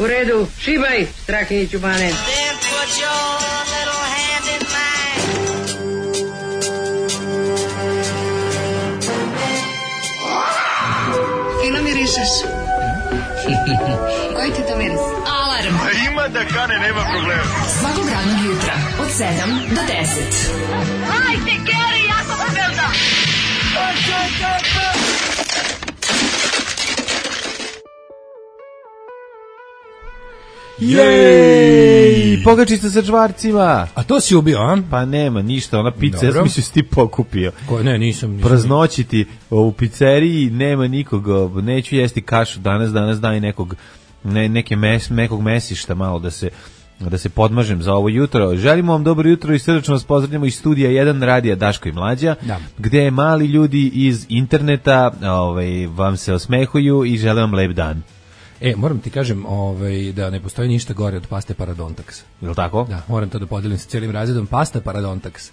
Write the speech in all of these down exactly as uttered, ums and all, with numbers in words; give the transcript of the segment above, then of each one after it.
U redu, šibaj, Strahinjiću Bane. Fino mirišeš. Koji ti to miris? Alarm. A ima da kane, nema problema. Svakog radnog jutra, od sedam do deset. Hajde, Geri, jako se velda. Jej, pogačica sa čvarcima. A to si ubio, a? Pa nema ništa, ona pizza, ja sam mislio si ti pokupio. Ko, ne, nisam. nisam. Praznoćiti u pizzeriji, nema nikog, neću jesti kašu danas, danas daj nekog, ne, neke mes, nekog mesišta malo da se da se podmažem za ovo jutro. Želimo vam dobro jutro i srdačno vas pozdravljamo iz studija jedan radija Daško i Mlađa, da. Gde mali ljudi iz interneta ovaj, vam se osmehuju i žele vam lep dan. E, moram ti kažem ovaj, da ne postoji ništa gore od paste Paradontax. Je li tako? Da, moram to da podelim sa cijelim razredom. Pasta Paradontax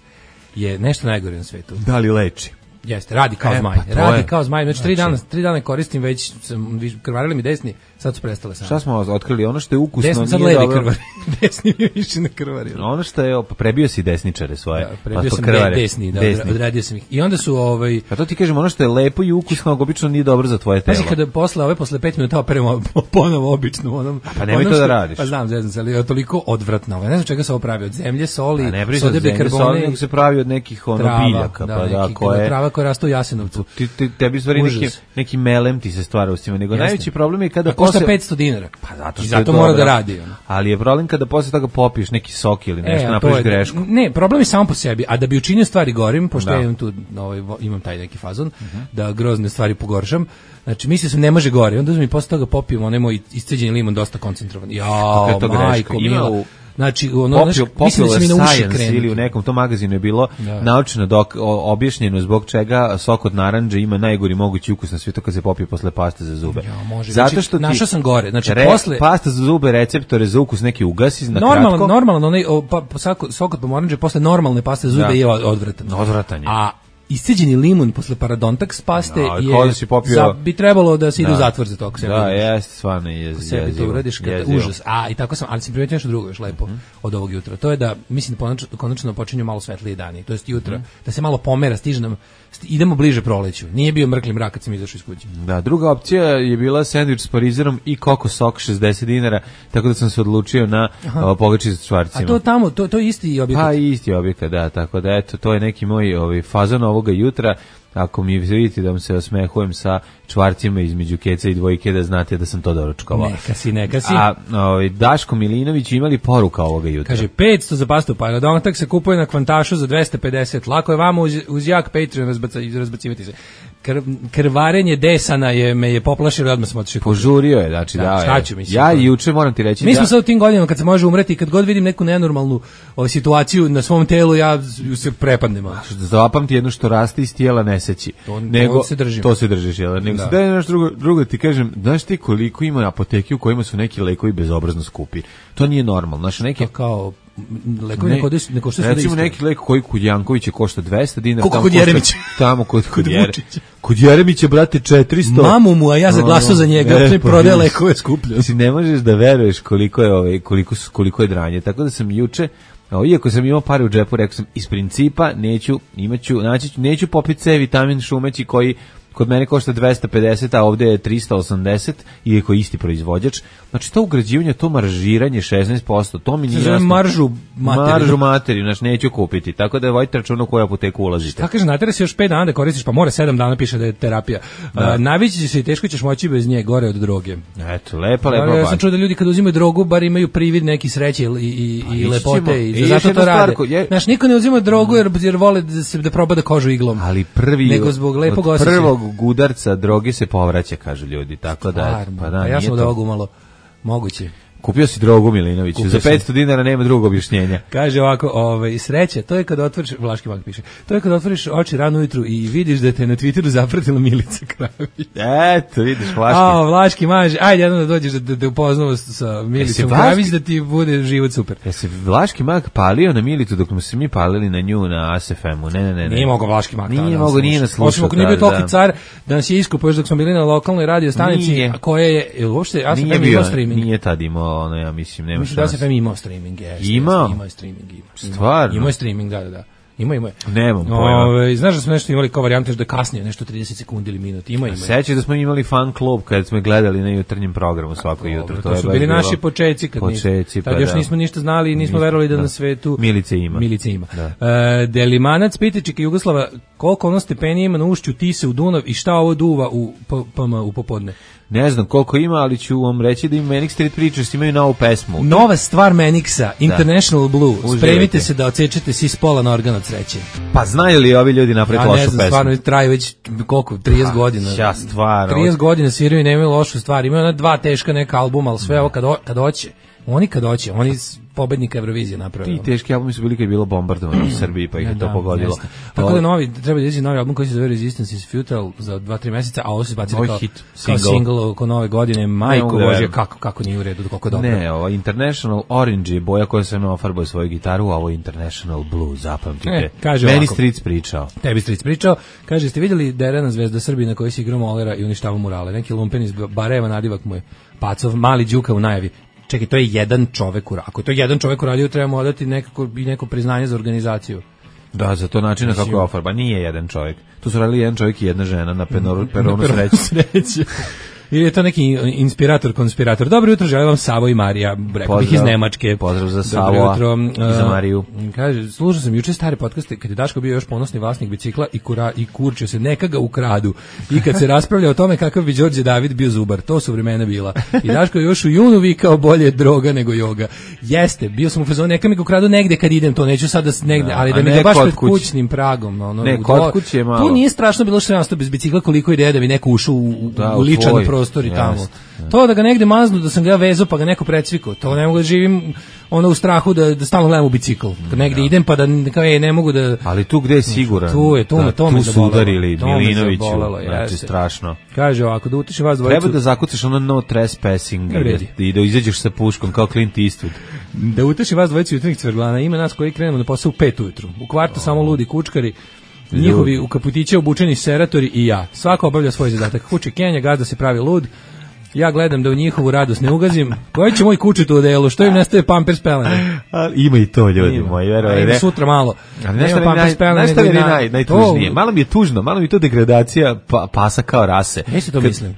je nešto najgore na svetu. Da li leči? Jeste, radi kao e, zmaj. Pa radi je. kao zmaj. Znači, tri dana, tri dana koristim, već sam, krvarili mi desni, sad su prestale same. Šta smo otkrili? Ono što je ukusno desni, sad nije levi dobro. Krvari. Desni mi više ne krvari. Ono što je, prebio si desničare svoje. Da, prebio pa sam krvare. desni, da, desni. odradio sam ih. I onda su ovaj... A to ti kažem, ono što je lepo i ukusno, obično nije dobro za tvoje telo. Pazi, kada posle, ove posle pet minuta operemo ponovo običnu. Onom, pa nemoj to da radiš. Pa znam, zezam se, ali je toliko odvratno. Ne znam čega se ovo pravi, od zemlje, soli, a ne sode bikarbone. Nego se pravi od nekih ono trava, biljaka. Da, pa neki, da, koje... trava koja raste u Jasenovcu. Ti, ti, tebi stvari neki, neki melem ti se stvara u svima. Nego Jasne. Najveći problem je kada... A košta posle... petsto dinara. Pa zato, I zato mora da radi. Ono. Ali je problem kada posle toga popiješ neki sok ili nešto, e, napraviš grešku. Ne, problem je samo po sebi. A da bi učinio stvari gorim, pošto da. ja imam, tu, ovaj, imam taj neki fazon, uh-huh. da grozne stvari pogoršam, znači mislio sam ne može gore. Onda mi posle toga popijem onaj moj isceđeni limun dosta koncentrovan. Jao, majko, mila. Znači, ono, Popio, znaš, mislim da se mi na uši krenu. Ili u nekom tom magazinu je bilo da. naučno dok, o, objašnjeno zbog čega sok od narandže ima najgori mogući ukus na svijetu kad se popije posle paste za zube. Ja, može. Zato znači, što ti našao sam gore. Znači, re, posle... pasta za zube, receptore za ukus neki ugasi na normalno, kratko. Normalno, onaj, pa, sok od pomorandže posle normalne paste za zube da. je odvratan. Odvratan je. A isceđeni limun posle Paradontax paste no, je si popio... za, bi trebalo da se ide da. u zatvor za to. Ako da, jeste, stvarno je jezivo. Sebi to uradiš kada užas. A, i tako sam, ali sam primetio nešto drugo još lepo mm. od ovog jutra. To je da, mislim da konačno, konačno počinju malo svetlije dani. To jest jutra, mm. da se malo pomera, stiže nam, sti, idemo bliže proleću. Nije bio mrkli mrak kad sam izašao iz kuće. Da, druga opcija je bila sendvič s parizerom i koko sok šezdeset dinara, tako da sam se odlučio na pogačicu sa čvarcima. A to tamo, to, to je isti objekat? Pa isti objekat, da, tako da eto, to je neki moj ovaj, fazon ovoga jutra. Ako mi vidite da vam se osmehujem sa čvarcima između keca i dvojke, da znate da sam to doručkovao. Neka si, neka si. A ovaj, Daško Milinović imali poruka ovoga jutra. Kaže, petsto za pastu Paradontax se kupuje na kvantašu za dvesta pedeset. Lako je vama uz, uz jak Patreon razbaca, razbacivati se. Kr, krvarenje desana je, me je poplašilo, odmah sam otišao. Požurio je, znači da. da šta ću, mislim, ja i juče moram ti reći mi da... smo sad u tim godinama kad se može umreti, kad god vidim neku nenormalnu o, situaciju na svom telu, ja se prepadnem. Zapamti jedno što raste iz tijela neseći. To, nego, to se držim. To se držiš, jel? Nego da. se da je nešto drugo, drugo ti kažem, znaš ti koliko ima apoteke u kojima su neki lekovi bezobrazno skupi. To nije normalno. Znaš, neki... To kao... Lekovi ne, ne, ne košta recimo neki lek koji kod Jankovića košta dvesta dinara, koliko kod Jeremića, tamo kod kod Jeremića, kod Jeremića brate četiristo. Mamu mu, a ja za glasao za njega, ne, pa prodaje lekove skuplje. Mislim, ne možeš da veruješ koliko je ovaj koliko koliko je dranje. Tako da sam juče, o, iako sam imao pare u džepu, rekao sam iz principa neću, imaću, naći neću popiti C vitamin šumeći koji kod mene košta dvesta pedeset, a ovdje je trista osamdeset, iako je isti proizvođač. Znači, to ugrađivanje, to maržiranje šesnaest posto, to mi nije jasno. Maržu materiju. Maržu materiju, znači, neću kupiti. Tako da vojte računa u koju apoteku ulazite. Šta kaže, natera se još pet dana da koristiš, pa mora sedam dana, piše da je terapija. Da. Uh, navići će se i teško ćeš moći bez nje, gore od droge. Eto, lepa, lepa. Ja sam čuo da ljudi kad uzimaju drogu, bar imaju privid neki sreće i, i, i lepote, i zato to rade. Je... Znaš, niko ne uzima drogu jer, jer vole da se da proba da kožu iglom. Ali prvi, nego zbog lepog od prvog gudarca droge se povraća, kažu ljudi, tako da, pa da, a ja sam od ovog umalo moguće. Kupio si drogu, Milinoviću. Kupio Za sam. petsto dinara nema drugog objašnjenja. Kaže ovako, ovaj, sreće, to je kad otvoriš, Vlaški mag piše, to je kad otvoriš oči rano ujutru i vidiš da te na Twitteru zapratila Milica Kravić. Eto, vidiš, Vlaški. A, Vlaški maž, ajde jednom da dođeš da te upoznamo sa Milicom Vlaški- Kravić da ti bude život super. Ja se Vlaški mag palio na Militu dok smo se mi palili na nju na A S F M-u. Ne, ne, ne. ne. Nije mogao Vlaški mag. Nije tada nas mogao, nije nas slušao. Osim slušao ako nije bio tada, toliki da. car da nas je iskupao još dok smo bili na lokalnoj radio stanici, Nije. a koje je, jel uopšte, ja sam Nije imao bio, streaming. nije tad imao, ono, ja mislim, nema Mislim da šanse. se F M imao streaming, jeste. Imao? jeste, Imao je streaming, ima. Ima. Stvarno? Imao je streaming, da, da, da. Ima, ima. Nemam pojma. Ove, znaš da smo nešto imali kao varijante da je kasnije, nešto trideset sekundi ili minut. Ima, ima. Sećaš da smo imali fan klub kad smo gledali na jutarnjem programu svako jutro. Dobro, To, to je su baš bili bilo- naši počeci kad Počeci, nismo, tad pa još da. nismo ništa znali i nismo Nismo, verovali da, da. na svetu Milice ima. Milice ima. Da. E, Delimanac Pitičika Jugoslava, koliko ono stepeni ima na ušću Tise u Dunav i šta ovo duva u P M u popodne? Ne znam koliko ima, ali ću vam reći da im Manic Street Preachers imaju novu pesmu. Nova stvar Manixa, International Blue. Uživajte. Spremite se da odsečete si s pola na organ od sreće. Pa znaju li ovi ljudi napraviti Ja lošu ne znam, pesmu? stvarno traju već koliko, trideset godina. Ja, stvarno. trideset godina sviraju i nemaju lošu stvar. Imaju ona dva teška neka albuma, ali sve ovo kad, o, kad hoće. Oni kad hoće, oni s pobednika Eurovizije napravili. Ti teški albumi su bili kad je bilo bombardovano u Srbiji, pa ih je to Da, pogodilo. jeste. Tako da novi, treba da izađe novi album koji se zove Resistance is Futile za dva tri meseca, a ovo se izbacili Novi kao, hit, kao single. single oko nove godine. Majko mogu da Božje, verujem. kako, kako nije u redu, koliko je dobro. Ne, ovo International Orange je boja koja se me ofarbao svoju gitaru, a ovo je International Blue, zapamtite. E, kaže Meni ovako. Streets pričao. Tebi Stric pričao, kaže, ste vidjeli Derena Zvezda Srbije na kojoj se igrao Molera i uništavao murale? Neki lumpen iz Bareva, nadivak mu je Pacov, mali Đuka u najavi. Čekaj, to je jedan čovek uradio. Ako je to jedan čovek uradio, trebamo odati nekako i neko priznanje za organizaciju. Da, za to načina Mislim- kako je ofarba. Nije jedan čovjek. Tu su radili jedan čovjek i jedna žena na peronu, peronu sreće. Sreće. Ili je to neki inspirator, konspirator. Dobro jutro, želim vam Savo i Marija, rekao bih iz Pozdrav. Nemačke. Pozdrav za Dobro Savoa jutro. i za Uh, Mariju. Kaže, slušao sam juče stare podcaste kad je Daško bio još ponosni vlasnik bicikla i, kura, i kurčio se, neka ga ukradu. I kad se raspravlja o tome kakav bi Đorđe David bio zubar, to su vremena bila. I Daško je još u junu vikao bolje droga nego joga. Jeste, bio sam u fazonu, neka mi ga ukradu negde kad idem, to neću sada s- negde, Da, ali a da mi ne ga baš kod pred kuće. kućnim pragom. Ono, Ne, u kod dvo- kuće je malo. Tu nije strašno bilo što je nastao bez bicikla, koliko ide da bi neko ušao u, u, Da, u u ličan tvoj. prostor i tamo. Jeste, To da ga negde maznu, da sam ga ja vezao pa ga neko precvikao, to ne mogu da živim ono u strahu da, da stalno gledam u bicikl. Kad negde idem pa da kao, ej, ne mogu da... Ali tu gde je siguran? Tu je, tu me- Da, to me tu su zabolelo. udarili To me Milinoviću. zabolelo, Znači, jeste. strašno. Kaže ovako, da utiše vas dvojicu... Treba da zakucaš ono no trespassing Ne vredi. i da izađeš sa puškom kao Clint Eastwood. Da uteši vas dvojicu jutarnjih cverglana, ima nas koji krenemo na posao u pet ujutru. U kvartu samo ludi kučkari, njihovi u kaputiće obučeni seratori i ja. Svako obavlja svoj zadatak. Kuće Kenja, gazda se pravi lud. Ja gledam da u njihovu radost ne ugazim. Koji će moj kučet u odelu? Što im nestaje pampers pelene? Ali ima i to, ljudi Ima. moji, A verovali ima ne. sutra malo. Ali Nema nešto mi pampers naj, pelene, nešto nego mi je na- naj, najtužnije. Malo mi je tužno, malo mi je to degradacija pa, pasa kao rase. Jesi to Kad- mislim?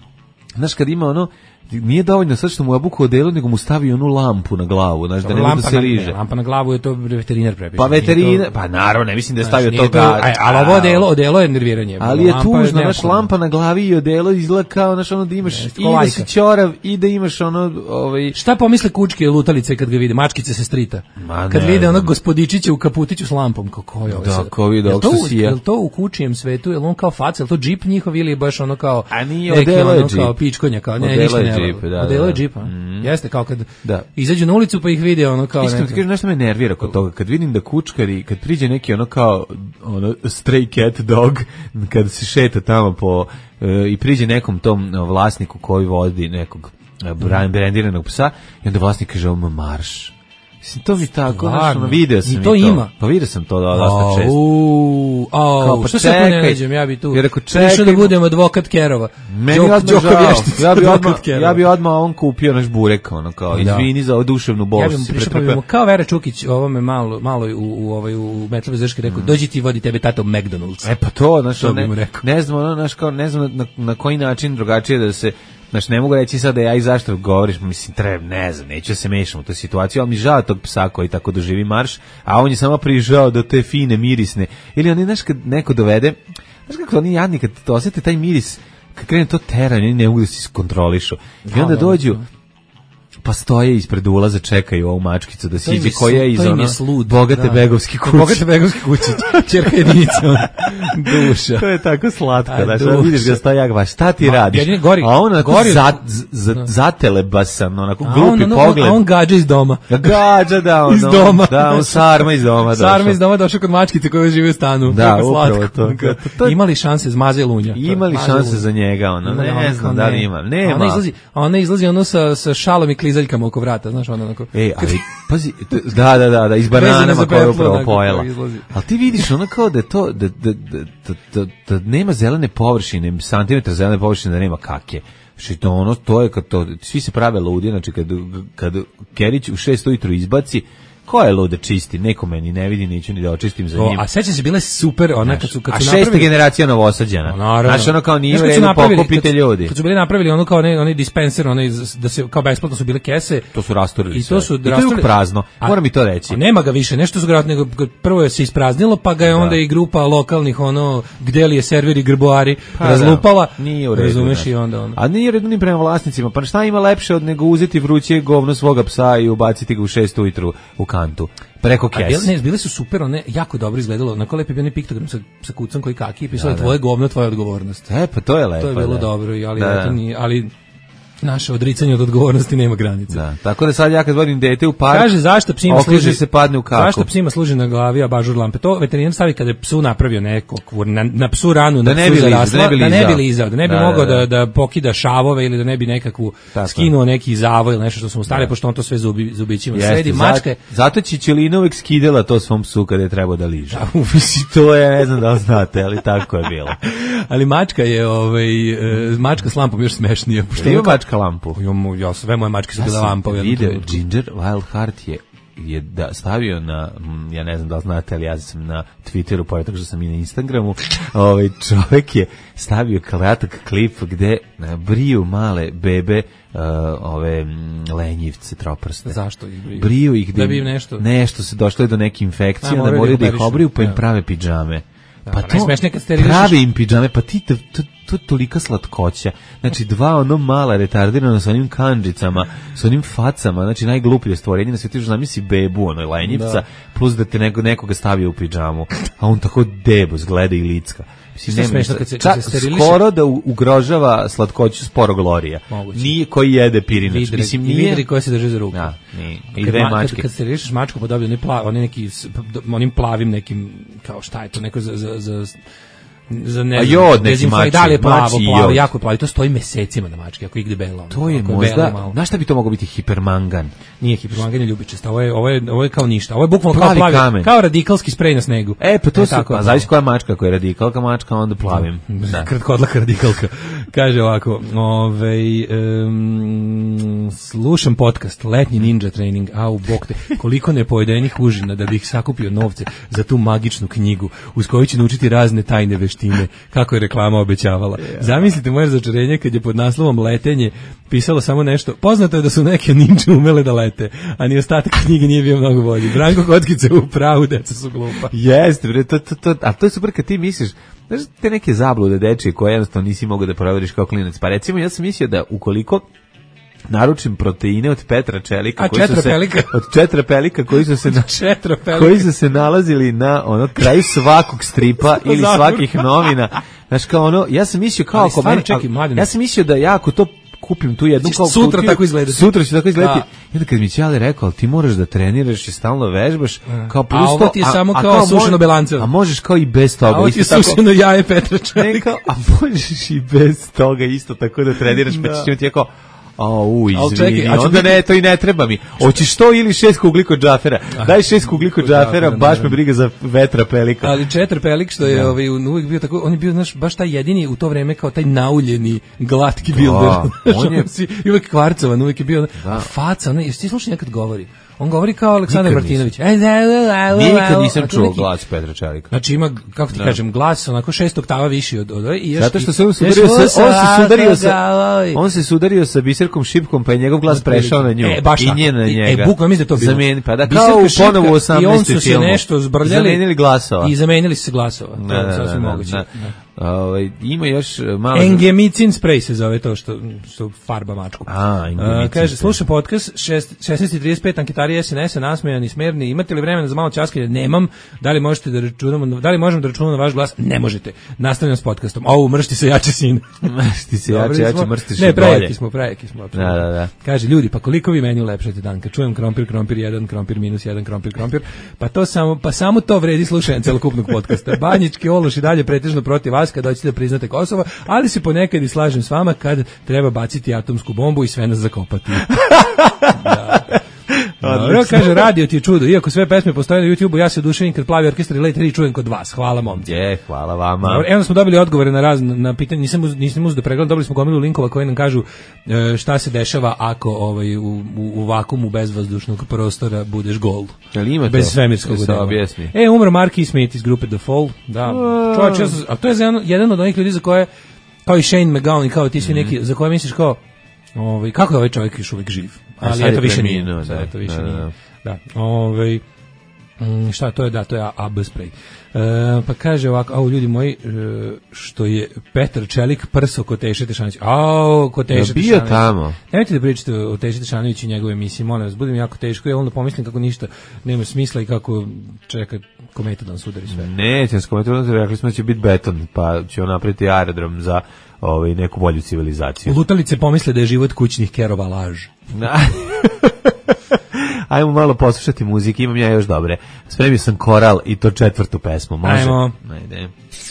Znaš, kad ima ono, nije dovoljno sad što mu obuku odelu, nego mu stavi onu lampu na glavu, znaš, da ne može da Lampa se na- liže. ne, Lampa na glavu je to veterinar prepiše. Pa Nije veterina, to- pa naravno, ne mislim da je Znaš, stavio nije to ga... aj, ali ovo odelo, odelo je nerviranje. Ali je Lampa tužno, znaš, neophodna. lampa na glavi i odelo izgleda kao, znaš, ono da imaš Jeste, i ko da lajka. si ćorav i da imaš ono, ovaj... Šta pomisle kučke lutalice kad ga vide, mačkice se strita? Ma Kad ne vide znam. onog gospodičića u kaputiću s lampom, kako je ovo Da, sad? ko vide Jel ovog to što u- sija. Jel to u kučijem svetu, jel on kao faca, jel to džip njihov ili je baš ono kao... A nije, neki odelo je ono džip. kao pičkonja, kao ne, Odelo ništa je ne. džip, da, Odelo je da. džip, a? Jeste, kao kad Da. izađu na ulicu pa ih vide ono kao... Iskreno ti neko- kažem, nešto me nervira kod toga, kad vidim da kučkari, kad priđe neki ono kao ono stray cat dog, kad se šeta tamo po e, i priđe nekom tom e, vlasniku koji vodi nekog e, brand- brandiranog psa i onda vlasnik kaže ovo marš. Mislim, to mi tako, znaš, Stvarno? ono, video sam I i to ima? Pa video sam to da, dosta često. Au, au, Kao, pa što se ako ne čekaj. nađem, ja bi tu Jer ako prišao da čekaj- budem advokat Kerova. Meni Đok- odmah Đoko žao. Vještica, Ja bi advokat odmah, Kerova. ja bi odmah on kupio naš burek, ono kao, Da. izvini za oduševnu bol. Ja bih mu si prišao pa pretrpeo. bi mu kao Vera Čukić ovome malo, malo u, u, ovaj, u Metlove Zrške rekao, dođi ti vodi tebe tato McDonald's. E pa to, znaš, To bi ne, mu rekao. ne znam, ono, znaš, kao, ne znam na, na koji način drugačije da se, znaš, ne mogu reći sad da ja i zašto govoriš, mislim, treba, ne znam, neću da se mešam u tu situaciju, ali mi žao tog psa koji tako doživi marš, a on je samo prižao do te fine mirisne, ili oni, znaš, kad neko dovede, znaš kako oni jadni, kad to osjete taj miris, kad krene to teranje, oni ne mogu da se iskontrolišu, i onda da, dođu, pa stoje ispred ulaza, čekaju ovu mačkicu da siđe, koja je iz ono slud, bogate da. begovske kuće. Bogate begovske kuće, ćerka jedinica, duša. To je tako slatko, A, da duša. vidiš ga stoja jak baš, šta ti Ma, radiš? jedini gori- a on onako gori- za, za, zatelebasan, onako A glupi on, ono, pogled. A on gađa iz doma. Gađa, da, ono, Iz doma. Da, on sarma iz doma došao. Sarma iz doma došao kod mačkice koja živi u stanu. Da, Kako upravo slatko. to. To- Imali šanse zmaze lunja. Imali Maze šanse lunja. za njega, ono, Ima, ne, ono ne kao znam da li ne. ima. A Nema. Ona izlazi, a ona izlazi ono sa, sa šalom i klizaljkama oko vrata, znaš, ono onako. E, ali, pazi, t- da, da, da, da, iz Vezana bananama za koje je peplo, upravo onako, pojela. kako izlazi. Ali ti vidiš ono kao da je to, da, da, da, da, da, da nema zelene površine, santimetra zelene površine, da nema kake. Znači to ono, to je kad to, svi se prave ludi, znači kad, kad Kerić u šest ujutru izbaci, ko je lud da čisti, neko meni ne vidi, neću ni da očistim za To, njim. a sećam se, bile super, ona kad su, kad A su šesta napravili... generacija Novosađana. Naravno. Znači ono kao nije Znaš, u kad su redu, napravili- pokupite kad su- ljudi. Kad su bili napravili ono kao onaj, onaj dispenser, onaj, z- da se kao besplatno su bile kese. To su rasturili I sve. to su I to je rasturili- uvijek prazno, A- moram mi to reći. A nema ga više, nešto su ga nego prvo je se ispraznilo, pa ga je onda i grupa lokalnih ono gde li je serveri grboari Pa razlupala. da, nije u redu. Razumeš znači. i onda ono. A nije u redu ni prema vlasnicima. Pa šta ima lepše od nego uzeti vruće govno svoga psa i ubaciti ga u šest ujutru u kantu? Preko A bile, kese. ne, bile su super, one jako dobro izgledalo. Na lepo je bio onaj piktogram sa, sa kucom koji kaki i pisalo Da, da. tvoje govno, tvoja odgovornost. E, pa to je lepo. To je bilo da. dobro, i- ali, Da, eto, da. nije- ali naše odricanje od odgovornosti nema granice. Da, tako da sad ja kad vodim dete u park, Kaže zašto psima okliže služi se padne u kaku. Zašto psima služi na glavi abažur lampe? To veterinar stavi kada je psu napravio neko na, na psu ranu, Da na ne psu bi lizao, zarasla, da ne bi da ne bi lizao. lizao, da ne bi Da, mogao da, da, da. da pokida šavove ili da ne bi nekakvu Tako je. skinuo neki zavoj ili nešto što su mu stare, pošto on to sve zubi, zubićima Jeste, sredi. za- Mačka je Zato Čičelina uvek skidela to svom psu kada je trebao da liže. Mislim, to je, ne znam da li znate, ali tako je bilo. ali mačka je ovaj e, mačka s lampom još smešnija, pošto Ima ono- mačka lampu. Imamo, ja, sve moje mačke su Ja bile sam lampa u jednom video, trenutku. Ginger Wildheart je je da stavio na, mm, ja ne znam da li znate, ali ja sam na Twitteru, pored toga što sam i na Instagramu, ovaj čovjek je stavio kratak klip gde e, briju male bebe uh, ove mm, lenjivce, troprste. Zašto ih briju? Briju ih Da bi im nešto- nešto se došlo je do neke infekcije, A, da moraju moraju da da ih ih operišu. obriju, pa im Da. prave pidžame. Pa pa to, najsmešnije kad sterilišeš- prave im pidžame, pa ti, to, to, to je tolika slatkoća. Znači, dva ono mala retardirana sa onim kandžicama, sa onim facama, znači najgluplje stvorenje na svijetu, još zamisli bebu, ono, lenjivca, Da. plus da te neko, nekoga stavio u pidžamu, a on tako debos gleda i licka. Mislim, Što je nema smešno ništa. kad se- kad Čak se steriliše- skoro da u- ugrožava slatkoću sporo Glorija. Moguće. Nije koji jede pirinač. Vidri, Mislim, i nije... vidri koje se drže za ruku. Da, nije. I Kad dve ma- mačke. Kad, kad se rešiš mačku, pa dobio onaj plav, onaj neki, s- p- onim plavim nekim, kao šta je to, neko za, za, za za ne A znam, jod neki dezinfo- mači, da li je plavo, mači plavo, jod. jako je plavo, i to stoji mesecima na mački, ako igde belo. To je ako belo možda, malo. znaš šta bi to moglo biti, hipermangan? Nije hipermanganje ljubičasta, ovo je, ovo je, ovo je kao ništa, ovo je bukvalno kao Plavi plavi, kamen. kao radikalski sprej na snegu. E, pa to E, su, tako je pa plavo. zavisi koja mačka, koja je radikalka mačka, onda plavim. Da. Kratkodlaka radikalka. Kaže ovako, ovaj, um, slušam podcast, letnji ninja trening, au, bok te, koliko nepojedenih užina da bih sakupio novce za tu magičnu knjigu, uz koju ću naučiti razne tajne veštine, kako je reklama obećavala. Zamislite moje razočarenje kad je pod naslovom letenje pisalo samo nešto. Poznato je da su neke ninja umele da lete, a ni ostatak knjige nije bio mnogo bolji. Branko Kockice u pravu, deca su glupa. Jeste, bre, to, to, to, a to je super kad ti misliš, znaš, te neke zablude dečije koje jednostavno nisi mogao da proveriš kao klinac. Pa recimo, ja sam mislio da ukoliko naručim proteine od Petra Čelika, A, koji su se, četrapelika? od četrapelika koji su se na, Četrapelika. koji su se nalazili na ono kraju svakog stripa ili Zavrka. svakih novina. Znaš, kao ono, ja sam mislio kao Ali ako stvarno, meni, čekaj, ali- Mladene. ja sam mislio da ja ako to kupim tu jednu Ćeš kao sutra kutiju, tako izgledati. Sutra će tako izgledati. Da. I onda kad mi Ćale rekao, ali ti moraš da treniraš i stalno vežbaš, kao plus A ovo to- ti je samo kao mo- sušeno belancevo. A možeš kao i bez toga. A ovo ti je isto tako- sušeno jaje Petra Ne, Čelika. kao, a možeš i bez toga isto tako da treniraš, pa ćeš imati jako, a u, Al izvini, čekaj, a ću onda biti- ne, to i ne treba mi. Hoćeš to ili šest kugli kod džafera? Daj šest kugli kod džafera, džafera, baš me naravno. briga za vetra pelika. Ali Četar Pelik što je ovaj uvijek bio tako, on je bio znaš baš taj jedini u to vreme kao taj nauljeni glatki builder. Da, on je- si i uvijek kvarcovan, uvijek je bio Da. a faca, ne, jesi ti slušao nekad govori? On govori kao Aleksandar Nikad Martinović. Nikad nisam A to čuo neki- glas Petra Čelika. Znači ima, kako ti kažem, glas onako šest oktava viši od od i još Zato što i- se on još sudario sa, on se sudario sa, galovi. on se sudario sa Biserkom Šipkom, pa je njegov glas prešao na nju. E, baš I tako. nje na I- njega. E, bukvalno mislim da je to bilo. Zameni, pa da, Biserka kao u Šipka ponovo u i on osamnaestom su se filmu. nešto zbrljali. Zamenili glasova. I zamenili su se glasova. To Da, je da, sasvim da, moguće. da. Da. Ovaj ima još malo Engemicin spray se zove to što što farba mačku. A, engemicin. Uh, kaže slušaj podcast šesnaest i trideset pet anketari S N S-a nasmejani smerni. Imate li vremena za malo ćaskanja? Nemam. Da li možete da računamo, da li možemo da računamo na vaš glas? Ne možete. Nastavljam s podcastom. Au, mršti se jače sin. Mršti se jače, jače mrštiš ne, prejaki smo, prejaki smo. Da, da, da. Kaže ljudi, pa koliko vi meni ulepšate dan? Kad čujem krompir, krompir jedan, krompir minus jedan, krompir, krompir, pa to samo, pa samo to vredi slušanje celokupnog podcasta. Banjički ološ i dalje pretežno protiv vas kad hoćete da priznate Kosovo, ali se ponekad i slažem s vama kad treba baciti atomsku bombu i sve nas zakopati. Da. Dobro, kaže, radio ti je čudo. Iako sve pesme postoje na YouTubeu, ja se oduševim kad Plavi orkestar i Late tri čujem kod vas. Hvala momci. Je, hvala vama. Dobro, evo smo dobili odgovore na razne na pitanje. Nisam uz, nisam uz da pregledam, dobili smo gomilu linkova koji nam kažu e, šta se dešava ako ovaj u, u, u vakuumu bezvazdušnog prostora budeš gol. Ali ima bez to? svemirskog dela. Objasni. E, umro Marky Smith iz grupe The Fall. Da. Čovječ, a to je jedan, jedan od onih ljudi za koje kao i Shane MacGowan i kao ti svi neki, mm. za koje misliš kao ovaj kako je ovaj čovjek još uvijek živ. Ali eto više nije. Da, to više nije. Da, ovaj šta to je, da, to je A B spray. E, pa kaže ovako, au ljudi moji, što je Petar Čelik prso kod Teše Tešanović. Au, kod Teše Tešanović. Ja bio tamo. Nemojte da pričate o Teši Tešanoviću i njegove emisije, molim vas, budem jako teško, ja onda pomislim kako ništa nema smisla i kako čeka kometa da nas udari sve. Neće, s kometom da rekli smo da će biti beton, pa će on napraviti aerodrom za ovaj, neku bolju civilizaciju. Lutalice pomisle da je život kućnih kerova laž. Ajmo malo poslušati muzike, imam ja još dobre. Spremio sam koral i to četvrtu pesmu, može? Ajmo. Ajde.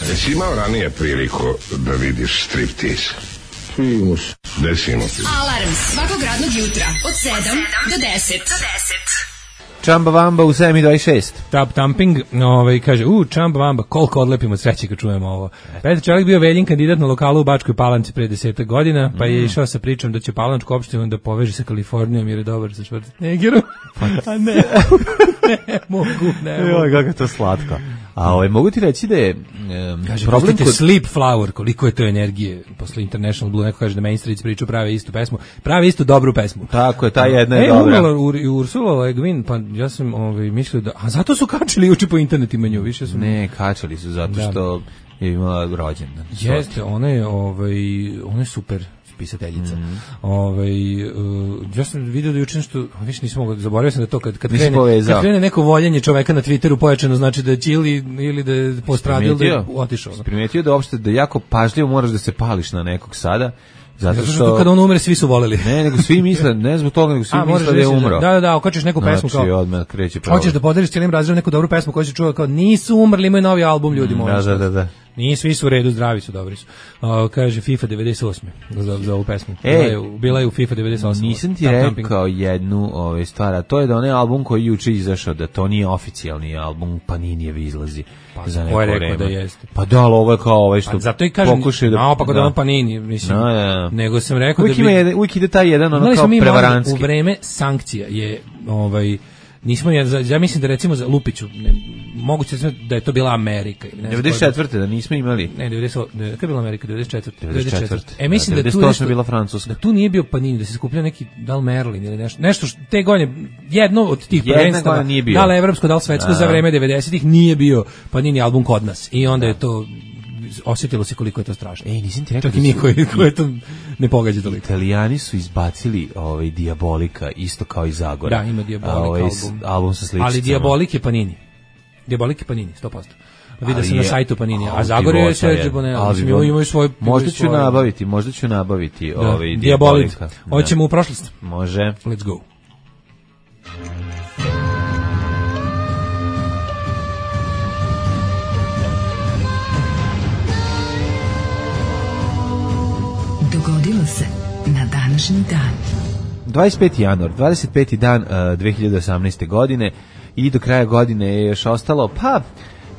Jesi imao ranije priliku da vidiš striptease? Primus. Desimo ti. Alarm svakog radnog jutra od sedam do deset. Čamba Vamba u sedam i dvadeset šest. Tap Tamping, ovaj, kaže, u, Čamba Vamba, koliko odlepimo od sreće kad čujemo ovo. Petar Čelik bio Veljin kandidat na lokalu u Bačkoj Palanci pre desetak godina, pa je išao sa pričom da će Palančku opštinu da poveže sa Kalifornijom jer je dobar sa Schwarzeneggerom. A ne, ne mogu, ne mogu. Joj, kako je to slatko. A ovaj, mogu ti reći da je um, kaže, problem kod... kod... Sleep Flower, koliko je to energije. Posle International Blue, neko kaže da Main Street priču prave istu pesmu. Prave istu dobru pesmu. Tako je, ta jedna je e, dobra. E, umrla Ursula Le Guin, pa ja sam ovaj, mislio da... A zato su kačili juče po internetima nju, više su... Ne, kačali su zato da. Što je imala rođendan. Jeste, ona je, ovaj, ona je super pisateljica. Mm. Ovaj uh, ja sam video da juče nešto, više nisam mogao, zaboravio sam da to kad kad krene, kad krene neko voljenje čoveka na Twitteru pojačano, znači da će ili ili da je postradio ili da otišao. Primetio da uopšte da jako pažljivo moraš da se pališ na nekog sada. Zato što, što kada on umre svi su voleli. Ne, nego svi misle, ne zbog toga, nego svi A, misle da je umro. Da, da, da, okačiš neku pesmu znači, kao. Odmah kreće pravo. Hoćeš da podeliš cijelim razredom neku dobru pesmu koju si čuo kao nisu umrli, imaju novi album ljudi moji. Da, da, da, da. Nije, svi su u redu, zdravi su, dobri su. Uh, kaže FIFA devedeset osam za, za ovu pesmu. E, bila, je, bila je u FIFA devedeset osam. Nisam ti rekao jednu ove, stvar, a to je da onaj album koji juče izašao, da to nije oficijalni album, Paninijevi izlazi. Pa za neko rekao vreme. Da jeste. Pa da, ali ovo je kao ovaj što pa, zato i kažem, pokušaju da... No, pa da on Panini, mislim. No, ja. Nego sam rekao uvijek da bi... Ima, uvijek ide taj jedan ono kao prevarantski. U vreme sankcija je ovaj... Nismo, ja, ja mislim da recimo za Lupiću, ne, moguće da je to bila Amerika. Ne devedeset četvrte da nismo imali. Ne, devedeset, ne, kada je bila Amerika, devedeset četvrte. devedeset četvrte. E, mislim da, da tu nešto, bila Francuska. Da tu nije bio Panini, da se skupljao neki, da li Merlin ili nešto, nešto što, te godine, jedno od tih prvenstava, da li evropsko, da li svetsko, za vreme devedesetih nije bio Panini album kod nas. I onda da. Je to... osjetilo se koliko je to strašno. Ej, nisam ti rekao. Čak i niko je to ne pogađa toliko. Italijani su izbacili ovaj Diabolika isto kao i Zagora. Da, ima Diabolik ovaj, album. album sa sličicama. Ali Diabolik je Panini. Diabolik je Panini, sto posto. Vidio sam na sajtu Panini, a Zagore je Sergio Bonello. Mislim, imaju svoj... Možda ću nabaviti, možda ću nabaviti da, ovaj Diabolika. Hoćemo u prošlost. Može. Let's go. Dogodilo se na današnji dan. dvadeset peti januar, dvadeset peti dan uh, dve hiljade osamnaeste. godine i do kraja godine je još ostalo, pa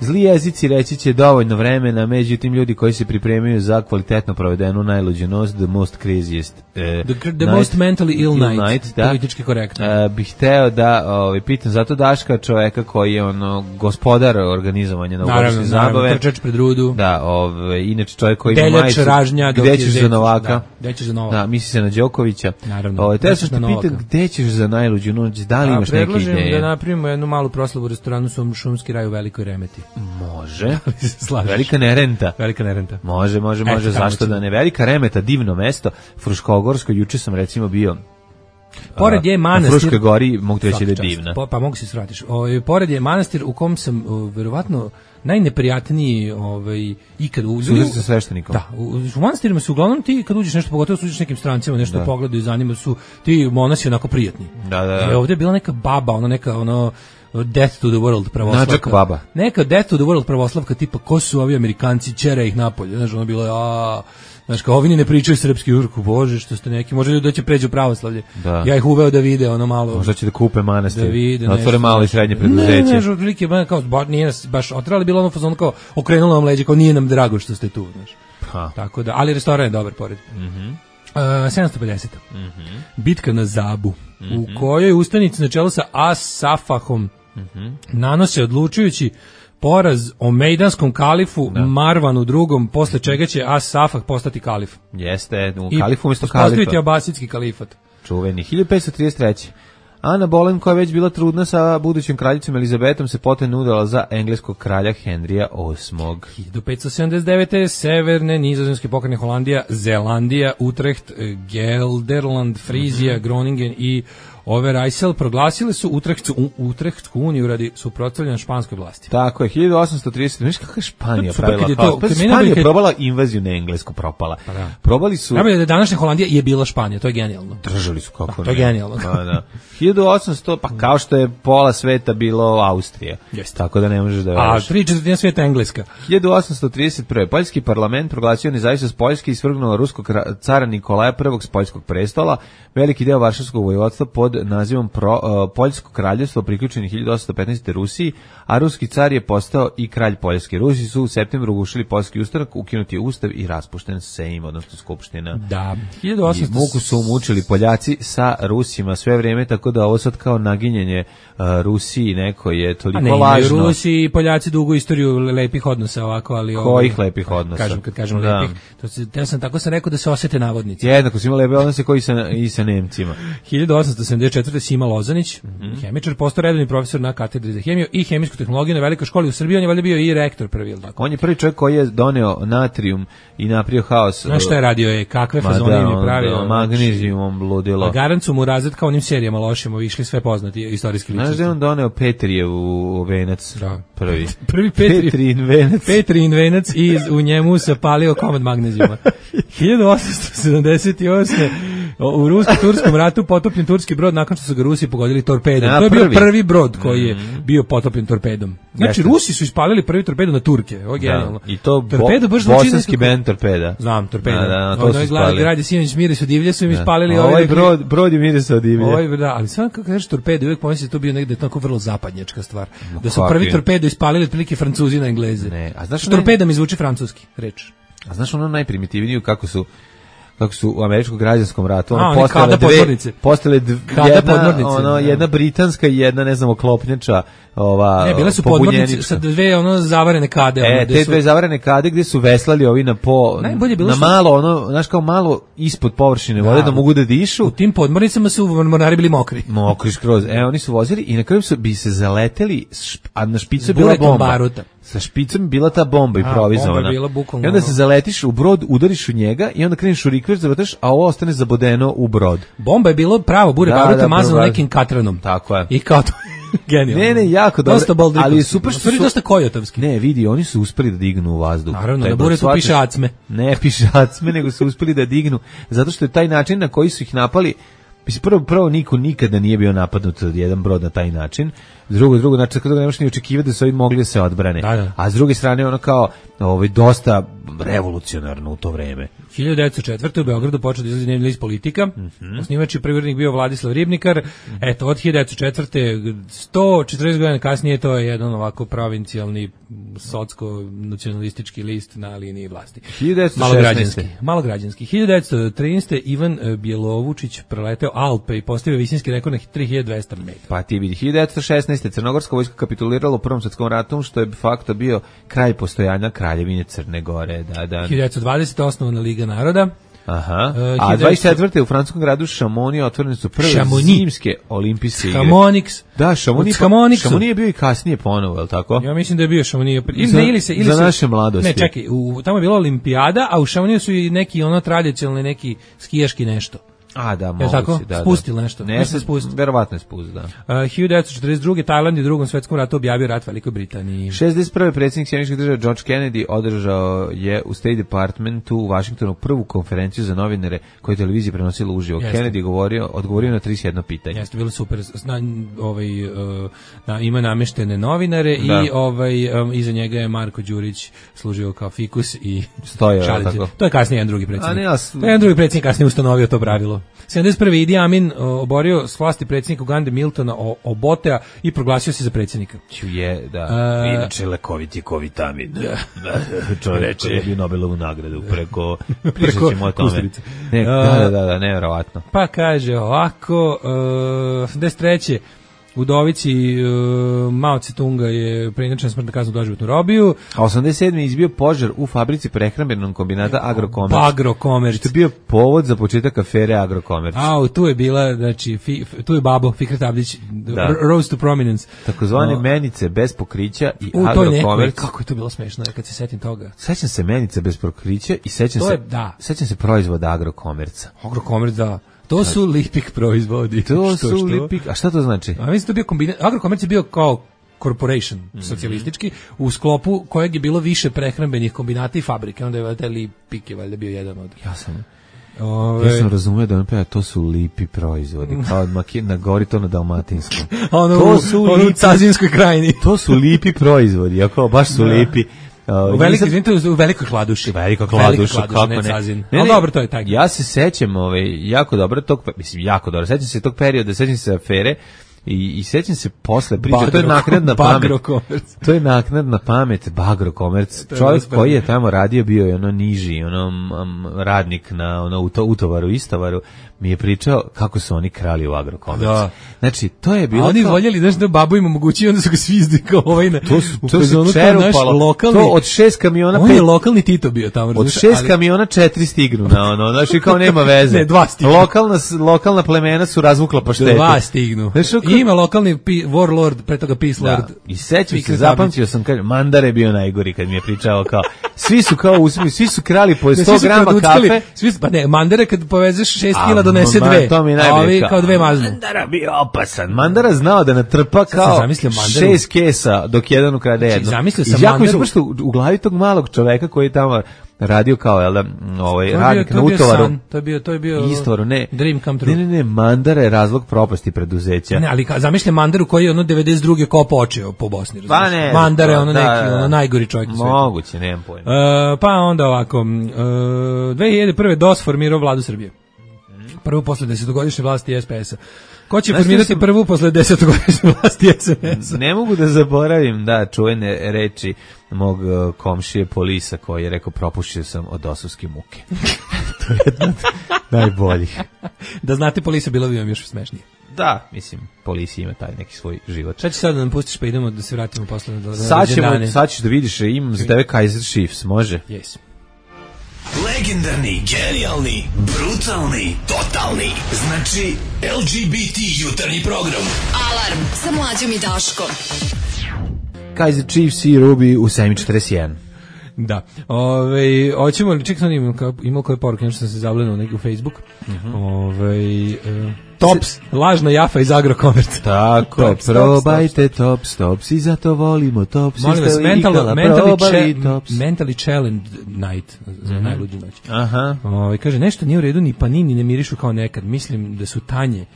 zli jezici reći će dovoljno vremena, međutim ljudi koji se pripremaju za kvalitetno provedenu najluđu noć, the most craziest uh, the, the night, most mentally ill, ill night, night da, politički korektno. Uh, bih hteo da ovaj, pitam zato Daška, čoveka koji je ono gospodar organizovanja novogodišnje zabave. Trčač pred rudu. Da, ovaj, inače čovjek koji Deljač, ima majicu, ražnja, gde ćeš za Novaka? Da, gde ćeš za Novaka? Da, misli se na Đokovića. Naravno. Ovaj, te sam te pitam gde ćeš za najluđu noć, da li imaš neke ideje? Predlažem da napravimo jednu malu proslavu u restoranu Šumski raj u Velikoj Remeti. Može. Slažeš. Velika nerenta. Velika nerenta. Može, može, može, Eto, zašto da ne? Velika Remeta, divno mesto. Fruškogorsko, juče sam recimo bio. Pored je manastir. U Fruškoj gori mogu ti reći da je divna. Po, pa mogu se svratiš. O, pored je manastir u kom sam o, verovatno najneprijatniji ovaj ikad u Susreti sa sveštenikom. Da, u, u manastirima su uglavnom ti kad uđeš nešto, pogotovo suđeš nekim strancima, nešto da. Pogledaju, zanima su ti monasi onako prijatni. Da, da, da. I ovdje je bila neka baba, ona neka ono Death to the World pravoslavka. Načak baba. Neka Death to the World pravoslavka tipa ko su ovi Amerikanci, ćera ih napolje. Znaš, ono bilo a znaš, kao ovi ne pričaju srpski urku, bože, što ste neki, možda ljudi doće pređu pravoslavlje. Da. Ja ih uveo da vide ono malo. Možda će da kupe manastir. Da vide. Da otvore malo i srednje preduzeće. Ne, ne, žurlike, kao, ba, nije nas baš otrali, bilo ono fazon kao okrenulo nam leđe, kao nije nam drago što ste tu, znaš. Ha. Tako da, ali restoran je dobar pored. Mhm. Mm Uh, sedamsto pedeset. Mm-hmm. Bitka na Zabu, mm-hmm. u kojoj ustanici na čelu sa As-Safahom mm-hmm. nanose odlučujući poraz o mejdanskom kalifu da. Marvanu drugom, posle čega će As-Safah postati kalif. Jeste, u kalifu umjesto kalifa. I postaviti abasidski kalifat. Čuveni. hiljadu petsto trideset treće. Ana Boleyn, koja je već bila trudna sa budućim kraljicom Elizabetom, se potom udala za engleskog kralja Henrija osmog. hiljadu petsto sedamdeset devete. Severne nizozemske pokrajine Holandija, Zelandija, Utrecht, Gelderland, Frizija, mm-hmm. Groningen i Overijssel proglasile su Utrechtsku, Utrechtsku uniju radi suprotstavljanja španskoj vlasti. Tako je, hiljadu osamsto trideset. Znaš kako je Španija pravila haos? Pa Španija je probala invaziju na Englesku, propala. Pa da. Probali su... Najbolje da današnja Holandija je bila Španija, to je genijalno. Držali su kako da, to je genijalno. Da, da. hiljadu osamsto, pa kao što je pola sveta bilo Austrija. Jeste. Tako da ne možeš da veriš. A tri četvrtine sveta Engleska. hiljadu osamsto trideset prve. Poljski parlament proglasio nezavisnost Poljske i svrgnuo ruskog cara Nikolaja prvog s poljskog prestola. Veliki deo Varšavskog vojvodstva pod nazivom Pro, uh, Poljsko kraljevstvo priključeno hiljadu osamsto petnaeste. Rusiji, a ruski car je postao i kralj Poljske. Rusi su u septembru ugušili poljski ustanak, ukinuti je ustav i raspušten Sejm, odnosno skupština. Da, hiljadu osamsto... I muku su umučili Poljaci sa Rusima sve vrijeme, tako da ovo sad kao naginjenje uh, Rusiji neko je toliko ne, lažno. Ne, Rusi i Poljaci dugu istoriju lepih odnosa ovako, ali... Kojih ovo, lepih odnosa? Kažem, kad kažem da. Lepih, to se, ja sam tako sam rekao da se osete navodnici. Jednako su imali lepe odnose koji sa, i sa Nemcima. hiljadu osamsto sedamdeset četvrte. Sima Lozanić, mm-hmm. hemičar, postao redovni profesor na katedri za hemiju i hemijsku tehnologiju na velikoj školi u Srbiji, on je valjda bio i rektor prvi. On je prvi čovjek koji je doneo natrijum i napravio haos. Znaš šta je radio je, kakve fazone im je pravio. Magnezijumom bludilo. A garant su mu razred kao onim serijama lošima, išli sve poznati istorijski ličnosti. Znaš da je on doneo Petrijevu venac da. prvi. Prvi Petri, Petrijin venac. Petrijin venac i u njemu se palio komad magnezijuma. hiljadu osamsto sedamdeset osme. U rusko-turskom ratu potopljen turski brod nakon što su ga Rusi pogodili torpedom. Ja, to je prvi. bio prvi brod koji je mm-hmm. bio potopljen torpedom. Znači, Jeste. Rusi su ispalili prvi torpedo na Turke. Ovo je genijalno. Da. I to torpedo bo, bosanski bend torpeda. Znam, torpeda. Da, da, to ono su spalili. Gradi Sinoć Mirisu divlje su im ispalili. Ovaj, ovaj brod, brod je Mirisu divlje. Ovaj, da, ali samo kako kažeš torpedo, uvijek pomisli da to bio negde tako vrlo zapadnjačka stvar. No, da su prvi je? torpedo ispalili otprilike Francuzi na Engleze. Ne, a znaš torpeda mi zvuči francuski, reč. A znaš ono najprimitivniju kako su kako su u američkom građanskom ratu ono a, postale dve postale jedna ono ne. jedna britanska i jedna ne znam oklopnjača ova ne bile su podmornice sa dve ono zavarene kade e, te su... dve zavarene kade gdje su veslali ovi na po na što... malo ono znaš kao malo ispod površine vode da, da mogu da dišu u tim podmornicama su mornari bili mokri mokri skroz e oni su vozili i na kraju su bi se zaleteli a na špicu je bila bomba baruta. Sa špicom bila ta bomba improvizovana. I onda se zaletiš u brod, udariš u njega i onda kreneš u rikver, zavataš, a ovo ostane zabodeno u brod. Bomba je bilo pravo, bure da, baruta da, mazano nekim katranom. Tako je. I kao to, genijalno. Ne, ne, jako dobro. Ali je super što su... dosta kojotovski. Ne, vidi, oni su uspeli da dignu u vazduh. Naravno, na buretu piše acme. Ne piše acme, nego su uspeli da dignu, zato što je taj način na koji su ih napali. Mislim, prvo, prvo niko nikada nije bio napadnut od jedan brod na taj način. Drugo, drugo, znači kada ne možeš ni očekivati da su ovi mogli da se odbrane. Da, da. A s druge strane ono kao ovaj dosta revolucionarno u to vreme. hiljadu devetsto četvrte. u Beogradu počeo da izlazi dnevni list Politika. Mm-hmm. Osnivač i prvi urednik bio Vladislav Ribnikar. Mm-hmm. Eto, od hiljadu devetsto četvrte. sto četrdeset godina kasnije to je jedan ovako provincijalni socsko-nacionalistički list na liniji vlasti. hiljadu devetsto šesnaeste. Malograđanski. Malograđanski. hiljadu devetsto trinaeste. Ivan Bjelovučić preleteo Alpe i postavio visinski rekord na tri hiljade dvesta metara. Pa ti vidi, hiljadu devetsto šesnaeste. Crnogorska vojska kapitulirala u Prvom svjetskom ratu, što je de facto bio kraj postojanja Kraljevine Crne Gore. Da, da. hiljadu devetsto dvadesete. osnovana Liga naroda. Aha. Uh, A dvadeset četvrte u francuskom gradu Chamonix otvorene su prve Chamonix. zimske olimpijske igre. Chamonix. Da, Chamonix. Chamonix je bio i kasnije ponovo, je li tako? Ja mislim da je bio Chamonix. Ili, za, ne, ili se, ili za se, naše mladosti. Ne, čekaj, u, tamo je bila olimpijada, a u Chamonixu su i neki ono tradicionalni, neki skijaški nešto. A, da, moguće, tako? da. Spustili nešto. Ne, se spustili. Verovatno je spustili, da. Uh, hiljadu devetsto četrdeset druge. Tajland je u drugom svetskom ratu objavio rat Velikoj Britaniji. šezdeset prve predsjednik Sjedinjenih Država George Kennedy održao je u State Departmentu u Vašingtonu prvu konferenciju za novinare koju je televizija prenosila uživo. Jeste. Kennedy govorio, odgovorio na trideset jedno pitanje. Jeste, bilo super. Zna, ovaj, uh, na, ima nameštene novinare da. i ovaj, um, iza njega je Marko Đurić služio kao fikus i stoje. Tako. To je kasnije jedan drugi predsjednik. A ne, as... To je jedan drugi predsjednik kasnije ustanovio to pravilo. sedamdeset prve. Idi Amin oborio s vlasti predsjednika Ugande Miltona Obotea i proglasio se za predsjednika. Je, da. Uh, Inače, lekovit je ko vitamin. Da. Čovjek koji je bio Nobelovu nagradu preko... Pričat ćemo o tome. Ne, da, da, da, da, nevjerovatno. Pa kaže ovako, uh, sedamdeset treće. Udovici uh, Mao Tse-tunga je preinačena smrtna kazna u doživotnu robiju. A osamdeset sedme izbio požar u fabrici prehrambenog kombinata Agrokomerc. Agrokomerc. Što je bio povod za početak afere Agrokomerc. A, tu je bila, znači, fi, tu je babo, Fikret Abdić, da. Rose to Prominence. Takozvane no. menice bez pokrića i u, Agrokomerc. Kako je to bilo smešno, kad se setim toga. Sećam se menice bez pokrića i sećam to se, je, da. sećam se proizvoda Agrokomerca. Agrokomerc, da. To su Lipik proizvodi. To što, su što? Lipik, a šta to znači? A mislim to bio kombinat, Agrokomerc je bio kao corporation, mm-hmm. socijalistički, u sklopu kojeg je bilo više prehrambenih kombinata i fabrike, onda je valjda Lipik je valjda bio jedan od... Ja sam... Ove... Ja sam razumio da on peva, to su lipi proizvodi, kao na gori to na dalmatinskom. ono to u, su ono lipi, u Cazinskoj krajini. To su lipi proizvodi, jako baš su da. lipi. Uh, u velikoj, izvinite, u velikoj Kladuši. Veliko Kladuša, kako ne. ne, ne, ali dobro, to je taj. Ja se sećam, ovaj, jako dobro tog, mislim, jako dobro, sećam se tog perioda, sećam se afere, I, i sećam se posle priče, Bagro, to je naknadna pamet. To je naknadna pamet Bagrokomerc. Čovjek koji je tamo radio bio je ono niži, ono um, radnik na ono uto, utovaru, istovaru, mi je pričao kako su oni krali u Agrokomerc. Da. Znači, to je bilo... A oni kao... voljeli, znaš, da babu im omogućio, onda su ga svi izdikao ovaj na... To su, to su čerupalo. Lokalni, to od šest kamiona... On pet, je lokalni Tito bio tamo. Od šest ali... kamiona četiri stignu na ono, znači kao nema veze. Ne, dva stignu. Lokalna, lokalna plemena su razvukla paštete. Dva stignu. Znači, I ima lokalni pi, warlord, pre toga peace lord. Da. I sećam se, zapamtio sam, kaže, Mandar je bio najgori kad mi je pričao kao, svi su kao uzmi, svi su krali po sto grama kafe. Svi su, pa ne, Mandare kad povezeš šest kila donese dve. A ovi kao dve maznu. Mandara bio opasan. Mandara znao da natrpa kao šest kesa dok jedan ukrade jedno. Zamislio sam I jako mi se u glavi tog malog čoveka koji je tamo radio kao jel, ovaj radnik na utovaru. To je bio to je bio Istvaru, ne. Dream come true. Ne, ne, ne, Mandara je razlog propasti preduzeća. Ne, ali zamišljam Mandaru koji je ono devedeset druge kao počeo po Bosni, pa ne, Mandara je ono da, neki, ono najgori čovjek na svijetu. Moguće, nemam pojma. Uh, pa onda ovako, uh, dve hiljade prve D O S formirao vladu Srbije. Prvu posle desetogodišnje vlasti S P S-a. Ko će formirati sam... prvu posle desetogodišnje vlasti S N S-a? Ne mogu da zaboravim, da, čuvene reči mog uh, komšije Polisa koji je rekao propušio sam od dosovske muke. To je jedna od najboljih. Da znate Polisa bilo bi vam još smešnije. Da, mislim, Polisi ima taj neki svoj život. Šta će sad da nam pustiš pa idemo da se vratimo posle na sad ćemo, sad ćeš da vidiš, imam za tebe Kaiser Chiefs, može? Yes. Legendarni, genijalni, brutalni, totalni. Znači, L G B T jutarnji program. Alarm sa Mlađom i Daškom. Kaiser Chiefs i Ruby u sedam četrdeset jedan. Da. Ove, hoćemo li, čekaj, sam imao, imao koje poruke, nešto sam se zablenuo neki u Facebook. Uh-huh. Ove, uh, Tops, lažna jafa iz Agrokomerca. Tako, tops, probajte Tops, Tops i zato volimo Tops. Molim vas, mentally, mentally, tops. mentally challenge night, za mm-hmm. najluđu noć. Aha. Ove, kaže, nešto nije u redu, ni panini ne mirišu kao nekad, mislim da su tanje.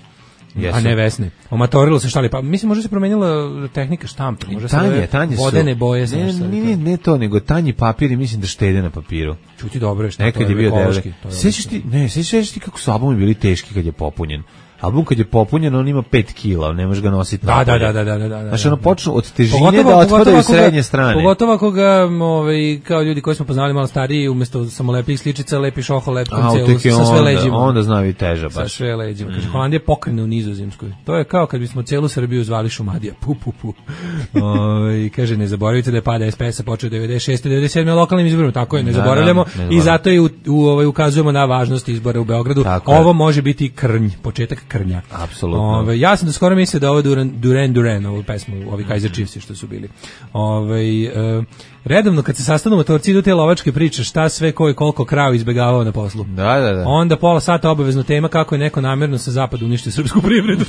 Jesu. A ne Vesne. Omatorilo se štali, pa mislim može se promenila tehnika štampe, može se tanje, tanje vodene boje. Ne, ne, ne, ne to, nego tanji papir i mislim da štede na papiru. Čuti dobro je što nekad to je bio debeli. Sećaš ti, ne, sećaš ti kako su albumi bili teški kad je popunjen. album kad je popunjen, on ima pet kila, ne možeš ga nositi Da, napolje. da, da, da, da, da. Znači, ono počnu od težine Pogotovo- da otpadaju pogotovo srednje ako ga- strane. Pogotovo ako ga, ovaj, kao ljudi koji smo poznali malo stariji, umesto samolepih sličica, lepiš oko lepkom A, celu, tek je sa sve onda, leđima. onda zna i teža Sa baš. sve leđima. Kaže, Holandija pokrene u Nizozemskoj. To je kao kad bismo celu Srbiju zvali Šumadija. Pu, pu, pu. Ovaj, kaže, ne zaboravite da je pada S P S-a počeo devedeset šeste devedeset sedme lokalnim izborima. Tako je, ne Da, zaboravljamo. da, ne I zaboravljamo. zato i u, u, ovaj, ukazujemo na važnost izbora u Beogradu. Tako je. Ovo može biti krnj, početak krnja. Apsolutno. Ovaj, ja sam do skoro mislio da ovo Duran Duran, Duran ovu pesmu, ovi Kaiser Chiefsi što su bili. Ovaj e, redovno kad se sastanu motorci idu te lovačke priče, šta sve ko i koliko krava izbegavao na poslu. Da, da, da. Onda pola sata obavezno tema kako je neko namjerno sa zapada uništio srpsku privredu.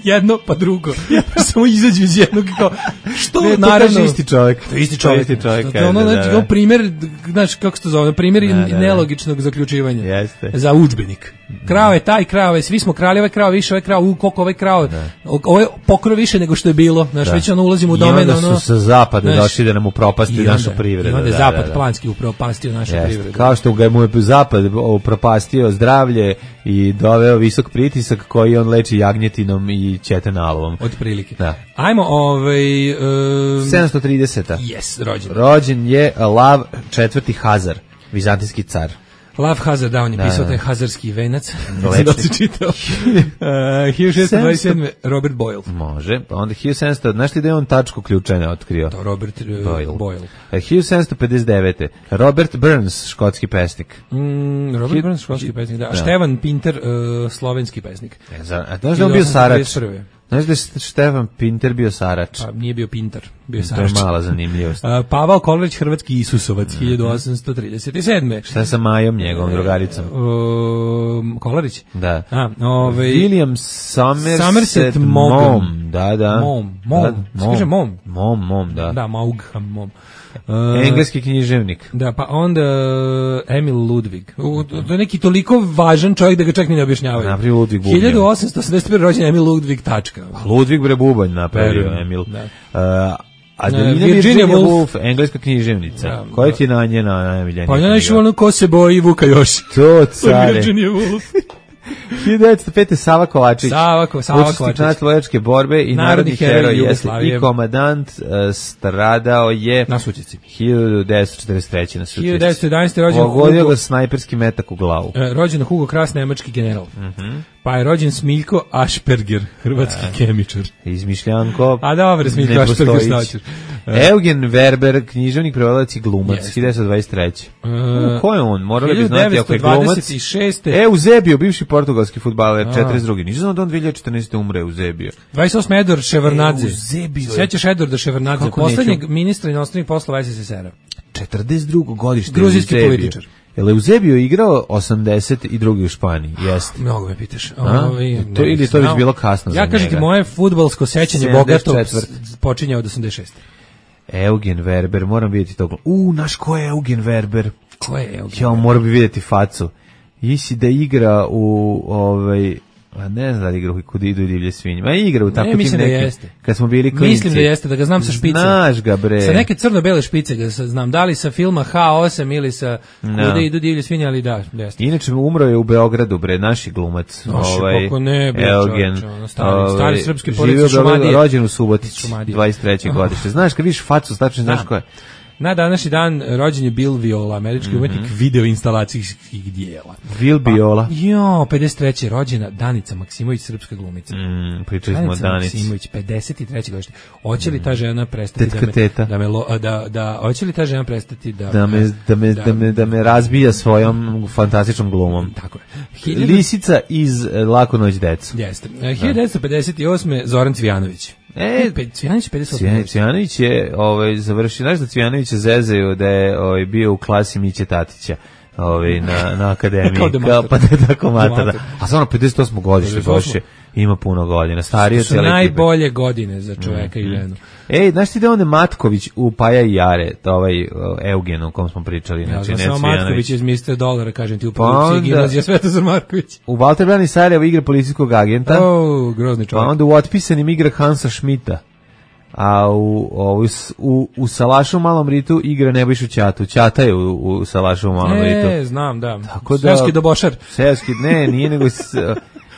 Jedno pa drugo. Samo izađu iz jednog i kao što Ne, to naravno kaže isti čovjek. To je isti To je čovjek. isti čovjek, To je ono, kaže, da, znači, da. kao primjer, znači kako se to zove, primjer Da, da, da. nelogičnog zaključivanja. Jeste. Za udžbenik. Krao je taj, krao je, svi smo krali, ovaj krao više, ovaj krao, u koliko ovaj krao, ovo je pokro više nego što je bilo, znaš, Da. već ono ulazimo u I domen, onda ono... su sa zapada znaš, došli da nam upropasti i našu onda- privredu. I onda je da, zapad da, da. planski upropastio našu Jeste. privredu. Kao što ga mu je zapad upropastio zdravlje i doveo visok pritisak koji on leči jagnjetinom i ćetenalom. Od prilike. Da. Ajmo, ovaj... Um, sedamsto trideseta. Yes, rođen. Rođen je Lav četvrti Hazar, vizantijski car. Lav Hazard, da, on je Da, pisao da. taj hazarski venac. Lepši. Da se čitao. Uh, hiljadu šessto dvadeset sedme. Robert Boyle. Može, pa onda hiljadu sedamsto, znaš ti da je on tačku ključanja otkrio? To, Robert uh, Boyle. Boyle. E, hiljadu sedamsto pedeset devete. Robert Burns, škotski pesnik. Mm, Robert Hil- Burns, školski pesnik, da. Da. Stevan Pinter, uh, slovenski pesnik. E, za- a znaš da je on bio Sarač? hiljadu osamsto trideset prve. Znaš da je Stefan Pinter bio Sarač? Pa nije bio Pinter, bio je To je Sarač. mala zanimljivost. Uh, Pavao Kolarić, hrvatski Isusovac, hiljadu osamsto trideset sedme. Šta je sa Majom, njegovom drugaricom? Um, Kolarić? Da. A, ovaj... William Somerset, Somerset Maugham. Maugham. Da, da. Mom, mom. Da, Se kaže mom? Mom, mom, da. Da, Maugham, mom. Uh, Engleski književnik. Da, pa onda uh, Emil Ludvig. U, to je neki toliko važan čovjek da ga čak ni ne objašnjavaju. Napravio Ludvig Bubnjar. hiljadu osamsto osamdeset prve rođen Emil Ludvig, tačka. Ludvig bre Bubanj napravio, Verujem, Emil. da. Uh, Adelina Ne, Virginia, Virginia Woolf, Woolf, engleska književnica. Da, Koja da. ti je na njena najmiljenija Pa ja knjiga? nešto ono ko se boji Vuka Joši. To, care. Virginia Woolf. hiljadu devetsto pete. Sava Kovačić. Sava Ko- Sava Učesnik Kovačić. natlojačke borbe i Narodni narodni heroj heroj jeste Jugoslavije. i komadant, uh, stradao je Na Sučici. hiljadu devetsto četrdeset treće na Sučici. hiljadu devetsto jedanaeste. rođen Pogodio Hugo- ga snajperski metak u glavu. E, rođen Hugo Kras, nemački general. Mhm. Pa je rođen Smiljko Asperger, hrvatski kemičar. Izmišljanko. A dobro, Smiljko ne Asperger, postojić. šta ćeš? E, Eugen Werber, književnik, prevodilac i glumac, Jeste. hiljadu devetsto dvadeset treće. e, U, ko je on? Morali bi znati ako je hiljadu devetsto glumac. dvadeset šeste. Eusebio, bivši portugalski fudbaler, A. četrdeset drugi. Nisam znao da on dve hiljade četrnaeste. umre Eusebio. dvadeset osme. Edward Ševardnadze. Eusebio je- Sećaš Edwarda Ševardnadze, Kako poslednjeg neću? ministra inostranih poslova S S S R-a. četrdeset drugo godište. Gruzijski Eusebio. političar. Je li Eusebio igrao osamdeset drugi u Španiji? Jeste. Mnogo me pitaš. A? Ovaj, To- ne ili bih to već znao. bilo kasno Ja za kažem ti, njega. moje fudbalsko sećanje sedamdeset bogato četvrte. s- počinje od osamdeset šeste. Eugen Werber, moram vidjeti to. U, naš ko je Eugen Werber? Ko je Eugen? Ja, moram bi vidjeti facu. Isi da igra u ovaj a ne znam da li igra u Kud idu divlje svinje. Ma igra u tako tim mislim da nekim. jeste. Kad smo bili klinci. Mislim da jeste, da ga znam sa špice. Znaš ga bre. Sa neke crno-bele špice ga sa- znam, da li sa filma H osam ili sa Da. Kuda idu divlje svinje, ali da, jeste. Inače umro je u Beogradu bre, naši glumac. Naši, kako ne, bre, Eugen. čoveče, ono, stari- stari srpski živio porodice u Beogradu, Šumadije. rođen u Subotici, Šumadije. dvadeset treće godište. Znaš kad vidiš facu, tačno znaš Da. ko je. Na današnji dan rođen je Bill Viola, američki umetnik video instalacijskih dijela. Vil Biola. Jo, pedeset treće rođena Danica Maksimović, srpska glumica. Mm, pričali smo o Danica Danici. Maksimović, pedeset treće godište. Hoće li ta žena prestati Tetka da me, teta. da me lo- da da hoće li ta žena prestati da Da me, da, me, da, me, da me razbija svojom fantastičnom glumom. Tako je. Hiljadu- Lisica iz e, Laku noć decu. Jeste. E, hiljadu devetsto pedeset osme. Zoran Cvijanović. E, Pe- Cvijanović je pedeset osme. Cvijan- Cvijanović je ovaj, završio, znaš da Cvijanovića zezaju da je ovaj, bio u klasi Miće Tatića. Ovaj, na, na akademiji. Kao demator. pa da je tako mater. Da. Demator. A stvarno pedeset osmo godište, pedeset osmo. Boše, ima puno godina. Starije su cijela ekipa. najbolje godine za čoveka i ženu. Ej, znaš ti da on je Matković u Paja i Jare, to ovaj o, Eugen o kom smo pričali, Ja znači znam ne samo Cvijanović. Matković iz mister Dolara, kažem ti, u Pa produkciji onda- gimnazija Svetozar Marković. U Walter Brani Sarajevo igra policijskog agenta, O, grozni pa čovjek. onda u Otpisanim igra Hansa Schmidta. A u, u, u, u Salašu u Malom Ritu igra Nebojšu Ćatu. Ćata je u, u Salašu u Malom Ritu. E, znam, da. Tako da- Svjetski dobošar. Seoski, ne, nije nego... s-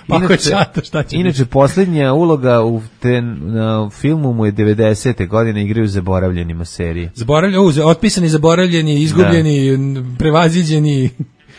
Pa ako Inače, ćata, šta će inače posljednja uloga u te, na filmu mu je devedesete godine, igraju zaboravljenima serije. Zaboravljeni, uh, otpisani, zaboravljeni, izgubljeni, da. prevaziđeni.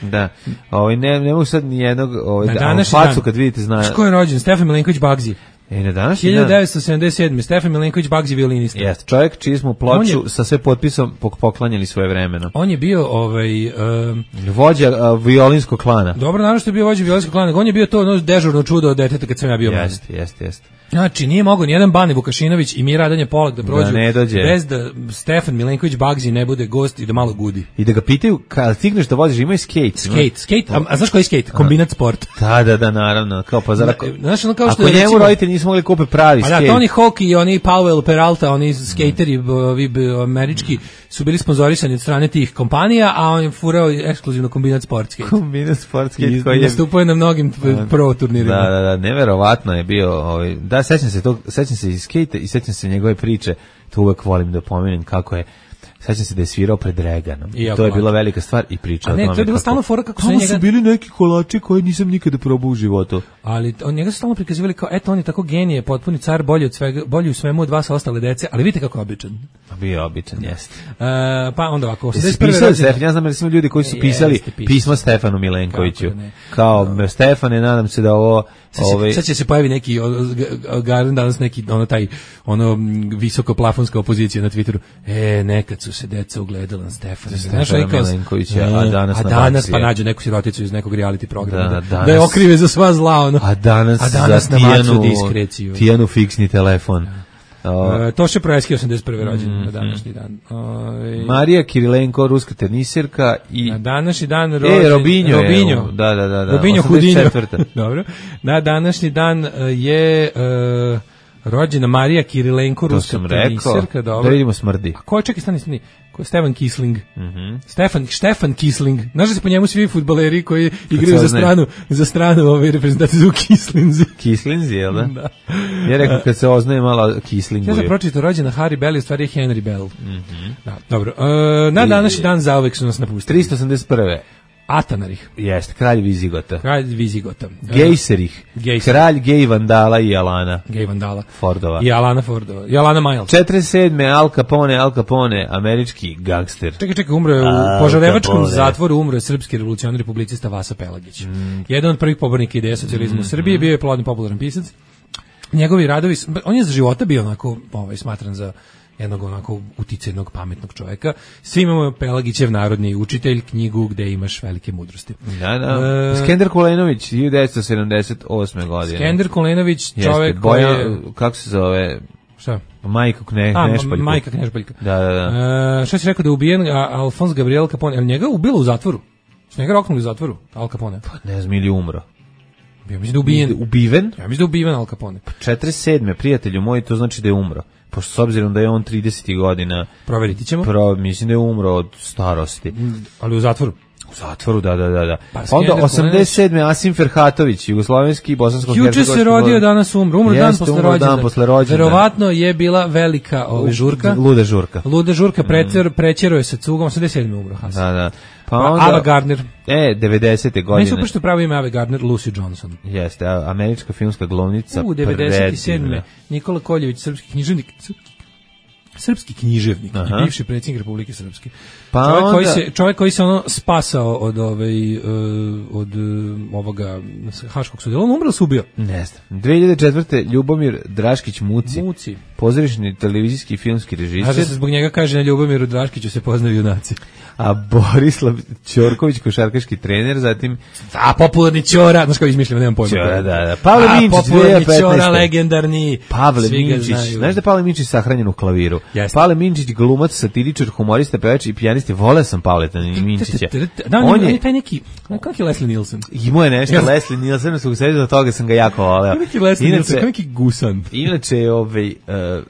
Da. Ovaj ne ne mogu sad ni jednog ovaj da, facu kad vidite zna. Ko je rođen? Stefan Milenković Bagzi. E, na današnji hiljadu devetsto sedamdeset sedme. Stefan Milenković Bagzi, violinista. Jeste, čovjek čiji smo ploču je, sa sve potpisom poklanjali svoje vremeno. On je bio ovaj um, vođa uh, violinskog klana. Dobro, naravno što je bio vođa violinskog klana. On je bio to ono dežurno čudo od deteta kad sam ja bio mlad. Jeste, jeste, jeste. Znači, nije mogao nijedan Bane Vukašinović i Mira Radanje Polak da prođu da ne dođe. Bez da Stefan Milenković Bagzi ne bude gost i da malo gudi. I da ga pitaju, kad stigneš da voziš, imaju skate. Skate, skate, a, a znaš koji je skate? Kombinat sport. Da, da, da, naravno. Kao pa zar ako, znaš, ono kao što ako je, njemu recimo, roditelji nisu mogli kupe pravi pa skate. da, Tony Hawk i oni Powell Peralta, oni skateri, ovi američki, su bili sponzorisani od strane tih kompanija, a on je furao ekskluzivno kombinat sport skate. Kombinat sport skate I koji je... nastupao na mnogim pro turnirima. Da, da, da, neverovatno je bio, ovaj, da, sećam se tog, sećam se i skate i sećam se njegove priče, to uvek volim da pomenem kako je. Sećam se da je svirao pred Reganom. To je bila velika stvar i priča o tome. Ne, to je bila stalno fora kako su njega... su bili neki kolači koje nisam nikada probao u životu. Ali on njega su stalno prikazivali kao, eto, on je tako genije, potpuni car, bolji od svega, bolji u svemu od vas ostale dece, ali vidite kako je običan. Bio je običan, jeste. Uh, pa onda ovako, osamdeset prve Pisali Stefan, ja znam da su ljudi koji su pisali pismo Stefanu Milenkoviću. Kao, no. Stefane, nadam se da ovo... Sad će, ovaj... sad će se pojavi neki, garan danas neki, ono taj, ono visoko plafonska opozicija na Twitteru. E, nekad su se deca ugledala na Stefana. Stefana Milenkovića, a danas, a danas pa nađu neku siroticu iz nekog reality programa. Da, danas, da je okrive za sva zla, ono. A danas, a danas za Tijanu, Tijanu fiksni telefon. Uh, Toše Proeski, osamdeset prve rođen mm, na današnji dan. Uh, Marija Kirilenko, ruska tenisirka i na današnji dan rođen e, Robinjo, Robinjo. Je, da, da, da, da. Robinjo Hudinjo. Dobro. Na današnji dan je uh, rođena Marija Kirilenko, ruska tenisirka. Dobro. Da vidimo smrdi. A ko je, čekaj, stani, stani. Ko je Stefan Kisling? Mm -hmm. Stefan, Stefan Kisling. Znaš da se po njemu svi fudbaleri koji igraju za stranu, za stranu ove reprezentacije su Kislinzi. Kislinzi, jel da? Da. Ja rekao kad se oznaje malo Kislingu. Ja sam pročitao rođena Harry Bell, u stvari je Henry Bell. Mm -hmm. Da, dobro. E, na današnji dan zauvek su nas napustili. tristo osamdeset prve Atanarih. Jeste, kralj Vizigota. Kralj Vizigota. Gejserih. Gejser. Kralj Gej Vandala i Alana. Gej Vandala. Fordova. I Alana Fordova. I Alana Miles. četrdeset sedme Al Capone, Al Capone, američki gangster. Čekaj, čekaj, umro je u Požarevačkom zatvoru, umro je srpski revolucionarni publicista Vasa Pelagić. Mm. Jedan od prvih pobornika ideje socijalizma mm. u Srbiji, bio je plodni popularan pisac. Njegovi radovi, on je za života bio onako, ovaj, smatran za jednog onako uticajnog, pametnog čovjeka. Svi imamo Pelagićev narodni učitelj, knjigu gde imaš velike mudrosti. Da, da. E, Skender Kulenović, hiljadu devetsto sedamdeset osme godine. Skender Kulenović, čovjek koji je... Kako se zove? Šta? Majka Kne, A, Knešpaljka. Majka Knešpaljka. Da, da, da. E, šta si rekao da je ubijen Alfons Gabriel Capone? Ali njega ubilo u zatvoru? Su njega roknuli u zatvoru, Al Capone? Pa ne znam, ili umro. Ja mislim da je ubijen. Ubiven? Ja mislim da je ubiven Al Capone. Pa četrdeset sedme prijatelju moj, to znači da je umro. Pošto s obzirom da je on trideset godina... Proveriti ćemo. Pro, mislim da je umro od starosti. Mm, ali u zatvoru? U zatvoru, da, da, da. da. Pa onda osamdeset sedme Asim Ferhatović, jugoslovenski i bosansko-hercegovački. Juče se rodio, danas umro. Umro dan posle rođendana. Dan posle rođendana. Verovatno je bila velika ove žurka. Luda žurka. Luda žurka, precer, prećero je sa cugom, osamdeset sedme umro. Hasan. Da, da. Pa onda, Ava Gardner. E, devedesete godine. Meni su što pravo ime Ava Gardner, Lucy Johnson. Jeste, američka filmska glumnica. U, devedeset sedme Nikola Koljević, srpski književnik, srpski književnik, Aha. i bivši predsjednik Republike Srpske. Pa čovjek, onda... koji se, čovjek koji se ono spasao od, ovaj, uh, od uh, ovoga haškog sudjela, on umro se ubio. Ne znam. dve hiljade četvrte Ljubomir Draškić Muci. Muci. Pozorišni televizijski filmski režiser. A da se zbog njega kaže na Ljubomiru Draškiću se poznaju junaci. A Borislav Ćorković, košarkaški trener, zatim... A popularni Ćora, znaš kao izmišljamo, nemam pojma. Ćora, da, da. Pavle Minčić, popularni Ćora, legendarni. Pavle Minčić, znaš da je Pavle Minčić sahranjen u klaviru? Jeste. Pavle Minčić, glumac, satiričar, humorista, pevač i pijanist, vole sam Pavleta Minčića. Da, on je taj neki, kako je Leslie Nielsen? Imao je nešto Leslie Nielsen, su sebi za toga sam ga jako voleo. Neki Leslie Nielsen, kao neki gusan. Inače, ovaj,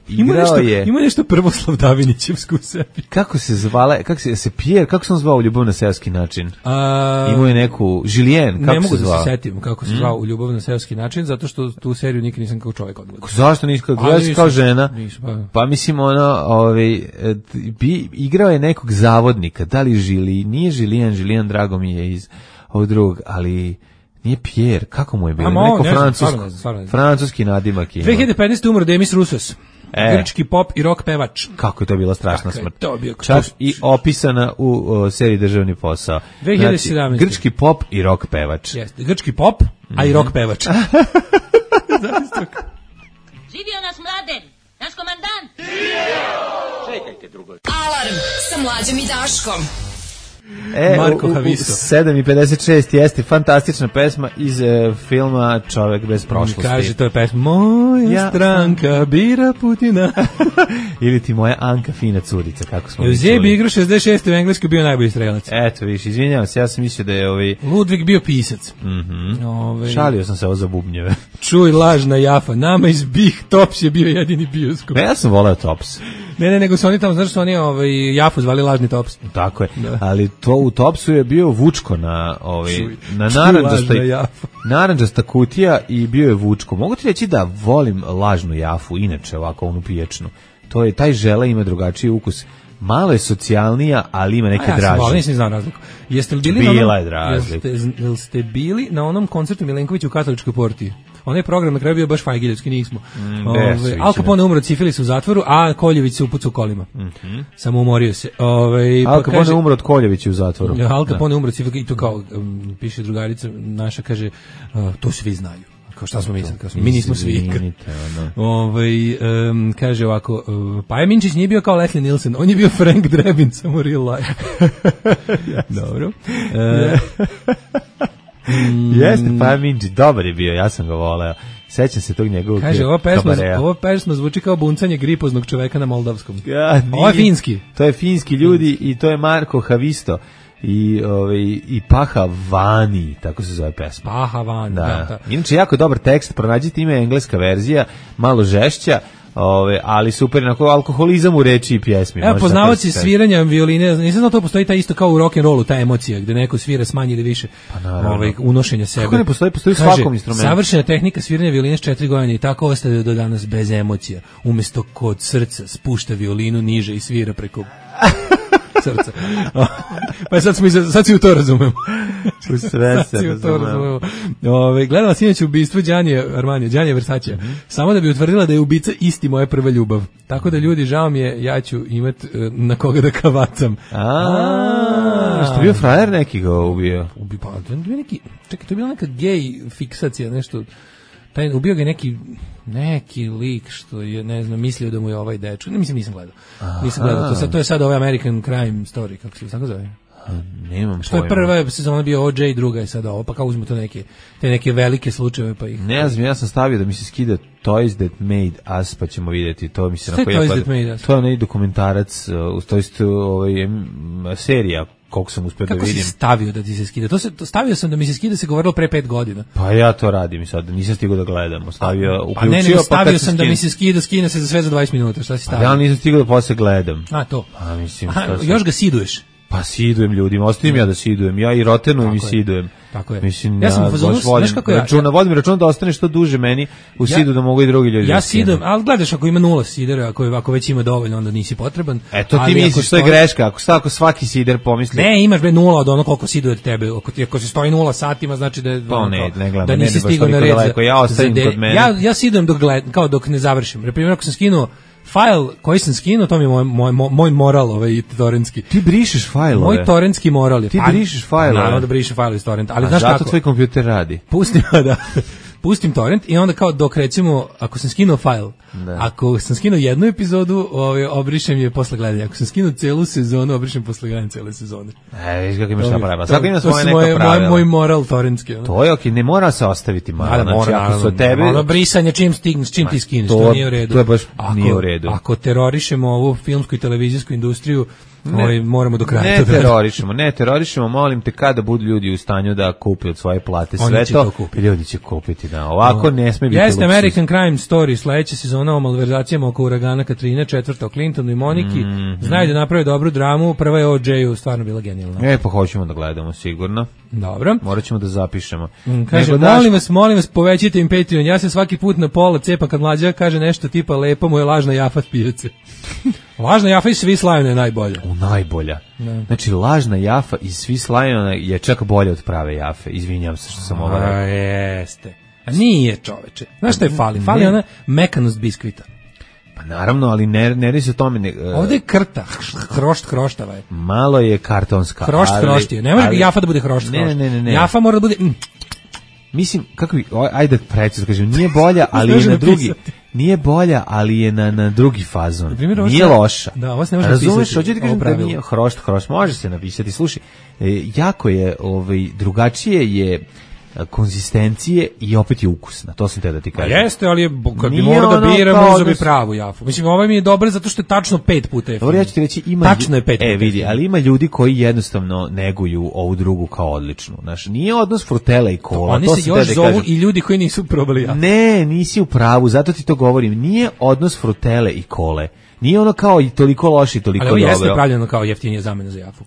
igrao je... Ima nešto Prvoslav Davinićevsku u sebi. Kako se zvala, kako se, se Pierre, kako sam zvao u Ljubav na seoski način? A, imao je neku Julien, kako se zvao? Ne mogu da se setim kako se zvao mm. u Ljubav na seoski način, zato što tu seriju nikad nisam kao čovjek odgledao. Zašto nisi kao, kao žena? Nisu, pa. pa mislim ono, ovaj, bi, igrao je nekog zavodnika, da li Žili, nije Julien, Julien drago mi je iz ovog drugog, ali Nije Pierre, kako mu je bilo? A, mo, Neko ne znam, francusko, stvarno ne znam, stvarno ne znam. francuski nadimak ima. dve hiljade petnaeste. umro Demis Roussos, E. grčki pop i rock pevač. Kako je to bila strašna Kako je smrt. to bio- Čak i opisana u o, seriji Državni posao. dve hiljade sedamnaeste. Znači, grčki pop i rock pevač. Jeste, grčki pop, a i rock pevač. Živio nas Mladen, naš komandant. Alarm sa Mlađom i Daškom. E, Marko u- u- Haviso. sedam i pedeset šest jeste fantastična pesma iz e, filma Čovek bez prošlosti. Kaže, to je pesma Moja Ja stranka bira Putina. Ili ti moja Anka fina curica, kako smo mi Eusebij čuli. igrao šezdeset šeste. u Engleskoj bio najbolji strelac. Eto, viš, izvinjavam se, ja sam mislio da je ovaj... Ludvig bio pisac. Mhm. Ovaj, Šalio sam se ovo za bubnjeve. Čuj, lažna jafa. Nama iz Bih Tops je bio jedini bioskop. Ne, ja sam voleo Tops. Ne, ne, nego su oni tamo, znaš su oni ovaj, jafu zvali lažni Tops. Tako je. Da. Ali to u Topsu je bio Vučko na ovaj Čuj, na čuj, narandžastoj lažna jafa. narandžasta kutija i bio je Vučko. Mogu ti reći da volim lažnu jafu, inače ovako onu piječnu. To je taj žele ima drugačiji ukus. Malo je socijalnija, ali ima neke A ja sam draže. volao, nisam znao razliku. Jeste li bili Bila na onom, je razlika. Jeste, jel ste bili na onom koncertu Milenkovića u Katoličkoj porti? Onaj program na kraju bio baš fajgiljevski, nismo. Mm, Ove, desu više, Al Capone umro od sifilisa u zatvoru, a Koljević se upucao kolima. Mhm. Samo umorio se. Ove, Al Capone umro od Koljevića u zatvoru. Ja, Al Capone umro od sifilisa i to kao, um, piše drugarica naša, kaže, uh, to svi znaju. Kao šta smo mi sad? Kao smo, mi nismo svi. Izvinite, ono. Ovaj um, kaže ovako, uh, Paja Minčić nije bio kao Leslie Nielsen, on je bio Frank Drebin, samo real life. Dobro. Uh, Jeste, pa Minđi, dobar je bio, ja sam ga voleo. Sećam se tog njegovog kaže, ova pesma, kabareja. ova pesma zvuči kao buncanje gripoznog čoveka na moldavskom. Ja, nije. Ovo je finski. To je finski ljudi i to je Marko Havisto i ovaj i Paha Vani, tako se zove pesma. Paha Vani, Da. da, da. Inače jako dobar tekst, pronađite, ima engleska verzija, malo žešća, ove, ali super, onako alkoholizam u reči i pjesmi. Evo, možda poznavaoci tako se- sviranja violine, nisam znao to postoji ta isto kao u rock and rollu, ta emocija, gde neko svira s manje ili više naravno. ovaj, unošenja sebe. Kako ne postoji? Postoji u Kaže, svakom instrumentu. Savršena tehnika sviranja violine s četiri godine i tako ostaje do danas bez emocija. Umesto kod srca spušta violinu niže i svira preko srca. Pa sad, smo, i- sad si u to razumemo. U sve se Sad si u to razumemo. razumemo. Ove, gledala sinoć ubistvo Đanje Armanija, Đanje Versace, samo da bi utvrdila da je ubica isti moja prva ljubav. Tako da ljudi, žao mi je, ja ću imat e, na koga da kavacam. A, što je bio frajer neki ga ubio? Ubi, pa, to je bio neki, čekaj, to je bila neka gej fiksacija, nešto, taj, ubio ga je neki, neki lik što je, ne znam, mislio da mu je ovaj dečko, ne mislim, nisam gledao, nisam gledao, to, sad, to je sad ovaj American Crime Story, kako se tako zove? Nemam Što je pojma. prva sezona bio O J, druga je sad ovo, pa kao uzmu to neke, te neke velike slučajeve, pa ih... Ne znam, ja sam stavio da mi se skida Toys That Made Us, pa ćemo vidjeti, to mi se Šta je na koji Toys pada- That Made Us? To je onaj dokumentarac, uh, to jest ovaj, em, serija, koliko sam uspio da Kako si vidim. stavio da ti se skida? To se, to stavio sam da mi se skida, se govorilo pre pet godina. Pa ja to radim i sad, nisam stigao da gledam, stavio, Pa uključio, ne, nego pa stavio kad sam da skine- mi se skida, skine se za sve za dvadeset minuta, šta si Pa stavio? ja nisam stigao da posle gledam. A, to. Pa mislim, Aha, šta sam- još ga siduješ. Pa sidujem ljudima, ostavim ja da sidujem, ja i rotenujem i Tako je. sidujem. Tako je. Mislim, Ja ja, sam u fazonu, baš volim znaš kako ja- računa, vodim računa da ostane što duže meni u Ja- sidu da mogu i drugi ljudi. Ja da skinu. sidem, ali gledaš ako ima nula sidera, ako, je, ako već ima dovoljno, onda nisi potreban. E, to ti Ali ako misliš, to je stoji- greška, ako, sta- ako svaki sider pomisli. Ne, imaš bre nula od ono koliko siduje od tebe. Ako, ti, ako se stoji nula satima, znači da, je, Pa ono, ne, kao, ne gledam, da ne nisi ide baš stigao na toliko red. za- daleko, ja ostavim za de- kod mene. Ja, ja sidem dok, gled, kao dok ne završim. Na primjer, ako sam skinuo fajl koji sam skinuo, to mi je moj, moj, moj moral ovaj, torrentski. Ti brišeš fajlove. Moj torrentski moral je. Ti pa- brišeš fajlove. Naravno da brišem fajlove iz torrenta, ali A znaš zato kako? tvoj kompjuter radi. Pustim, da, pustim torrent i onda kao dok recimo, ako sam skinuo fajl, Da. ako sam skinuo jednu epizodu, ovaj, obrišem je posle gledanja. Ako sam skinuo celu sezonu, obrišem posle gledanja cele sezone. E, viš kako imaš šta pravila. To- Svako ima to svoje su neka moje- pravila. Moj, moj moral torrentski. ono. To je okej, ne mora se ostaviti malo. Da, da, Znači, mora, ako su naravno. od tebe... Ono brisanje čim stigneš, čim ti skineš, to, to- nije u redu. to je baš ako, nije u redu. Ako terorišemo ovu filmsku i televizijsku industriju, ovaj, moramo do kraja Ne to da- terorišemo, ne terorišemo, molim te kada budu ljudi u stanju da kupe od svoje plate Oni sve će to, to kupiti. ljudi će kupiti, da. Ovako ne sme biti Jeste luksuz. American Crime Story, sledeća sezona o malverzacijama oko uragana Katrine, četvrta o Clintonu i Moniki. Mhm. Znaju da naprave dobru dramu, prva je o J-u, stvarno bila genijalna. E, pa hoćemo da gledamo, sigurno. Dobro. Morat ćemo da zapišemo. Mm, Kaže, Nego daš- molim vas, molim vas, povećajte im Patreon. Ja se svaki put na pola cepam kad mlađa kaže nešto tipa lepo mu je lažna jafa s pijace. Lažna Jafa i Swiss Lion je najbolja. U najbolja. Ne. Znači, lažna Jafa i Swiss Lion je čak bolje od prave Jafe. Izvinjam se što sam ovo rekao. A, jeste. A nije, čoveče. Znaš šta je fali? Fali Ne. ona mekanost biskvita. Pa naravno, ali ne, ne radi se o tome. Ne, uh, Ovde je krta, hrošt hroštava je. malo je kartonska. Hrošt ali, hrošt je. Ne može ali- Jafa da bude hrošt Ne, hrošt. ne, ne, ne. Jafa mora da bude... Mm, Mislim, kako bi, o, ajde precizno kažem, nije bolja, ali je Može na drugi, napisati. nije bolja, ali je na, na drugi fazon. Na primjer, ovo Nije se- loša. da, ovo se ne može Razumeš, napisati, hoću ti ovo kažem da pravilo. nije hrošt, hrošt, može se napisati. Slušaj, e, jako je, ovaj, drugačije je e, konzistencije i opet je ukusna, to sam te da ti Pa kažem. jeste, ali je, bo- kad bi Nije morao da ono biram, kao uzeo bi da s- pravu Jafu. Mislim, ovaj mi je dobar zato što je tačno pet puta jeftiniji. Dobro, ja ću ti reći, ima... Tačno je pet E, puta vidi, jeftiniji. ali ima ljudi koji jednostavno neguju ovu drugu kao odličnu. Znaš, nije odnos frutela i kola, Oni to se sam te još da zovu kažem. i ljudi koji nisu probali Jafu. Ne, nisi u pravu, zato ti to govorim. Nije odnos frutele i kole. Nije ono kao i toliko loše i toliko Ali ovo jeste dobro. pravljeno kao jeftinija zamena za Jafu.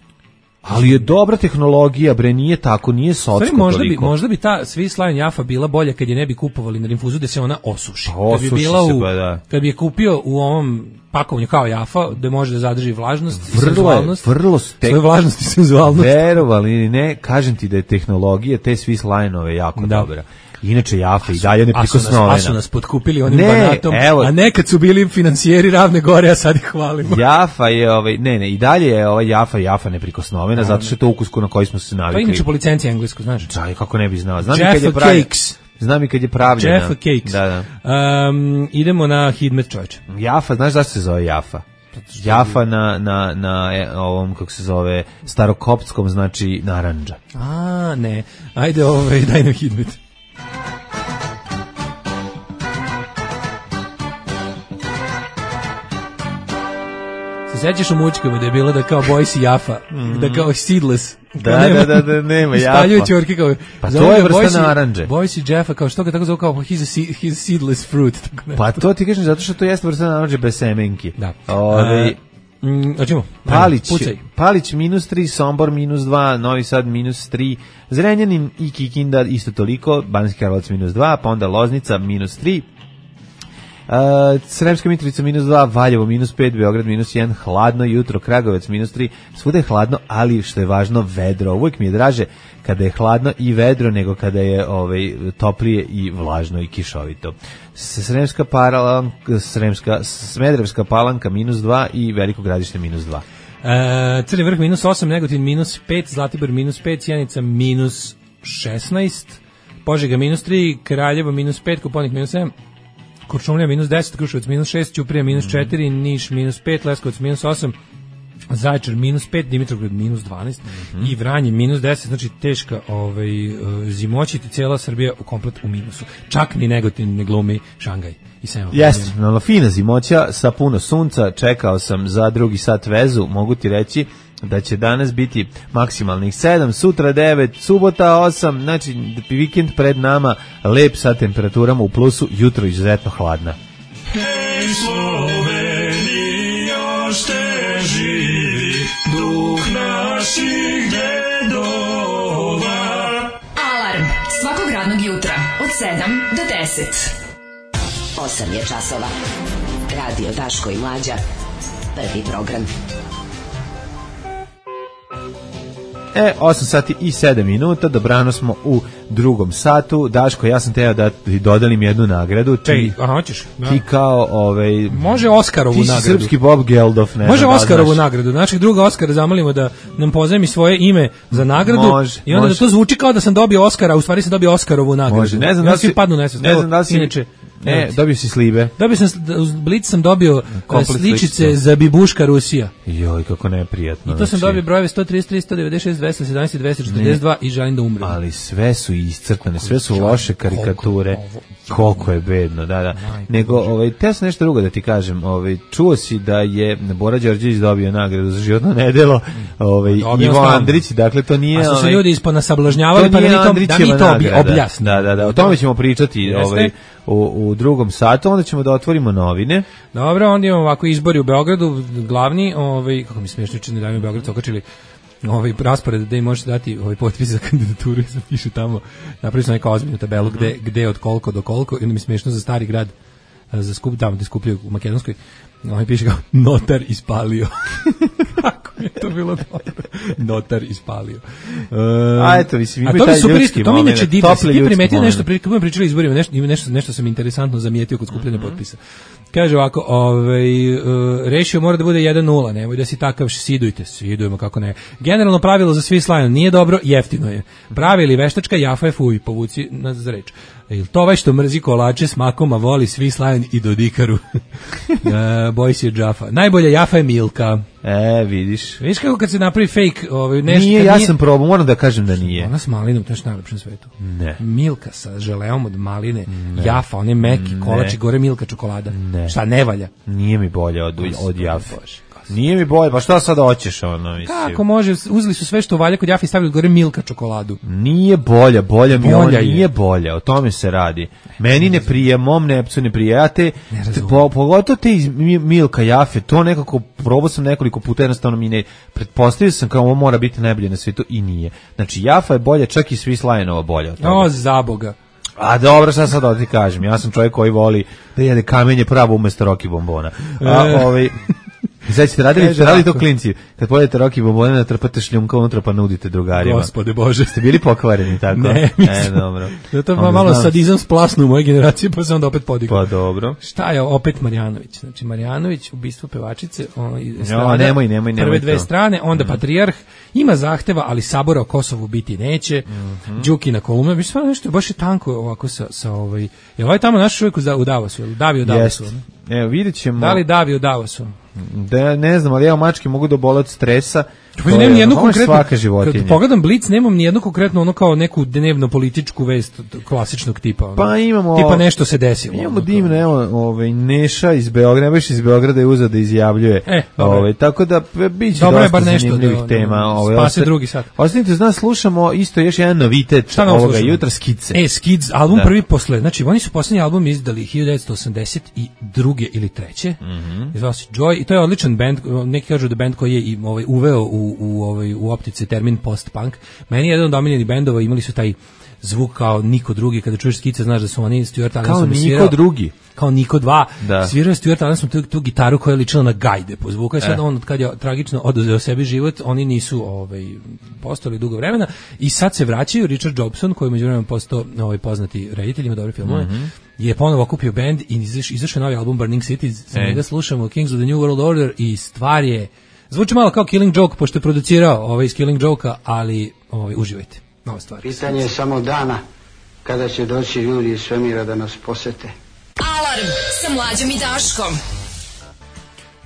Ali je dobra tehnologija, bre, nije tako, nije socko Stvari, možda bi, toliko. možda bi ta Swiss Lion Jafa bila bolja kad je ne bi kupovali na rinfuzu da se ona osuši. Pa Kad bi osuši bila se, u, pa da. kad bi je kupio u ovom pakovanju kao Jafa, da može da zadrži vlažnost i Vrlo je, senzualnost. vrlo ste... Svoju vlažnost i senzualnost. Verovali ili ne, kažem ti da je tehnologija te Swiss Lineove jako Da. dobra. Inače, Jafa i dalje A su, nas, neprikosnovena. a su nas potkupili onim Ne, banatom, evo. a nekad su bili financijeri Ravne Gore, a sad ih hvalimo. Jafa je, ovaj, ne, ne, i dalje je ovaj Jafa, Jafa neprikosnovena, zato što je to ukus na koji smo se To je navikli. inače po licenciji englesku, znaš. Čaj, kako ne bi znao. Znam i Jaffa kad je pravljena. Cakes. Znam i kad je pravljena. Jaffa Cakes. Da, da. Um, idemo na Hidmet, čovječe. Jafa, znaš zašto se zove Jafa? Jafa na, na, na e, ovom, kako se zove, starokoptskom znači narandža. A, ne. Ajde, ovaj, daj nam Hidmet. Se sećaš u mučkama da je bilo da kao Boys i Jafa, da kao seedless. Da, Kao nema- da, da, da, nema Ispaljuju Jafa. ćorke kao... Pa zovu to je ga vrsta Boys i- narandže. Boys i Jaffa, kao što ga tako zove kao he's a, se- he's a seedless fruit. Tako nešto. Pa to ti kažem zato što to jeste vrsta narandže bez semenki. Da. Ove, E, mm, hoćemo? Palić, Pucaj. Palić minus tri, Sombor minus dva, Novi Sad minus tri, Zrenjanin i Kikinda isto toliko, Banski Karlovac minus dva, pa onda Loznica minus tri, Uh, Sremska Mitrovica minus dva, Valjevo minus pet, Beograd minus jedan, hladno jutro, Kragovec minus tri, svuda je hladno, ali što je važno, vedro. Uvijek mi je draže kada je hladno i vedro nego kada je ovaj, toplije i vlažno i kišovito. Sremska palanka, Sremska, Smederevska palanka minus dva i Veliko Gradište minus dva. E, Crni vrh minus osam, Negotin minus pet, Zlatibor minus pet, Sjenica minus šesnaest, Požega minus tri, Kraljevo minus pet, Koponik minus sedam, Kuršumlija minus deset, Kruševac minus šest, Ćuprija minus četiri, Niš minus pet, Leskovac minus osam, Zaječar minus pet, Dimitrovgrad minus dvanaest i Vranje minus deset, znači teška ovaj, uh, zimoćiti, cijela Srbija u komplet u minusu. Čak ni Negotin ne glumi Šangaj. I sam Jeste, no, fina zimoća sa puno sunca, čekao sam za drugi sat vezu, mogu ti reći da će danas biti maksimalnih sedam, sutra devet, subota osam, znači vikend pred nama, lep sa temperaturama u plusu, jutro izuzetno hladna. Hej Slovenija, šte živi duh naših dedova. Alarm svakog radnog jutra od sedam do deset. osam je časova. Radio Daško i Mlađa. Prvi program. E, osam sati i sedam minuta, dobrano smo u drugom satu. Daško, ja sam teo da ti dodelim jednu nagradu. Ti, Čej, aha, hoćeš? Da. ti kao, ovaj... Može Oskarovu ti si nagradu. srpski Bob Geldof, ne Može znam da li Oskarovu znaš. nagradu. Našeg druga Oskara zamolimo da nam pozajmi svoje ime za nagradu. Može, I onda može. da to zvuči kao da sam dobio Oskara, a u stvari sam dobio Oskarovu nagradu. Može, ne znam ja da li svi si... padnu nesvest. Ne znam da li si... Inače, Ne, evo ti. dobio si slibe. Dobio sam, uz Blic sam dobio Komplet sličice sličice. za Bibuška Rusija. Joj, kako neprijatno. I to sam znači. dobio brojeve sto trideset tri, sto devedeset šest, dvesta sedamnaest i dvesta četrdeset dva i želim da umrem. Ali sve su iscrtane, sve su loše karikature. Koliko je ovo- Koliko je bedno, da, da. Nego, ovaj, teo sam nešto drugo da ti kažem. Ovaj, čuo si da je Bora Đorđević dobio nagradu za životno nedelo, ovaj, Dobio Ivo stalno. Andrić, dakle to nije... A su se ovaj, ljudi ispod nasablažnjavali, pa da mi to, da mi Andrićeva to obje- nagrada. objasnimo. Da, da, da, o tome ćemo pričati Jeste? ovaj, u, u drugom satu, onda ćemo da otvorimo novine. Dobro, onda imamo ovako izbori u Beogradu, glavni, ovaj, kako mi smiješno čini da mi u Beogradu su okačili ovaj raspored da im možete dati ovaj potpis za kandidaturu i sad piše tamo, napravili su neku ozbiljnu tabelu gde, gde od koliko do koliko i onda mi smiješno za Stari grad za skup, tamo gde skupljaju u Makedonskoj, on piše kao notar ispalio. Kako je to bilo dobro. Notar ispalio. Um, a eto, mislim, a to mi super isto, to mi inače divno. Ti primetio nešto, pri, kako mi pričali izborima, nešto, nešto, nešto sam interesantno zamijetio kod skupljanja mm-hmm. potpisa. Kaže ovako, ovaj, uh, rešio mora da bude jedan nula, nemoj da si takav, sidujte, sidujemo, kako ne. Generalno pravilo za svi slajno, nije dobro, jeftino je. Pravi ili veštačka, jafa je fuj, povuci nas za reč. Jel to ovaj što mrzi kolače s makom, a voli svi slajan i dodikaru? uh, boji se džafa. Najbolja jafa je Milka. E, vidiš. Vidiš kako kad se napravi fake, ovaj, nešto... Nije, ja sam probao, moram da kažem da nije. Ona s malinom, to je što najlepše na svetu. Ne. Milka sa želeom od maline, ne. Jafa, one meki, kolači, gore Milka čokolada. Ne. Šta, ne valja? Nije mi bolje od, od jafe. Nije mi bolje, pa šta sad hoćeš ono, mislim. Kako može, uzeli su sve što valja kod jafe i stavili gore Milka čokoladu. Nije bolja, bolja mi ona nije bolja, o tome se radi. Meni ne prije, mom nepcu ne prije, ja te, te po, pogotovo te iz Milka jafe, to nekako, probao sam nekoliko puta, jednostavno mi ne, pretpostavio sam kao ovo mora biti najbolje na svijetu i nije. Znači jafa je bolja, čak i Swiss Lionova bolja. O, za Boga. A dobro, šta sad da ti kažem, ja sam čovjek koji voli da jede kamenje pravo umjesto Rocky bombona. A ovaj... Sad ćete radili, ste radili to klinci, kad pojedete Rocky bombone, natrpate šljunka unutra pa nudite drugarima. Gospode Bože. Ste bili pokvareni tako? Ne, mislim. E, dobro. Zato pa malo znam... sadizam splasnu u moje generacije, pa se onda opet podigao. Pa dobro. Šta je opet Marjanović? Znači, Marjanović, ubistvo pevačice, on, strada, jo, nemoj, nemoj, nemoj prve dve to. strane, onda mm. Patrijarh, ima zahteva, ali Sabora o Kosovu biti neće, mm-hmm. Đuki na kolumna, mislim, stvarno nešto, baš je tanko ovako sa, sa ovaj, je ovaj tamo naš čovjek u Davosu, Davi u Davosu? Evo, vidjet ćemo. Da li Davi u Davosu? Da, ne znam, ali ja mačke mogu da obole od stresa. Pa nemam ni jednu konkretnu, kad pogledam Blic, nemam ni jednu konkretno ono kao neku dnevno političku vest klasičnog tipa. Ono. Pa imamo... Tipa nešto se desilo. Imamo divno, evo, ovaj, Neša iz Beograda, baš iz Beograda je uzeo da izjavljuje. E, ovaj, tako da biće dobro dosta je bar nešto zanimljivih da, tema. Ovaj, spase osta, drugi sat. Ostanite uz nas, slušamo isto još jedan novitet ovoga jutra, Skice. E, Skids, album da. Prvi posle, znači oni su poslednji album izdali hiljadu devetsto osamdeset druge ili treće. Mm-hmm. Zvao se Joy i to je odličan bend, neki kažu da bend koji je i ovaj uveo u u ovaj u optice termin post-punk. Meni je jedan od omiljenih bendova, imali su taj zvuk kao niko drugi, kada čuješ Skice znaš da su oni Stuart Allensom svirao. Kao niko drugi. Kao niko dva. Da. Svirao Stuart Allensom tu, tu gitaru koja je ličila na gajde po zvuku. I sad eh. on, kad je tragično oduzeo sebi život, oni nisu ovaj, postali dugo vremena i sad se vraćaju. Richard Jobson, koji je među vremenom postao ovaj, poznati reditelj, ima dobre filmove, mm-hmm. je ponovo okupio bend i izaš, izašao novi album Burning Cities. Sa njega slušamo Kings of the New World Order i stvar je zvuči malo kao Killing Joke, pošto je producirao ovaj iz Killing Joke-a, ali ovaj, uživajte. Nova stvar. Pitanje je samo dana kada će doći ljudi iz svemira da nas posete. Alarm sa Mlađom i Daškom.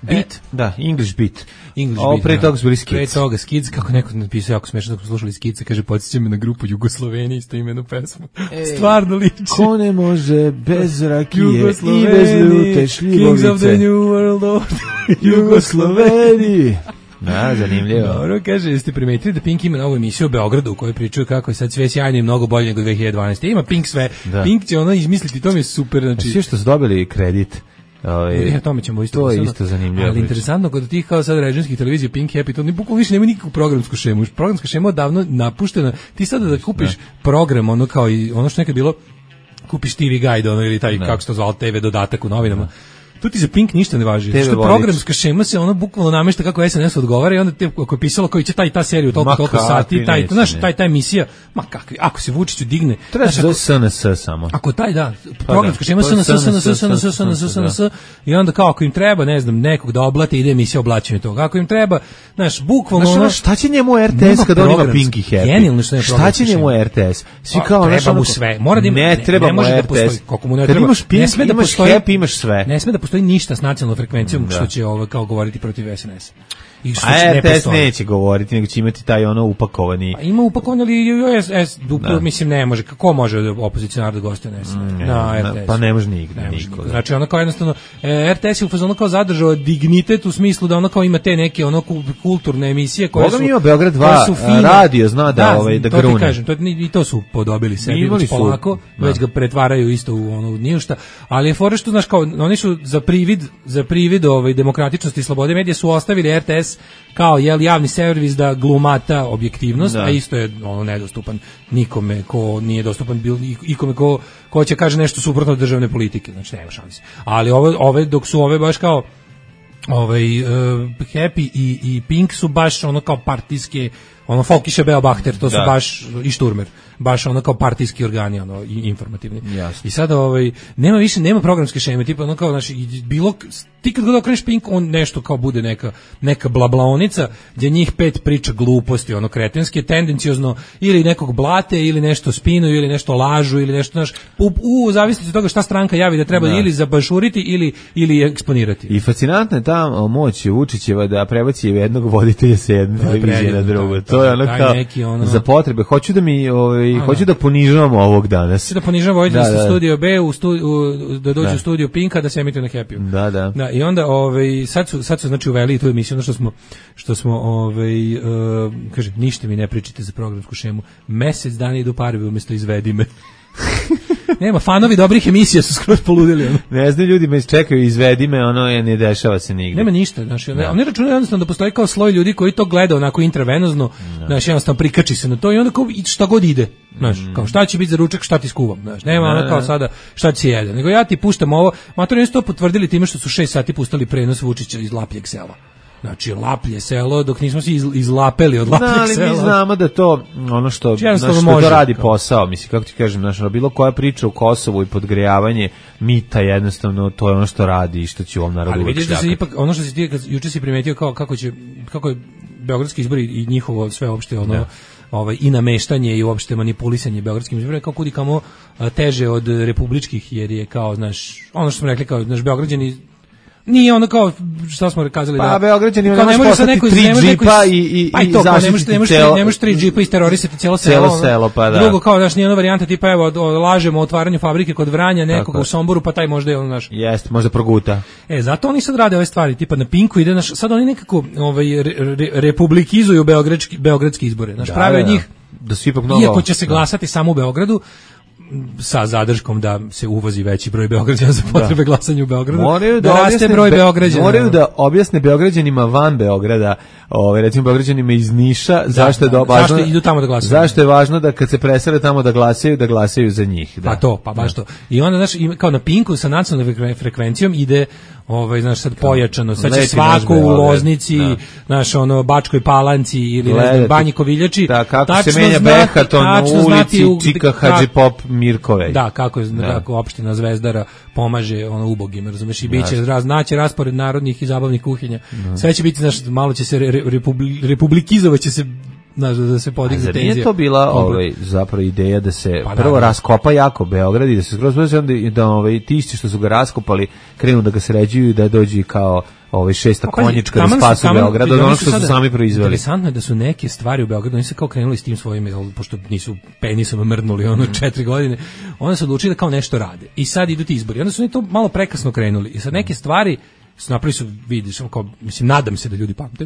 Beat? E, da, English beat. English Ovo beat, pre da. toga su bili Skids. Pre toga Skids, kako neko napisao jako smešno, da smo slušali Skidse, kaže, podsjeća me na grupu Jugoslovenije, isto imenu pesmu. Ej, stvarno liči. Ko ne može bez rakije i bez ljute šljivovice. Kings of the New World Order. Jugosloveni. Da, zanimljivo. Dobro, kaže, jeste primetili da Pink ima novu emisiju o Beogradu u kojoj pričaju kako je sad sve sjajno i mnogo bolje nego dve hiljade dvanaeste. Ima Pink sve. Da. Pink će ono izmisliti, to mi je super. Znači... Svi što su dobili kredit. Ove, ja, tome ćemo isto. To je isto zanimljivo. Ali interesantno, kod tih kao sad režimskih televizija Pink Happy, to ni bukvalno više nema nikakvu programsku šemu. Programska šema je davno napuštena. Ti sada da kupiš da. program, ono kao i ono što nekad bilo, kupiš T V Guide, ono ili taj, da. kako se to zvalo, T V dodatak u novinama. Da. Tu ti za Pink ništa ne važi. Što programska šema se ono bukvalno namešta kako S N S odgovara i onda te ako je pisalo koji će taj ta seriju toliko toliko sati, taj to naš taj ta emisija, ma kakvi, ako se Vučiću digne, treba za S N S samo. Ako taj da, programska šema S N S S N S S N S S N S S N S i onda kao ako im treba, ne znam, nekog da oblate, ide emisija oblačenja toga. Ako im treba, znaš, bukvalno ono, šta će njemu R T S kad on ima Pink i Happy? Genijalno što je šta će njemu R T S? Svi kao treba mu sve. Mora da ima, ne treba mu R T S. Kako mu ne treba. Ne sme da postoji Happy, imaš sve. Ne sme da postoji ništa s nacionalnom frekvencijom da. Što će ovo kao govoriti protiv S N S. I što a ne R T S neće govoriti, nego će imati taj ono upakovani. A ima upakovani, ali S S duplo, mislim ne može. Kako može opozicionar da gostuje na S N S? Ne, na R T S. Pa ne može nigde, niko. Znači ono kao jednostavno R T S je u fazonu kao zadržao dignitet u smislu da ono kao ima te neke ono kulturne emisije koje su. Boga mi ima Beograd dva radio zna da ovaj da grune. To ti kažem, to i to su podobili sebi već polako, već ga pretvaraju isto u ono ništa, ali je fora što znaš kao oni su za privid, za privid ovaj demokratičnosti i slobode medija su ostavili R T S es kao jel javni servis da glumata objektivnost, da. A isto je ono nedostupan nikome ko nije dostupan bil ikome ko ko će kaže nešto suprotno od državne politike, znači nema šanse. Ali ove ove dok su ove baš kao ovaj uh, Happy i i Pink su baš ono kao partijske, ono Folkiše Beobachter, to su da. Baš i Šturmer, baš ono kao partijski organi, ono i informativni. Jasne. I sada ovaj nema više nema programske šeme, tipa ono kao znači bilo ti kad god okreneš Pink on nešto kao bude neka neka blablaonica gdje njih pet priča gluposti, ono kretenske, tendenciozno ili nekog blate ili nešto spinuju ili nešto lažu ili nešto znaš u, u zavisnosti od toga šta stranka javi da treba da. Ili zabašuriti ili ili eksponirati. I fascinantna je ta moć Vučićeva da prebaci jednog voditelja sa jedne televizije na drugu. To je ono kao ono... za potrebe. Hoću da mi ovaj A, hoću da, da ponižavamo ovog danas. Hoću da ponižavamo ovaj da, da. Studio B u, stu, u da dođe da. U studio Pinka da se emituje na Happy. Da, da. Da, i onda ovaj sad su sad su znači uveli tu emisiju, ono što smo što smo ovaj uh, kaže ništa mi ne pričate za programsku šemu. Mesec dana idu parovi umjesto izvedi me. Nema, fanovi dobrih emisija su skroz poludili. Ono. Ne znam, ljudi me čekaju, izvedi me, ono je, ne dešava se nigde. Nema ništa, znači, no. Oni računaju jednostavno da postoji kao sloj ljudi koji to gleda onako intravenozno, no. Znači, jednostavno prikači se na to i onda kao šta god ide, znaš, mm. kao šta će biti za ručak, šta ti skuvam, znaš, nema no, ono kao sada šta će jede, nego ja ti puštam ovo, matori su to potvrdili time što su šest sati pustali prenos Vučića iz Lapljeg sela. Znači, Laplje selo, dok nismo se iz, izlapeli od Lapljeg no, ali sela. Mi znamo da to, ono što, znači, što može, to radi kao. Posao, mislim, kako ti kažem, znači, bilo koja priča u Kosovu i podgrejavanje mita, jednostavno, to je ono što radi i što će u ovom narodu. Ali vidiš da se ipak, ono što si ti, juče si primetio kao, kako će, kako je beogradski izbori i njihovo sve opšte, ono, da. Ovaj, i nameštanje i uopšte manipulisanje beogradskim izborima kao kudi kamo teže od republičkih, jer je kao, znaš, ono što smo rekli, kao, znaš, Beograđani nije ono kao što smo rekazali pa, da. Pa Beograđani ne može postati tri džipa i i pa i to, ne može ne može ne može tri džipa isterorisati celo selo. Celo selo, pa da. Drugo kao daš nije ona varijanta tipa evo lažemo o otvaranju fabrike kod Vranja nekoga u Somboru, pa taj možda je on naš. Jeste, možda proguta. E, zato oni sad rade ove stvari, tipa na Pinku ide naš, sad oni nekako ovaj re, re, republikizuju beogradski beogradski izbore. Naš da, prave od njih da su ipak mnogo. Iako će se glasati da. Samo u Beogradu, sa zadrškom da se uvozi veći broj Beograđana za potrebe da. Glasanja u Beogradu, moraju da, da raste broj Beograđana. Moraju da objasne Beograđanima van Beograda, ovaj recimo Beograđanima iz Niša, da, zašto je da, važno, zašto idu tamo da glasaju. Zašto je važno da kad se presele tamo da glasaju, da glasaju za njih, da. Pa to, pa baš to. I onda znaš, kao na Pinku sa nacionalnom frekvencijom ide ovaj znaš sad pojačano, sad će svako u Loznici, da. Znaš ono Bačkoj Palanci ili ne znam Banji Koviljači, da, kako se menja Behaton na ulici u, Čika Hadži Pop Mirkove. Da, kako je da. Kako opština Zvezdara pomaže ono ubogima, razumeš, i biće raz naći raspored narodnih i zabavnih kuhinja. Da. Sve će biti znaš malo će se re, republi, republikizovaće se znaš, da se podigne tenzija. Nije to bila ovaj, zapravo ideja da se pa prvo da, da. raskopa jako Beograd i da se skroz da, da ovaj, ti isti što su ga raskopali krenu da ga sređuju i da dođu kao ovaj šesta pa, konjička da spasu Beograd od onog što su sami proizveli. Interesantno je da su neke stvari u Beogradu, oni su kao krenuli s tim svojim, pošto nisu penisom mrdnuli ono mm. četiri godine, onda su odlučili da kao nešto rade. I sad idu ti izbori. Onda su oni to malo prekasno krenuli. I sad neke stvari su napravili su, vidiš, kao, mislim, nadam se da ljudi pamte.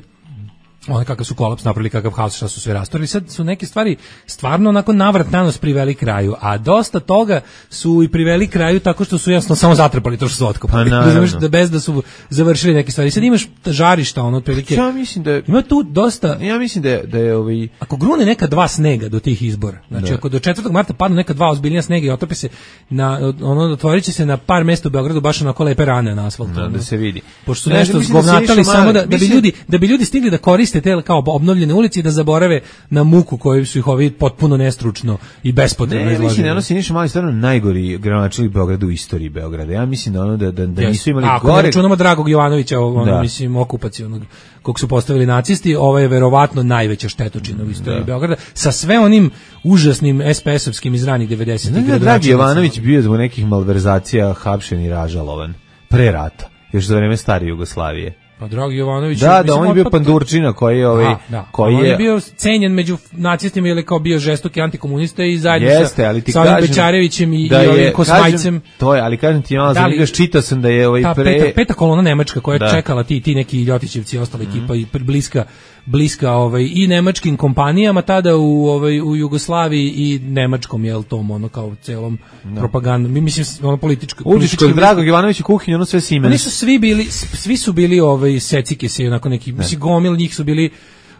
One kakav su kolaps napravili, kakav haos, šta su sve rastorili. Sad su neke stvari stvarno onako navrat nanos priveli kraju, a dosta toga su i priveli kraju tako što su jasno samo zatrpali to što su otkopali. Pa znaš, da bez da su završili neke stvari. Sad imaš žarišta, ono otprilike. Ja mislim da je, ima tu dosta. Ja mislim da je, da je ovaj ako grune neka dva snega do tih izbora. Znači da. Ako do četvrtog marta padnu neka dva ozbiljnija snega i otope se na ono otvoriće se na par mesta u Beogradu baš onako lepe rane na asfaltu. Da, da se vidi. Pošto su ne, nešto zgovnatali samo da, da bi ljudi da bi ljudi stigli da koriste te kao obnovljene ulice i da zaborave na muku koju su ih ovi potpuno nestručno i bespotrebno izložili. Ne, mislim da ono Siniša Mali stvarno najgori gradonačelnik Beograda u istoriji Beograda. Ja mislim da ono da da, da nisu imali gore. Ako ne računamo Dragog Jovanovića, ono da. Mislim okupacionog kog su postavili nacisti, ovo je verovatno najveća štetočina u istoriji da. Beograda sa sve onim užasnim es pe esovskim iz ranih devedesetih. Ne, Dragi Jovanović bio zbog nekih malverzacija hapšen i ražalovan pre rata, još za vreme stare Jugoslavije. Pa Dragi Jovanović, da, da, on je bio pandurčina koji je ovaj, da, koji on je, je bio cenjen među nacistima ili kao bio žestoki antikomunista i zajedno jeste, sa, ali ti sa ovim Bečarevićem i, da i ovim Kosmajcem. To je, ali kažem ti, malo da li, čitao sam da je ovaj ta pre... Peta, peta kolona nemačka koja je da. Čekala ti, ti neki Ljotićevci i ostala mm-hmm. ekipa i bliska bliska ovaj i nemačkim kompanijama tada u ovaj u Jugoslaviji i nemačkom jel tom ono kao celom no. Propagandom mi mislim ono političko političko Dragog Jovanovića kuhinju ono sve Siemens. Oni su svi bili svi su bili ovaj ovaj secike se onako neki, mislim gomil njih su bili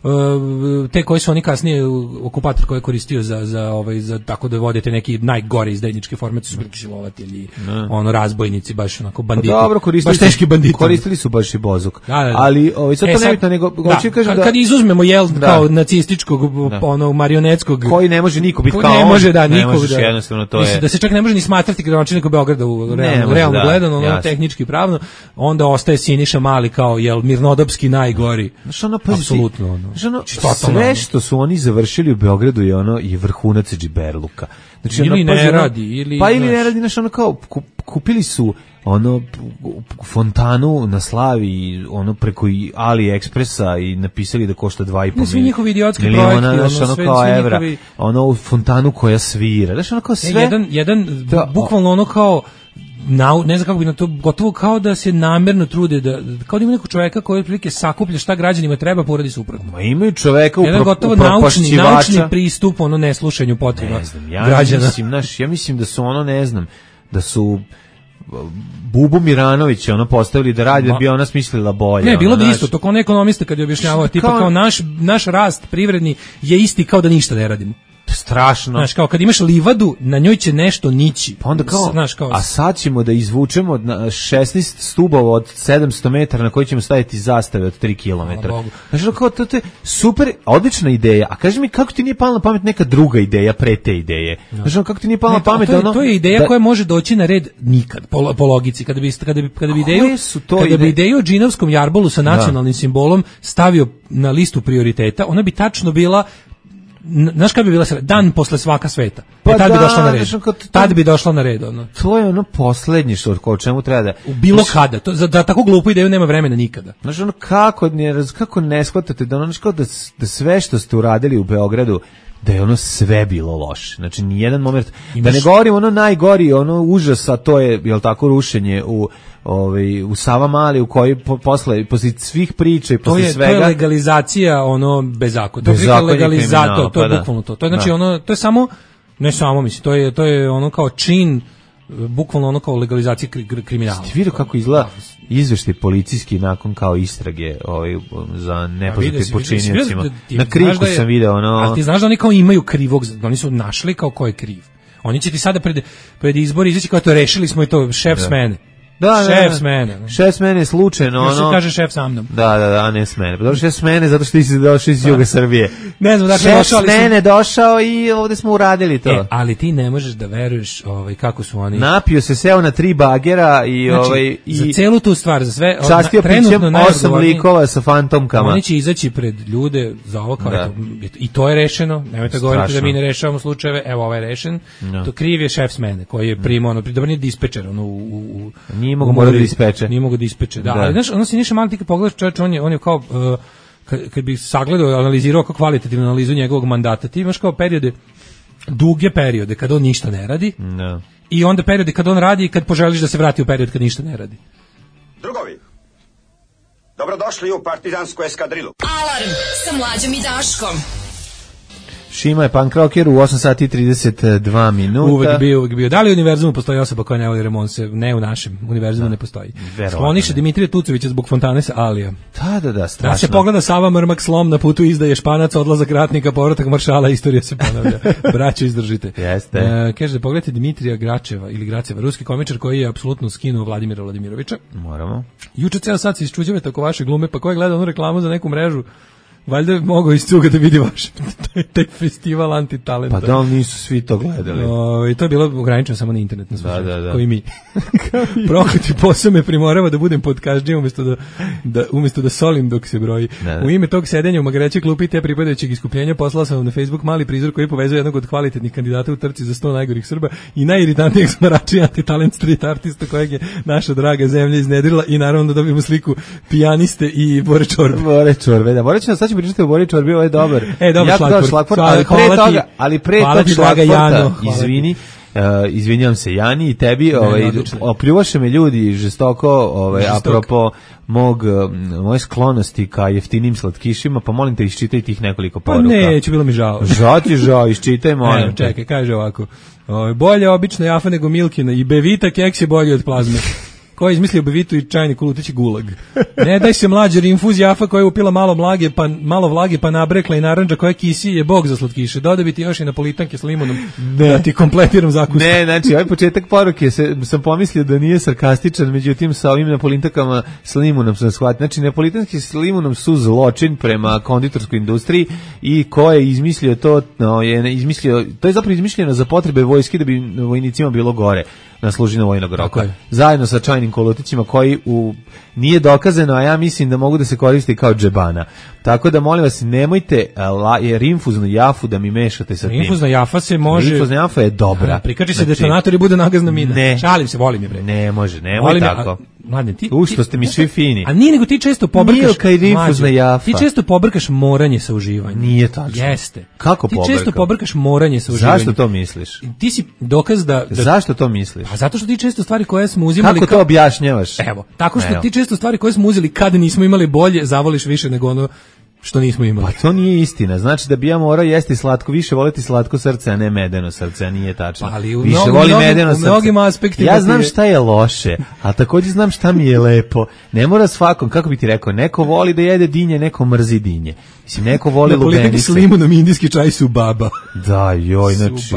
Uh, te koji su oni kasnije okupator koji je koristio za, za, ovaj, za tako da vodite neki najgore izdajničke formacije su bili silovatelji, ono razbojnici, baš onako banditi, pa dobro, baš teški banditi. Koristili su baš i bozuk. Da, da, da. Ali ovaj, sad to e, sad, nebitno, nego da, hoću kažem kad, da... kad izuzmemo jel da. Kao nacističkog, da. Ono marionetskog... Koji ne može niko biti kao ne on. Može, da, ne nikog, možeš da. Jednostavno, to Mislim, je... Da se čak ne može ni smatrati gradonačelnikom Beograda u realno, može, realno da, gledano, ono, tehnički pravno, onda ostaje Siniša Mali kao jel mirnodopski najgori. Znaš, ono, pa apsolutno, ono. Znaš, ono, sve što su oni završili u Beogradu je ono i vrhunac džiberluka. Znači, ili ono, ne ono, radi, ili... Pa ili ne radi, znaš, ono kao, kupili su ono fontanu na Slavi ono preko AliExpressa i napisali da košta dva i po svi njihovi idiotski miliona, projekti, znaš, ono sve, kao svi evra, njihovi... ono fontanu koja svira, znaš, ono kao sve... E, jedan, jedan da, bukvalno ono kao Na, ne znam kako bi na to, gotovo kao da se namerno trude, da, kao da ima nekog čoveka koji otprilike sakuplja šta građanima treba, poradi suprotno. Ma imaju čoveka u jedan gotovo naučni, naučni pristup, ono neslušanju potreba ne znam, ja građana. Mislim, naš, ja mislim da su ono, ne znam, da su Bubu Miranovića ono postavili da radi, Ma, da bi ona smislila bolje. Ne, bilo ono, bi isto, to kao on ekonomista kad je objašnjavao, tipa kao, kao naš, naš rast privredni je isti kao da ništa ne radimo. Strašno. Znaš, kao kad imaš livadu, na njoj će nešto nići. Pa onda kao, znaš, kao... a sad ćemo da izvučemo na šesnaest stubova od sedamsto metara na koji ćemo staviti zastave od tri kilometra. Znaš, kao, to je super, odlična ideja. A kaži mi, kako ti nije pala na pamet neka druga ideja pre te ideje? No. Znaš, kako ti nije pala ne, na pamet? To je, ono, to je ideja da... koja može doći na red nikad, po, po logici. Kada bi, kada bi, kada bi ideju, kada ide... bi ideju o džinovskom jarbolu sa nacionalnim da. simbolom stavio na listu prioriteta, ona bi tačno bila znaš kad bi bila dan posle svaka sveta. Pa e, tad da, bi došla na red. To, tad bi došla na red. Ono. To je ono poslednje što o čemu treba da... U bilo znaš, kada. To, za, da tako glupu ideju nema vremena nikada. Znaš, ono, kako, ne, kako ne shvatate da, ono, kao da, da sve što ste uradili u Beogradu da je ono sve bilo loše. Znači, nijedan moment... Imaš... Da ne govorim ono najgori, ono užasa, to je, jel tako, rušenje u... Ovaj u Savamali u kojoj po, posle posle svih priča i posle to je, svega to je legalizacija ono bezakonja. To je legalizator, to je pa bukvalno to. To je znači da. ono to je samo ne samo mislim, to je to je ono kao čin bukvalno ono kao legalizacija kri, kriminala. Ste vidio kako izgleda izveštaj policijski nakon kao istrage ovaj za nepoznate počiniocima. Na Kriku da je, sam video ono. A ti znaš da oni kao imaju krivog, oni su našli kao ko je kriv. Oni će ti sada pred pred izbori izaći kao to rešili smo i to šef da. smene. Da, šef da, s mene. Šef s mene slučajno, ono. Još kaže šef sa mnom. Da, da, da, ne s mene. Pa dobro, šef s mene zato što ti si došao iz juga Srbije. Ne znam, dakle, šef došao, s mene došao i ovde smo uradili to. E, ali ti ne možeš da veruješ ovaj, kako su oni... Napio se, seo na tri bagera i... Znači, ovaj, i za celu tu stvar, za sve... Častio pićem osam likova sa fantomkama. Oni će izaći pred ljude za ovo kao... Da. Eto, i to je rešeno. Nemojte govoriti da mi ne rešavamo slučajeve. Evo, ovaj je rešen. No. To kriv je šef s mene, koji je primao, ono, da nije dispečer, ono, u... u, u nije mogu morati da ispeče. Nije mogu da ispeče, da. da. Ali, znaš, ono si niše malo ti kad pogledaš čovječ, on je, on je kao... Uh, kad, kad bi sagledao, analizirao kao kvalitativnu analizu njegovog mandata, ti imaš kao periode, duge periode kad on ništa ne radi no. i onda periode kad on radi i kad poželiš da se vrati u period kad ništa ne radi. Drugovi, dobrodošli u partizansku eskadrilu. Alarm sa Mlađom i Daškom. Šima je punk rocker u osam sati i trideset dva minuta. Uvek bio, uvek bio. Da li u univerzumu postoji osoba koja ne voli remonse? Ne, u našem univerzumu ne postoji. Skloniše Dimitrija Tucovića zbog fontane sa Alija. Da, da, da, strašno. Da se pogleda Sava Mrmak slom na putu izdaje Španac, odlazak ratnika, povratak maršala, istorija se ponavlja. Braćo, izdržite. Jeste. E, kaže da pogledajte Dimitrija Gračeva ili Graceva, ruski komičar koji je apsolutno skinuo Vladimira Vladimirovića. Moramo. Juče ceo sad se isčuđuje tako vaše glume, pa ko je gledao onu reklamu za neku mrežu? Valjda je mogao iz cuga da vidi vaš taj festival antitalenta. Pa da, ali nisu svi to gledali. O, i to je bilo ograničeno samo na internet. Na da, da, da. Koji mi. Prokleti posao me primorava da budem podkažnjiv umjesto da, da, umjesto da solim dok se broji. Da, da. U ime tog sedenja u magrećoj klupi te pripadajućeg iskupljenja poslao sam vam na Facebook mali prizor koji povezuje jednog od kvalitetnih kandidata u trci za sto najgorih Srba i najiritantnijeg smarača i antitalent street artista kojeg je naša draga zemlja iznedrila i naravno da dobijemo sliku pijaniste i Bore Čorbe. Bore Čorbe, da. Bore Čorbe, sad ću pričati o Bore Čorbe, ovo je dobar. E, dobar šlagvort. šlagvort ali pre toga, ali pre tog šlagvorta, izvini, Uh, izvinjam se Jani i tebi, ne, ovaj opljuvaše me ljudi žestoko, ovaj Žestok. apropo mog moje sklonosti ka jeftinim slatkišima, pa molim te iščitaj tih nekoliko poruka. Pa neću, bilo mi žao. Žao ti žao, iščitaj molim. Ne, čekaj, kaže ovako. Ovaj bolje obično jafa nego Milkina i Bevita keks je bolji od plazme. Ko je izmislio Bevitu i čajnik u lutići gulag. Ne daj se mlađer, infuz jafa koja je upila malo vlage, pa malo vlage pa nabrekla i narandža koja kisi je bog za slatkiše. Doda bi ti još i napolitanke s limunom ne. Da ti kompletiram zakusku. Ne, znači ovaj početak poruke se, sam pomislio da nije sarkastičan, međutim sa ovim napolitankama s limunom sam shvatio. Znači napolitanke s limunom su zločin prema konditorskoj industriji i ko je izmislio to, no, je izmislio, to je zapravo izmišljeno za potrebe vojske da bi vojnicima bilo gore na služinu vojnog roka. Zajedno sa čajnim kolutićima koji u, nije dokazano, a ja mislim da mogu da se koristi kao džebana. Tako da molim vas, nemojte la, jer infuznu jafu da mi mešate sa tim. Infuzna jafa se može... Infuzna jafa je dobra. Prikači se znači, detonator i bude nagazna mina. Ne. Šalim se, volim je bre. Ne može, nemoj volim tako. A, mladne, ti... U što ste mi svi fini. A nije nego ti često pobrkaš... Milka i infuzna jafa. Ti često pobrkaš moranje sa uživanjem. Nije tačno. Jeste. Kako ti pobrkam? Ti često pobrkaš moranje sa uživanjem. Zašto to misliš? Ti si dokaz da... da... Zašto to misliš? Pa zato što ti često stvari koje smo uzimali... Kako to objašnjavaš? Evo, tako što Evo. ti često stvari koje smo uzeli kad nismo imali bolje, zavoliš više nego ono što nismo imali. Pa to nije istina. Znači da bi ja morao jesti slatko, više voleti slatko srce, a ne medeno srce, a nije tačno. Pa ali u više mnogim, voli mnogim, medeno u srce. mnogim aspektima. Ja znam šta je loše, a također znam šta mi je lepo. Ne mora svakom, kako bi ti rekao, neko voli da jede dinje, neko mrzi dinje. Mislim, neko voli lubenice. Napolitanki s limunom i indijski čaj su baba. Da, joj, znači,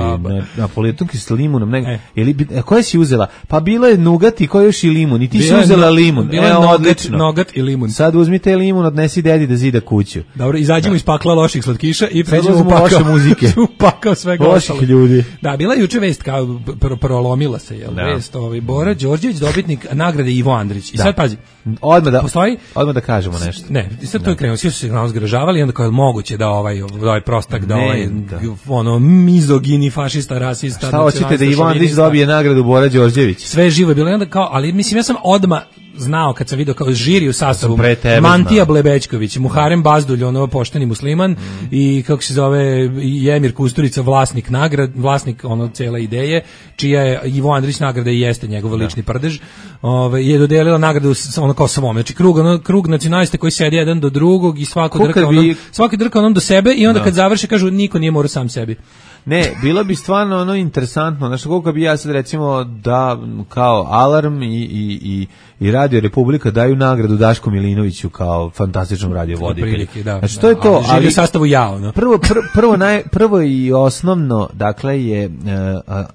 napolitanki s limunom. Ne, e. Ili, a koje si uzela? Pa bilo je nugat i koje još i limun. I ti bila si uzela no, limun. Bilo je Evo, nogat, odlično. Nogat i limun. Sad uzmite limun, odnesi dedi da zida kuću. Dobro, izađemo iz pakla loših slatkiša i pređemo u pakao muzike. U pakao svega loših ostalo. Ljudi. Da, bila je juče vest, kao pr prolomila se, jel? Da. Vest, ovaj, Bora Đorđević, dobitnik nagrade Ivo Andrić. I da. Sad, pazi, odmah da, postoji, odmah da kažemo nešto. Ne, sad to je krenuo, svi su se nas zgražavali, onda kao je moguće da ovaj, ovaj prostak, da ovaj, da. ono, mizogini, fašista, rasista. Šta hoćete da Ivo Andrić dobije nagradu Bora Đorđević? Sve živo je bilo, onda kao, ali mislim, ja sam odmah znao kad sam vidio kao žiri u sastavu Mantija Blebećković, Muharem Bazdulj, ono pošteni musliman, mm. i kako se zove Jemir Kusturica, vlasnik nagrad, vlasnik ono cele ideje, čija je Ivo Andrić nagrada i jeste njegov lični prdež, ovaj je dodelila nagradu ono kao svom, znači krug ono krug nacionalista koji sedi jedan do drugog i svako drka onom, bi... svaki drka onom do sebe i onda no. kad završe kažu niko nije morao sam sebi. Ne, bilo bi stvarno ono interesantno, znači koliko bi ja sad recimo da kao Alarm i, i, i, i Radio Republika daju nagradu Daško Milinoviću kao fantastičnom radiovoditelju. Da, znači to je to, ali, ali u sastavu ja, ono. Prvo, prvo, prvo, naj, prvo i osnovno, dakle je uh,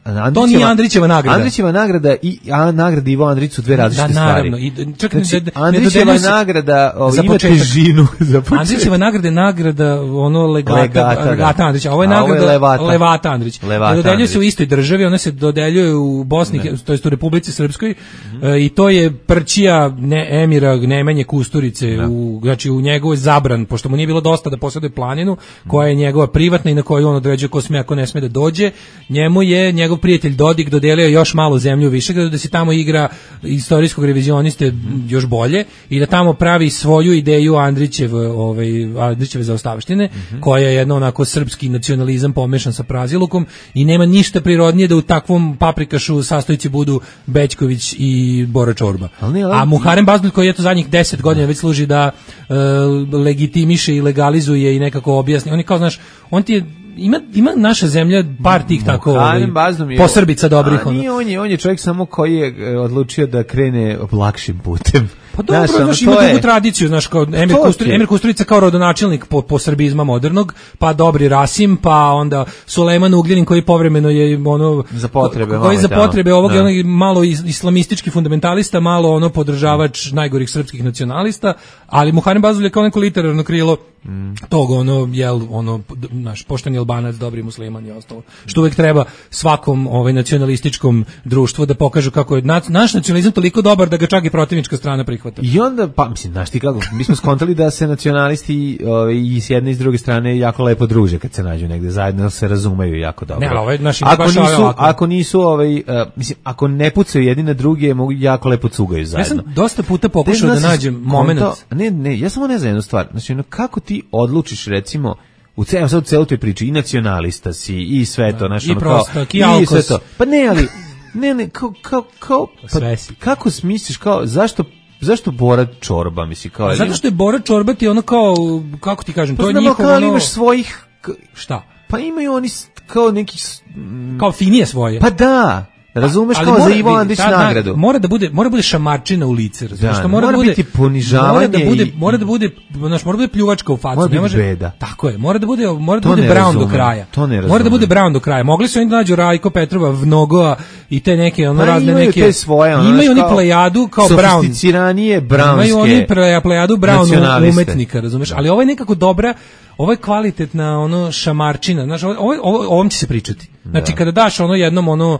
Andrićeva, to nije Andrićeva nagrada. Andrićeva nagrada i a, nagrada Ivo Andrić su dve različite da, naravno, stvari. I, čak, znači, ne, Andrićeva nagrada o, ima težinu. Andrićeva nagrada je nagrada ono legata, legata, legata Andrića, a ovo je nagrada Levata, Levata Andrić. Ne dodeljuje se u istoj državi, ona se dodeljuje u Bosni, to jest u Republici Srpskoj, mm -hmm. e, i to je prćija ne, emira Nemanje Kusturice, da. u, znači u njegovoj zabran, pošto mu nije bilo dosta da posjeduje planinu, koja je njegova privatna i na kojoj on određuje ko sme, ako ne sme da dođe, njemu je njegov prijatelj Dodik dodelio još malo zemlju više, da se tamo igra istorijskog revizioniste mm. još bolje i da tamo pravi svoju ideju Andrićev, ovaj, Andrićeve zaostavštine, mm -hmm. koja je jedno onako srpski nacionalizam pomešan sa prazilukom i nema ništa prirodnije da u takvom paprikašu sastojci budu Bećković i Bora Čorba. Ali, ali, a Muharem Bazdulj koji je to zadnjih deset godina već služi da e, legitimiše i legalizuje i nekako objasni. On je kao, znaš, on ti je ima ima naša zemlja par tih tako ovaj, posrbica dobrih. A nije, on je, on je čovjek samo koji je odlučio da krene lakšim putem. Pa dobro, znaš, znaš ima dugu je... tradiciju, znaš, kao Emir, Kusturica, Emir Kusturica kao rodonačelnik po, po srbizma modernog, pa Dobri Rasim, pa onda Sulejman Ugljanin koji povremeno je ono za potrebe, koji za potrebe ovog ono, malo islamistički fundamentalista, malo ono podržavač mm. najgorih srpskih nacionalista, ali Muharem Bazdulj je kao neko literarno krilo mm. tog ono jel ono naš pošteni Albanac, dobri musliman i ostalo. Što uvek treba svakom ovaj nacionalističkom društvu da pokažu kako je naš nacionalizam toliko dobar da ga čak i protivnička strana prihvata. I onda, pa mislim, znaš ti kako, mi smo skontali da se nacionalisti ovaj, i s jedne i s druge strane jako lepo druže kad se nađu negde zajedno, se razumeju jako dobro. Ne, ovaj, naši ako, nisu, ako nisu, ovaj, uh, mislim, ako ne pucaju jedni na druge, mogu jako lepo cugaju zajedno. Ja sam dosta puta pokušao da nađem moment. Ne, ne, ja samo ne znam jednu stvar, znači, ono, kako ti odlučiš, recimo, u celom sad u celoj toj priči i nacionalista si i sve to, znaš, i ono, prostak, kao, i, i sve to. Pa ne, ali, ne, ne, kao, kao, kao pa, kako smisliš, kao, zašto zašto Bora Čorba, misli, kao... A zato što je Bora Čorba ti ono kao, kako ti kažem, pa to je njihovo... Pa ono... imaš svojih... Šta? Pa imaju oni kao neki... Kao finije svoje. Pa da, Razumeš, ali kao mora, za Ivo Andrić ta, nagradu. Mora da bude, mora da bude šamarčina u lice, razumeš? Da, mora, mora da bude, biti ponižavanje mora da bude, i- mora da bude, znaš, mora da bude pljuvačka u facu. Mora ne biti može, beda. Tako je, mora da bude, mora da To bude ne Brown razumem, do kraja. to ne Mora da razumem. bude Brown do kraja. Mogli su oni da nađu Rajko Petrova, Vnogoa i te neke, ono Pa razne imaju neke, te svoje, ono, imaju znaš, oni kao plejadu kao Brown. Sofisticiranije brownske Imaju oni pleja- plejadu Brown nacionaliste. umetnika, razumeš? Ali ovo je nekako dobra, ovo je kvalitetna ono šamarčina, znaš, ovo, ovo, ovo- ovom će se pričati. Znači, kada daš ono jednom ono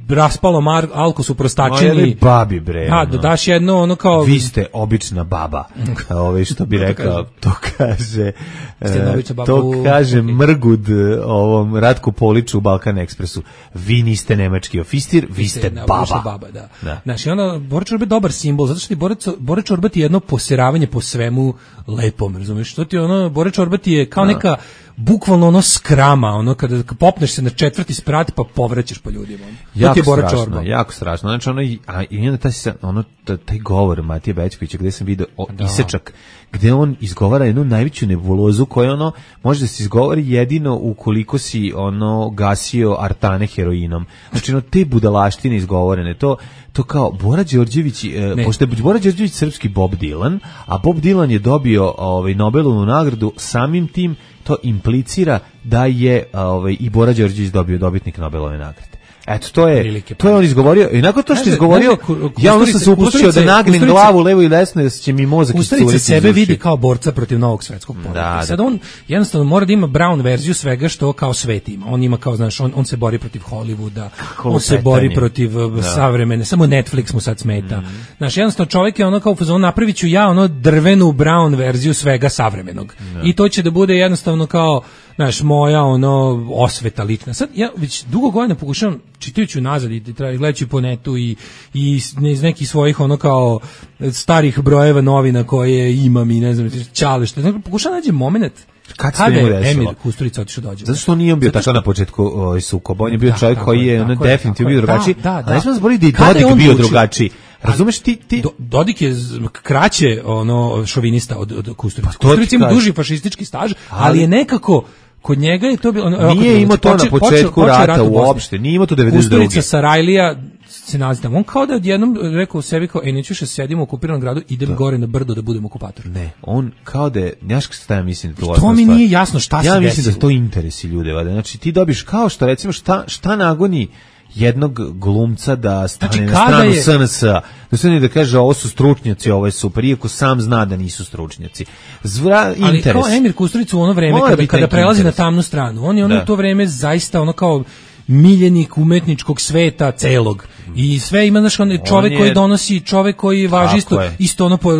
raspalo mar, alko su prostačeni. Moje babi bre. Ha, ono. da daš jedno ono kao Vi ste obična baba. Ove što bi To rekao, to kaže Ste jedna e, obična baba to u- kaže ok. Mrgud e, ovom Ratku Poliću u Balkan Ekspresu. Vi niste nemački ofistir, vi ste na- baba. ušla baba, da. Da. Znaš, i onda Bora Čorba je dobar simbol, zato što ti Bora, Bora Čorba ti je jedno poseravanje po svemu lepom, razumiješ? To ti je ono, Bora Čorba ti je kao neka, bukvalno ono skrama, ono kada popneš se na četvrti sprat pa povraćaš po ljudima. ono. To ti Jako je Bora strašno, Čorba. jako strašno. Znači ono i a i onda taj se- ono t- taj govor Matije Bećkovića gde sam video o, isečak gde on izgovara jednu najveću nebulozu koja ono može da se izgovori jedino ukoliko si ono gasio artane heroinom. Znači ono te budalaštine izgovorene, to to kao Bora Đorđević, e, Ne. pošto je Bora Đorđević srpski Bob Dylan, a Bob Dylan je dobio ovaj Nobelovu nagradu, samim tim to implicira da je ovaj i Bora Đorđević dobio dobitnik Nobelove nagrade. Eto, to je, Prilike, to je on izgovorio. I nakon to što je Znaš, izgovorio, znaš, ku- ja onda sam Kusturica- se uplašio da Kusturica- nagnem Kusturica- glavu levo i desno, da će mi mozak Kusturica iscuriti sebe iz uši. vidi kao borca protiv novog svetskog poretka. Da, I sad da. on jednostavno mora da ima Brown verziju svega što kao svet ima. On ima kao, znaš, on, on se bori protiv Hollywooda, on se lupetanje. bori protiv uh, savremene, samo Netflix mu sad smeta. Mhm. Znaš, jednostavno čovjek je ono kao u fazonu, napravit ću ja ono drvenu Brown verziju svega savremenog. I to će da bude jednostavno kao, znaš, moja ono osveta lična. Sad ja već dugo godina pokušavam, čitajući nazad i tra- gledajući po netu i, i iz iz nekih svojih ono kao starih brojeva novina koje imam i ne znam, čale što, znači, pokušavam nađem moment Kad se kada njemu je desilo? Emir Kusturica otišao dođe. Zato što on nije on bio Zato tako što- na početku ovaj, sukoba, on je bio Da, čovjek tako koji je, je, ono tako je, definitivno tako je. bio drugačiji, Da, da, a ne smo da. zaboraviti da je Kada je Dodik on bio odlučio? drugačiji. Razumeš ti, ti Do, Dodik je z- kraće ono šovinista od, od Kusturice. Pa to ti Kusturica ima kažem. duži fašistički staž, ali, Ali- je nekako kod njega je to bilo ono, evo, kako nije bi imao rekao, to na počeo- počeo- početku počeo rata rat u Bosni. uopšte, nije imao to devedeset druge. Kusturica Sarajlija se nalazi tamo. On kao da je odjednom rekao sebi kao, e, neću više sedimo u okupiranom gradu, idem gore na brdo da budem okupator. Ne, on kao da je, znaš šta ja mislim da to To osnovna mi stvar? nije jasno šta se Ja mislim desilo. da su to interesi ljude, valjda. Znači ti dobiš kao što recimo šta šta nagoni jednog glumca da stane Znači, na kada stranu je- S N S-a, da se ne da kaže ovo su stručnjaci, ovo je super, iako sam zna da nisu stručnjaci. Zvra, Ali interes. kao Emir Kusturica u ono vreme Mora kada, biti kada neki prelazi interes. na tamnu stranu, on je ono Da. u to vreme zaista ono kao miljenik umetničkog sveta celog. I sve ima, znaš, on je čovek je- koji donosi, čovek koji važi Tako isto, je. isto ono po,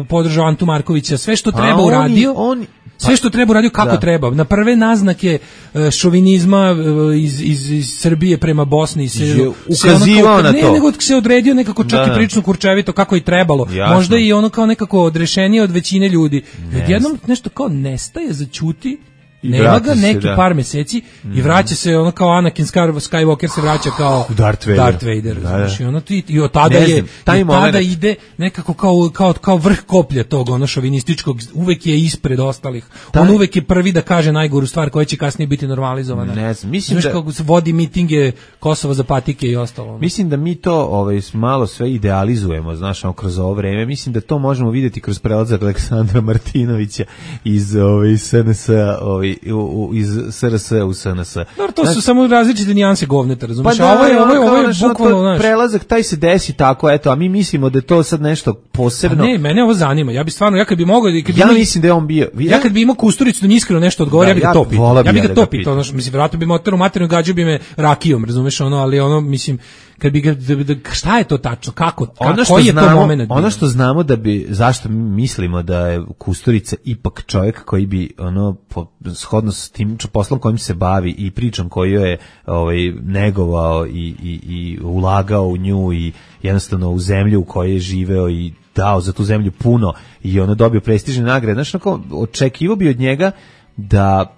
podržao Antu Markovića, sve što Pa treba on je- uradio. on- Sve što treba uradio kako Da. treba. Na prve naznake e, šovinizma e, iz, iz, iz Srbije prema Bosni se, Je se ukazivao ono kao- na ne, to. nego se odredio nekako čak Da. i prilično kurčevito kako i trebalo. Jasno. Možda i ono kao nekako odrešenije od većine ljudi. Ne Odjednom nešto kao nestaje, zaćuti, I nema vrati ga se, neki da. par meseci i vraća se ono kao Anakin Skar- Skywalker se vraća kao Darth Vader. Darth Vader, Da, znaš, da. i ono ti i od tada Ne je znam, taj i od tada moment- ide nekako kao kao kao vrh koplja tog ono šovinističkog, uvek je ispred ostalih. Taj- On uvek je prvi da kaže najgoru stvar koja će kasnije biti normalizovana. Ne znam, mislim Znaš da- kako se vodi mitinge Kosova za patike i ostalo. ono. Mislim da mi to ovaj malo sve idealizujemo, znaš, ono, kroz ovo vreme. Mislim da to možemo vidjeti kroz prelazak Aleksandra Martinovića iz ovaj S N S-a, ovaj u, u, iz S R S u S N S. Dobro, to su Znaš, samo različite nijanse govneta, razumiješ? Pa a da, ovo je, ovo je, ono, ovo je kao, znaš, ono, bukvalno, to znaš, prelazak taj se desi tako, eto, a mi mislimo da je to sad nešto posebno. A ne, mene ovo zanima. Ja bi stvarno, ja kad bi mogao, kad bi ja imao- mislim da je on bio. ja kad bi imao Kusturicu da mi iskreno nešto odgovori, Da, ja bih ga ja to pitao. voleo bi Ja bih ja ga da to ga pitao, pitam. ono, mislim, vjerojatno bi me oterao materinu, gađao bi me rakijom, razumeš, ono, ali ono, mislim, kad bi ga, da, da, šta je to tačno, kako, ka, Ono što koji je znamo, to moment bio? ono što znamo da bi, zašto mi mislimo da je Kusturica ipak čovjek koji bi ono po, shodno s tim poslom kojim se bavi i pričom koju je ovaj negovao i, i, i ulagao u nju i jednostavno u zemlju u kojoj je živeo i dao za tu zemlju puno i ono dobio prestižne nagrade. Znaš, onako, očekivao bi od njega da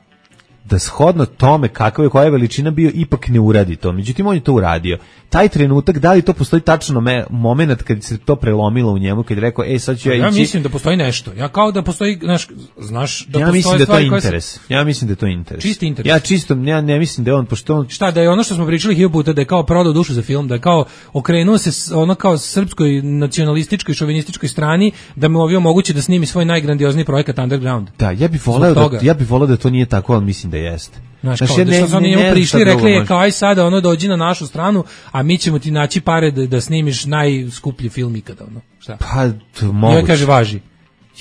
da shodno tome kakva je koja je veličina bio ipak ne uradi to. Međutim, on je to uradio. Taj trenutak, da li to postoji tačno me, moment kad se to prelomilo u njemu, kad je rekao, ej, sad ću ja, ja ići... Ja mislim da postoji nešto. Ja kao da postoji, znaš, znaš da ja postoje mislim da stvari to koje interes. se... Ja mislim da je to interes. Čisti interes. Ja čisto, ja ne mislim da je on, pošto on... Šta, da je ono što smo pričali hiljadu puta, da je kao prodao dušu za film, da je kao okrenuo se ono kao srpskoj nacionalističkoj, šovinističkoj strani, da mu ovdje omogući da snimi svoj najgrandiozniji projekat Underground. Da, ja bih voleo da, ja bih voleo da to nije tako, ali mislim da jeste. Znaš, kao, da što su oni njemu prišli i rekli je kao aj sada ono dođi na našu stranu, a mi ćemo ti naći pare da, da snimiš najskuplji film ikada. Ono. Šta? Pa, to moguće. Ja kaže važi.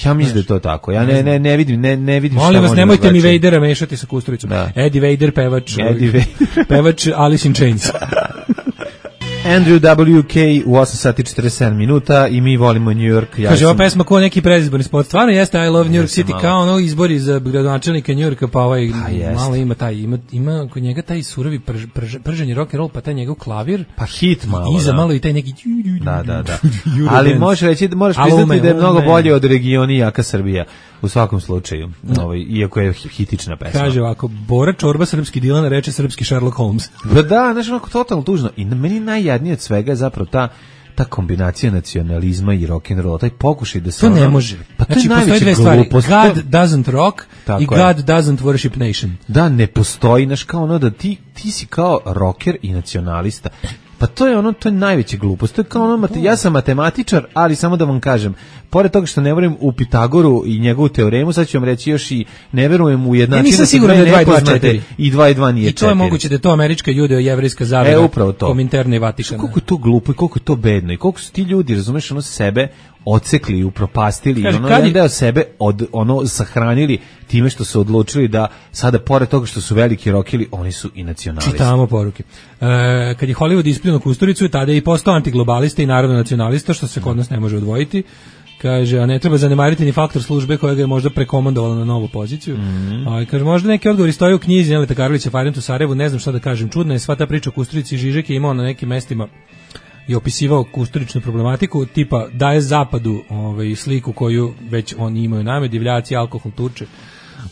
Ja mislim da je to tako. Ja ne, ne, ne vidim, ne, ne vidim šta molim vas, oni nemojte mi navlače. Vadera mešati sa Kusturicom. Da. Eddie Vader, pevač, Eddie Vader. pevač Alice in Chains. Andrew W K u osam sati i četrdeset sedam minuta i mi volimo New York. Ja Kaže, sam... ova pesma ko neki predizborni spot. Stvarno jeste I Love New York Jeste City, malo. kao ono izbori za gradonačelnika New Yorka, pa ovaj Pa malo ima taj, ima, ima kod njega taj surovi prž, prž, prženi rock and roll, pa taj njegov klavir. Pa hit malo, iza da. malo i taj neki... Da, da, da. Ali možeš reći, možeš priznati da je mnogo bolje od regioni Jaka Srbija. U svakom slučaju, ovaj, iako je hitična pesma. Kaže ovako, Bora Čorba, srpski Dilan, reče srpski Sherlock Holmes. Da, da, znaš, onako totalno tužno. I na meni najjadnije od svega je zapravo ta ta kombinacija nacionalizma i rock'n'rolla, taj pokušaj da se... To ono, ne može. Pa to znači, je postoje dve stvari. God doesn't rock i God je. doesn't worship nation. Da, ne postoji, znaš, kao ono da ti, ti si kao rocker i nacionalista. Pa to je ono, to je najveća glupost. To je kao ono, mate, ja sam matematičar, ali samo da vam kažem, pored toga što ne verujem u Pitagoru i njegovu teoremu, sad ću vam reći još i ne verujem u jednačinu. Ja nisam siguran da je dva i dva četiri. I dva i dva nije četiri. I to je moguće da je to američka judeo-jevrijska zavera. E, upravo to. Kominterne i Vatikana. Koliko je to glupo i koliko je to bedno i koliko su ti ljudi, razumeš, ono sebe odsekli i upropastili Kaže, i ono kad je... jedan deo sebe od, ono sahranili time što su odlučili da sada pored toga što su veliki rokili, oni su i nacionalisti. Čitamo poruke. E, kad je Hollywood ispljunuo Kusturicu, tada je i postao antiglobalista i narodno nacionalista, što se kod nas ne može odvojiti. Kaže, a ne treba zanemariti ni faktor službe koja ga je možda prekomandovalo na novu poziciju. Mm-hmm. A, kaže, možda neki odgovori stoje u knjizi Neleta Karlovića Fahrenheit u Sarajevu, ne znam šta da kažem. Čudna je sva ta priča o Kusturici. Žižek je imao na nekim mestima i opisivao kusturičnu problematiku, tipa daje zapadu ovaj, sliku koju već oni imaju name, divljaci, alkohol, tuče.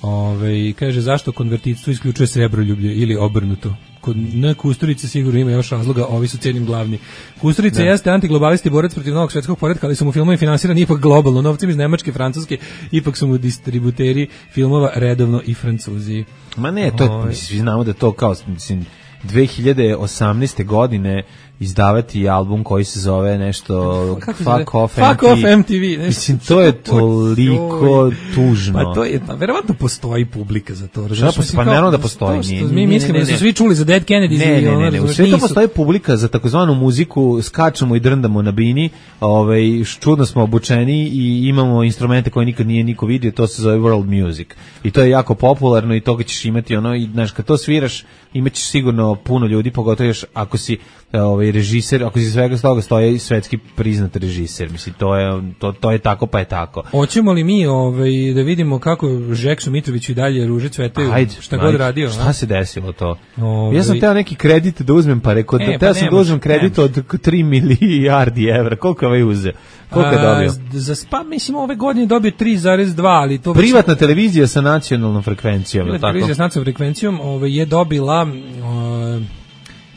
Ovaj, kaže, zašto konvertitstvo isključuje srebroljublje ili obrnuto? Kod na Kusturice sigurno ima još razloga, ovi su cijenim glavni. Kusturica jeste antiglobalisti borac protiv novog svetskog poretka, ali su mu filmovi finansirani ipak globalno, novcem iz Nemačke, Francuske, ipak su mu distributeri filmova redovno i Francuzi. Ma ne, to je, mislim, znamo da to kao, mislim, dve hiljade osamnaeste godine izdavati album koji se zove nešto Fuck Off Fuck Off M T V. Mislim, to je toliko tužno. Pa to je, pa, verovatno postoji publika za to. Šta postoji? Pa naravno da postoji. Što, što mi mislimo da su svi čuli za Dead Kennedys. Ne, ne, ne, ne. U svijetu postoji publika za takozvanu muziku, skačemo i drndamo na bini, ovaj, čudno smo obučeni i imamo instrumente koje nikad nije niko vidio, to se zove world music. I to je jako popularno i toga ćeš imati ono, i znaš, kad to sviraš, imaćeš sigurno puno ljudi, pogotovo još ako si ovaj režiser, ako si svega toga stoji svetski priznat režiser, mislim to je to to je tako pa je tako. Hoćemo li mi ovaj da vidimo kako Žeksu Mitroviću i dalje ruže cvetaju, šta god radio, šta a? se desilo to? Ovaj... Ja sam teo neki kredit da uzmem, pa rekao, e, teo pa sam da uzmem kredit nemaš. Od tri milijardi evra, koliko je ovaj uzeo? Koliko je dobio? A, za spa, mislim, ove godine dobio tri zarez dva, ali to... Privatna već... televizija sa nacionalnom frekvencijom, Privatna tako? Televizija sa nacionalnom frekvencijom ovaj, je dobila... Uh,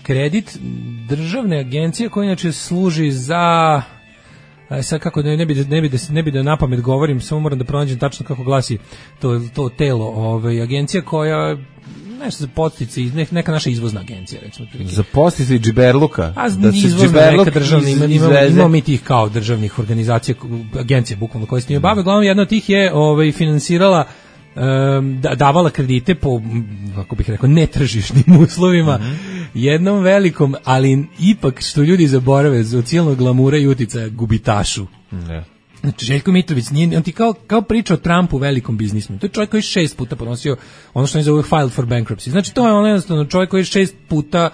kredit državne agencije koja inače služi za sad kako ne, ne bi ne bi da ne bi da napamet govorim, samo moram da pronađem tačno kako glasi to to telo, ovaj agencija koja nešto za podsticaje, neka naša izvozna agencija, recimo. Za podsticaje džiberluka. A da se džiberluk državni ima, ima, ima mi tih kao državnih organizacija, agencije bukvalno koje se njima bave. Glavno jedna od tih je ovaj finansirala Um, davala kredite po, kako bih rekao, netržišnim uslovima mm-hmm. jednom velikom, ali ipak što ljudi zaborave od cijelog glamura i uticaja gubitašu. Ne. Znači, Željko Mitrović, nije, on ti kao, kao priča o Trumpu, velikom biznismenu. To je čovjek koji šest puta podnosio ono što je zove filed for bankruptcy. Znači, to je ono jednostavno čovjek koji šest puta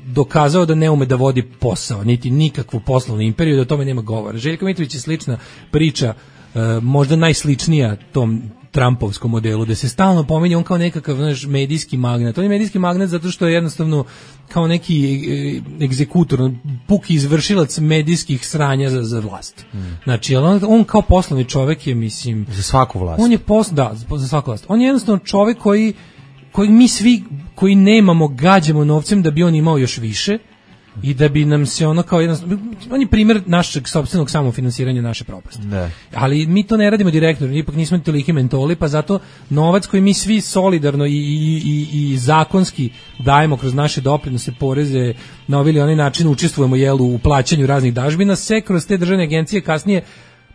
dokazao da ne ume da vodi posao, niti nikakvu poslovnu imperiju, da o tome nema govora. Željko Mitrović je slična priča, uh, možda najsličnija tom Trumpovskom modelu, da se stalno pominje on kao nekakav, znaš, medijski magnat. On je medijski magnat zato što je jednostavno kao neki egzekutor, puki izvršilac medijskih sranja za, za vlast. Mm. Znači, on, on kao poslovni čovjek je, mislim... Za svaku vlast. On je pos, da, za svaku vlast. On je jednostavno čovjek koji kojeg mi svi koji nemamo gađamo novcem da bi on imao još više i da bi nam se ono kao jedan, on je primjer našeg sopstvenog samofinansiranja naše propasti. Ne. Ali mi to ne radimo direktno, ipak nismo toliki mentoli, pa zato novac koji mi svi solidarno i, i, i, i zakonski dajemo kroz naše doprinose, poreze, na ovaj ili onaj način učestvujemo jel, u plaćanju raznih dažbina, se kroz te državne agencije kasnije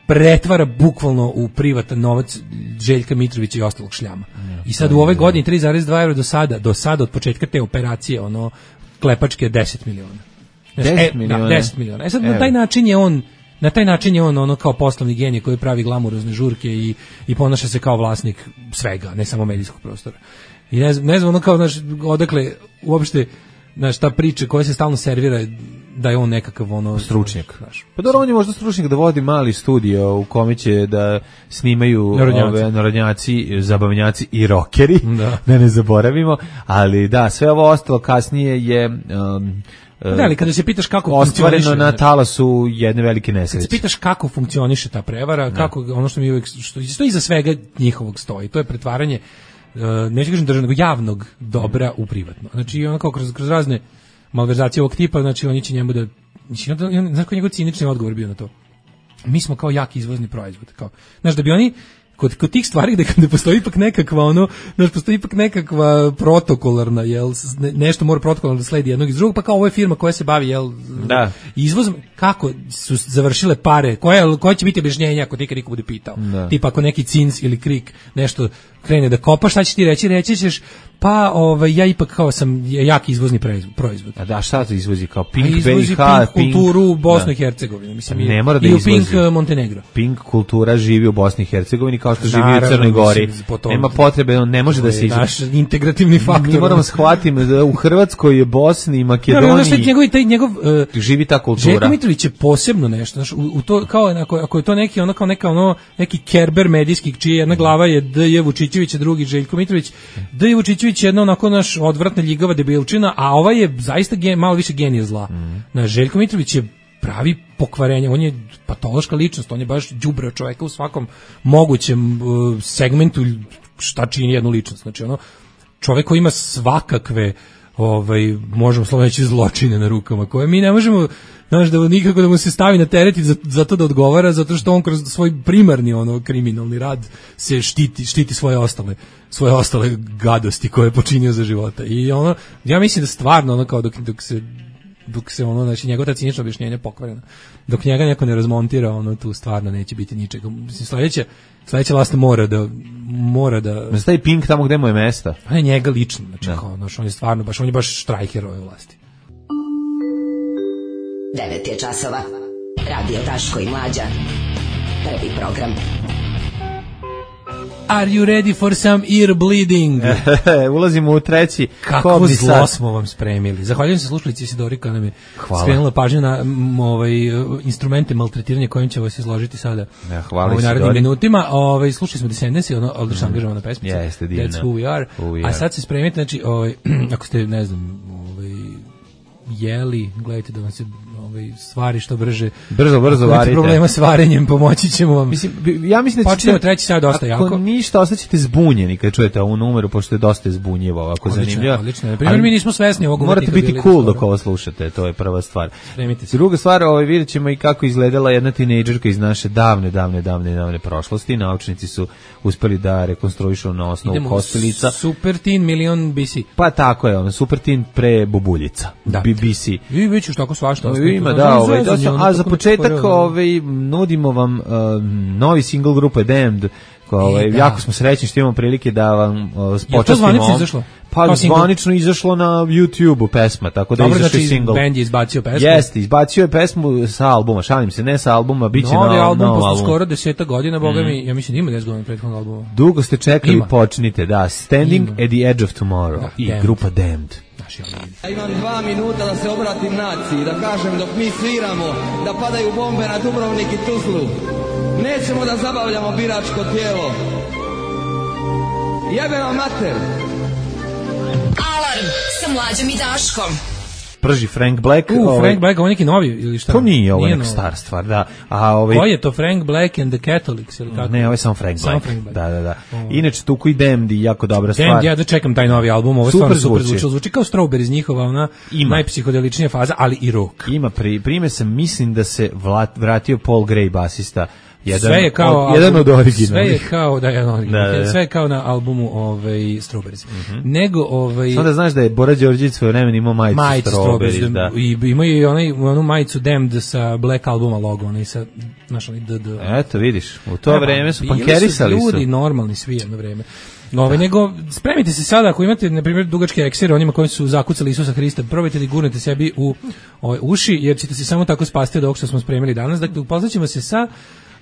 pretvara bukvalno u privatan novac Željka Mitrovića i ostalog šljama. I sad u ove godine tri zarez dva evra do sada, do sada od početka te operacije, ono klepačke deset miliona. deset e, miliona. Da, deset miliona. E sad na taj način je on na taj način je on ono kao poslovni genij koji pravi glamurozne žurke i i ponaša se kao vlasnik svega, ne samo medijskog prostora. I ne znam, ne znam ono kao znaš, odakle uopšte znaš, ta priča koja se stalno servira da je on nekakav ono stručnjak. Znaš, pa dobro, on je možda stručnjak da vodi mali studio u kome će da snimaju narodnjaci. ove narodnjaci, zabavnjaci i rokeri, da. da ne zaboravimo, ali da, sve ovo ostalo kasnije je um, da, ali kada se pitaš kako ostvareno na talasu jedne velike nesreće. Kad se pitaš kako funkcioniše ta prevara, kako ono što mi uvijek, što stoji iza svega njihovog stoji, to je pretvaranje uh, neću kažem državnog, javnog dobra u privatno. Znači ono kao kroz, kroz razne malverzacije ovog tipa, znači oni će njemu da, znači, znaš koji njegov cinični odgovor bio na to? Mi smo kao jak izvozni proizvod. Kao, znaš, da bi oni kod, kod tih stvari gde, gde postoji ipak nekakva ono, znaš, postoji ipak nekakva protokolarna, jel, nešto mora protokolarno da sledi jednog iz drugog, pa kao ovo je firma koja se bavi, jel, da. izvozom, kako su završile pare, koje, koje će biti objašnjenja ako ti niko bude pitao. Da. Tipa ako neki Cins ili Krik nešto krene da kopa, šta će ti reći? Reći ćeš, pa ovaj, ja ipak kao sam jak izvozni proizvod. A da, šta to izvozi? Kao Pink izvozi B i H, Pink kulturu Bosnu i Hercegovini. Mislim, ne mora da i u izvozi. Pink Montenegro. Pink kultura živi u Bosni i Hercegovini kao što živi u Crnoj Gori. Nema potrebe, on ne može da se izvozi. Naš integrativni faktor. Mi moramo shvatiti da u Hrvatskoj, Bosni i Makedoniji no, no, njegov, taj, njegov, uh, živi ta kultura. Željko Mitrović je posebno nešto. Znaš, u, u to, kao, ako, ako je to neki, ono, kao neka, ono, neki Kerber medijski, čija jedna glava je D J Vučićević, a drugi Željko Mitrović. D J Vučićević je jedna onako naš odvratna ljigava debilčina, a ova je zaista gen, malo više genije zla. Mm. Na Željko Mitrović je pravi pokvarenje, on je patološka ličnost, on je baš đubre čoveka u svakom mogućem uh, segmentu šta čini jednu ličnost. Znači ono, čovek koji ima svakakve ovaj, možemo slovno reći zločine na rukama, koje mi ne možemo, znaš, da nikako da mu se stavi na teret za, za to da odgovara, zato što on kroz svoj primarni ono kriminalni rad se štiti, štiti svoje ostale svoje ostale gadosti koje je počinio za života. I ono, ja mislim da stvarno ono kao dok, dok se dok se ono, znači njegova ta cinična objašnjenja pokvarena, dok njega neko ne razmontira, ono tu stvarno neće biti ničega. Mislim, sledeće sledeća vlast mora da mora da ne stavi Pink tamo gde mu je mesta. Pa ne njega lično, znači kao, znaš, on je stvarno baš, on je baš štrajker ove vlasti. devet je časova. Radio Daško i Mlađa. Prvi program. Are you ready for some ear bleeding? Ulazimo u treći. Kako zlo sad smo vam spremili. Zahvaljujem se slušalici Isidori koja nam je skrenula pažnju na m, ovaj, instrumente maltretiranja kojim će vas izložiti sada ja, hvala u narednim minutima. Ovaj, slušali smo Descendants, ono odlično mm. angažovana pesmica. Jeste, divna. That's who we are. Who we are. A sad se spremite, znači, ovaj, ako ste, ne znam, ovaj, jeli, gledajte da vam se ovaj, stvari što brže. Brzo, brzo varite. Problema s varenjem, pomoći ćemo vam. Mislim, ja mislim da počinjemo treći sad dosta ako jako. Ako ništa, ostaćete zbunjeni kad čujete ovu numeru, pošto je dosta zbunjivo, ovako zanimljivo. Odlično, na primjer, mi nismo svesni ovog. Morate biti cool dok ovo slušate, to je prva stvar. Druga stvar, ovaj, vidjet ćemo i kako izgledala jedna tinejdžerka iz naše davne, davne, davne, davne prošlosti. Naučnici su uspeli da rekonstruišu na osnovu Idemo kostelica. Super Teen Million B C. Pa tako je, ono, Super Teen pre Bubuljica. Da. B C. I već još tako svašta. Ima, da, ovaj, dosta, a za početak ovaj, nudimo vam uh, novi single grupe Damned. Ovaj, e, jako smo srećni što imamo prilike da vam uh, počastimo. Je to zvanično izašlo? Pa zvanično izašlo na YouTube-u pesma, tako da dobro, izašao znači, single. Band je izbacio pesmu? Jeste, izbacio je pesmu sa albuma, šalim se, ne sa albuma, bit će no, na novom album. album. Posle skoro deseta godina, boga mi, mm. ja mislim da ima deset godina prethodnog albuma. Dugo ste čekali, ima. Počnite, da, Standing ima. at the Edge of Tomorrow da, i damned. Grupa Damned. Ja imam dva minuta da se obratim naciji, da kažem dok mi sviramo, da padaju bombe na Dubrovnik i Tuzlu. Nećemo da zabavljamo biračko tijelo. Jebe vam mater! Alarm sa Mlađom i Daškom. prži Frank Black. U, ovaj, Frank Black, ovo neki novi ili šta? To nije, ovo nije neka novo. star stvar, da. A ovaj Koji je to Frank Black and the Catholics ili kako? Ne, ovo je samo Frank Samo Black. Frank Black. Da, da, da. Inače Tuku i Damned i jako dobra stvar. Damned, ja da čekam taj novi album, ovo je Super stvarno super zvuči. zvuči. Zvuči kao Strawberries, njihova ona Ima. najpsihodeličnija faza, ali i rock. Ima pri, prime sam, mislim da se vlat, vratio Paul Gray basista. Jedan, sve je kao od, jedan od originalnih. Sve je kao da je originalni. Da, da. Sve je kao na albumu ovaj Strawberries. Mm-hmm. Nego ovaj Samo da znaš da je Bora Đorđević svoje vreme imao majicu majicu Strawberries, Strawberries, da. I ima i onaj onu majicu Damned sa Black albuma logo, onaj sa našo onaj D D. Eto, vidiš, u to Evo, vreme su bili pankerisali su. Ljudi normalni svi jedno vreme. Ove, nego, spremite se sada, ako imate, na primjer, dugačke eksere, onima koji su zakucali Isusa Hrista, probajte da gurnete sebi u ove, uši, jer ćete se samo tako spasti od ovog što smo spremili danas. Dakle, upoznaćemo se sa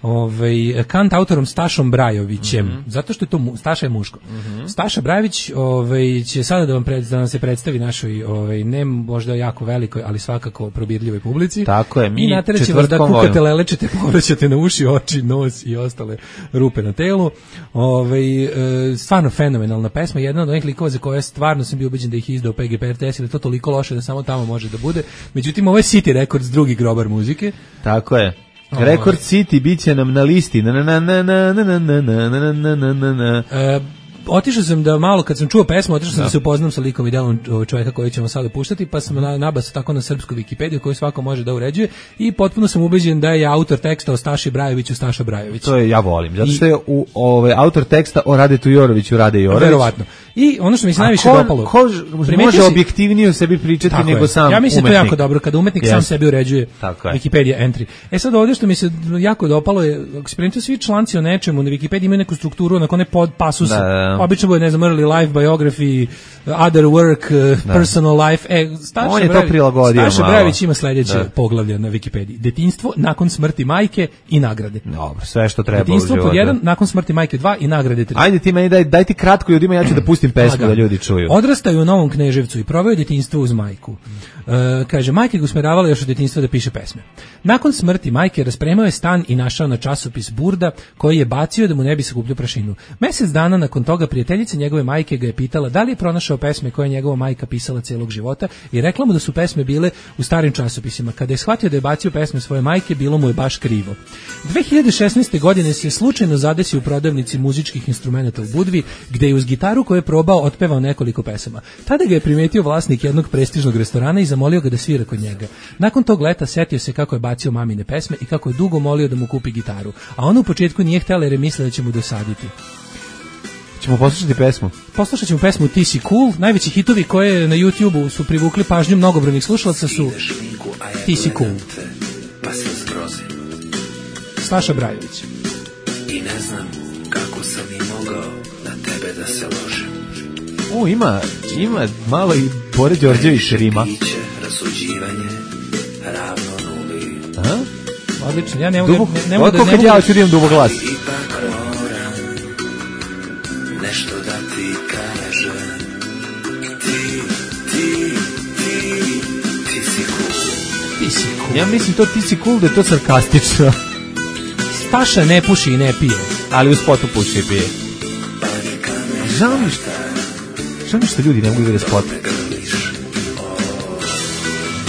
ovaj kant autorom Stašom Brajovićem, mm-hmm. zato što je to mu, Staša je muško. Mm-hmm. Staša Brajović ovaj će sada da vam pred, da nam se predstavi našoj ovaj ne možda jako velikoj, ali svakako probirljivoj publici. Tako je, mi i nateraće vas da kukate, lelečete, povraćate na uši, oči, nos i ostale rupe na telu. Ovaj e, stvarno fenomenalna pesma, jedna od onih likova za koje stvarno sam bio ubeđen da ih izdao P G P R T S, ili to toliko loše da samo tamo može da bude. Međutim, ovo je City Records, drugi grobar muzike. Tako je. Record City biće nam na listi. Na na na na na na na na na na na na. Otišao sam da malo, kad sam čuo pesmu, otišao sam da se upoznam sa likom i delom čovjeka koji ćemo sada puštati, pa sam na, nabasao tako na srpsku Wikipediju koju svako može da uređuje i potpuno sam ubeđen da je autor teksta o Staši Brajoviću Staša Brajović. To je, ja volim, zato što je u, ovaj, autor teksta o Radetu Joroviću Rade Jorović. Verovatno. I ono što mi se najviše ko, dopalo, ko može si, objektivnije o sebi pričati nego je. Sam ja mislim umetnik. To jako dobro, kada umetnik yes. sam sebi uređuje Wikipedia entry. E sad ovdje što mi se jako dopalo je, ako se primite svi članci o nečemu na Wikipediji imaju neku strukturu, onako ne pod pasuse, da, da. obično bude, ne znam, early life, biography, other work, uh, personal life. E, Staša On je Brajović, to prilagodio Staša malo. Brajović ima sljedeće da. poglavlje na Wikipediji. Detinjstvo nakon smrti majke i nagrade. Dobro, sve što treba. Detinjstvo pod jedan, nakon smrti majke dva i nagrade tri. Ajde ti meni daj, daj ti kratko ljudima, ja ću da pustim pesmu da ljudi čuju. Odrastaju u Novom Kneževcu i proveo detinjstvo uz majku. E, kaže, majka ga usmeravala još od detinjstva da piše pesme. Nakon smrti majke raspremao je stan i našao na časopis Burda, koji je bacio da mu ne bi sakupljao prašinu. Mesec dana nakon toga prijateljica njegove majke ga je pitala da li je pronašao pesme koje je njegova majka pisala celog života i rekla mu da su pesme bile u starim časopisima. Kada je shvatio da je bacio pesme svoje majke, bilo mu je baš krivo. dve hiljade šesnaeste. godine se slučajno zadesio u prodavnici muzičkih instrumenata u Budvi, gde je uz gitaru koju je probao otpevao nekoliko pesama. Tada ga je primetio vlasnik jednog prestižnog restorana i zamolio ga da svira kod njega. Nakon tog leta setio se kako je bacio mamine pesme i kako je dugo molio da mu kupi gitaru, a ona u početku nije htjela jer je mislila da će mu dosaditi. Ćemo poslušati pesmu? Poslušat ćemo pesmu Ti si cool. Najveći hitovi koje na YouTubeu su privukli pažnju mnogobrojnih slušalaca su Ti si cool. Pa se zgrozim. Staša Brajović. I ne znam kako sam i mogao na tebe da se ložim. O, ima, ima malo i Bore Đorđević rima. Rasuđivanje ravno nuli. Aha. Odlično, ja ne mogu Dubog, ne, ne mogu da... Od kad ja ću da imam dubog glas. Ipak moram nešto da ti kažem. Ti, ti, ti, ti si cool. Ti si cool. Ja mislim to ti si cool da je to sarkastično. Staša ne puši i ne pije. Ali u spotu puši i pije. Žao mi što... Žao mi što ljudi ne mogu da vide spot.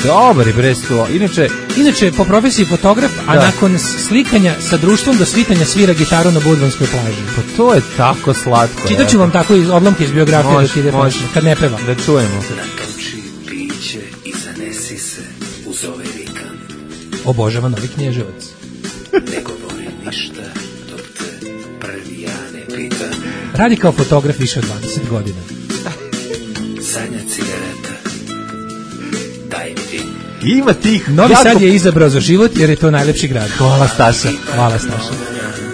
Dobar je bresto. Inače, inače po profesiji fotograf, a da. Nakon slikanja sa društvom do svitanja svira gitaru na Budvanskoj plaži. Pa to je tako slatko. Čitaću ja. Vam tako iz odlomke iz biografije mož, dok ide mož, pesma, kad ne pevam. Da čujemo. Natoči piće i zanesi se uz ove vikan. Obožava Novi Knježevac. Ne govorim ništa dok te prvi ja ne pitam. Radi kao fotograf više od dvadeset godina. Sanja cigareta. Daj mi ti. Ima tih. Novi jako... Sad je izabrao za život jer je to najlepši grad. Hvala Staša. Hvala Staša.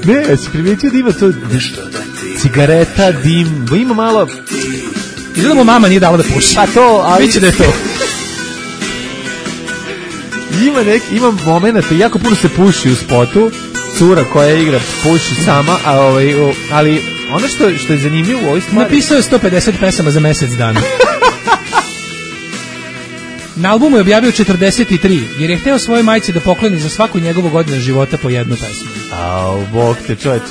Ne, ja si primetio da ima to cigareta, dim, ima malo... Izgleda mu mama nije dala da puši. Pa to, ali... Biće da je to. Ima neki, ima momenata, jako puno se puši u spotu, cura koja igra puši sama, a ovaj, ali ono što, što je zanimljivo u ovoj stvari... Napisao je sto pedeset pesama za mesec dana. Na albumu je objavio četrdeset tri, jer je hteo svojoj majci da pokloni za svaku njegovu godinu života po jednu pesmu. Au, bog te čovječ.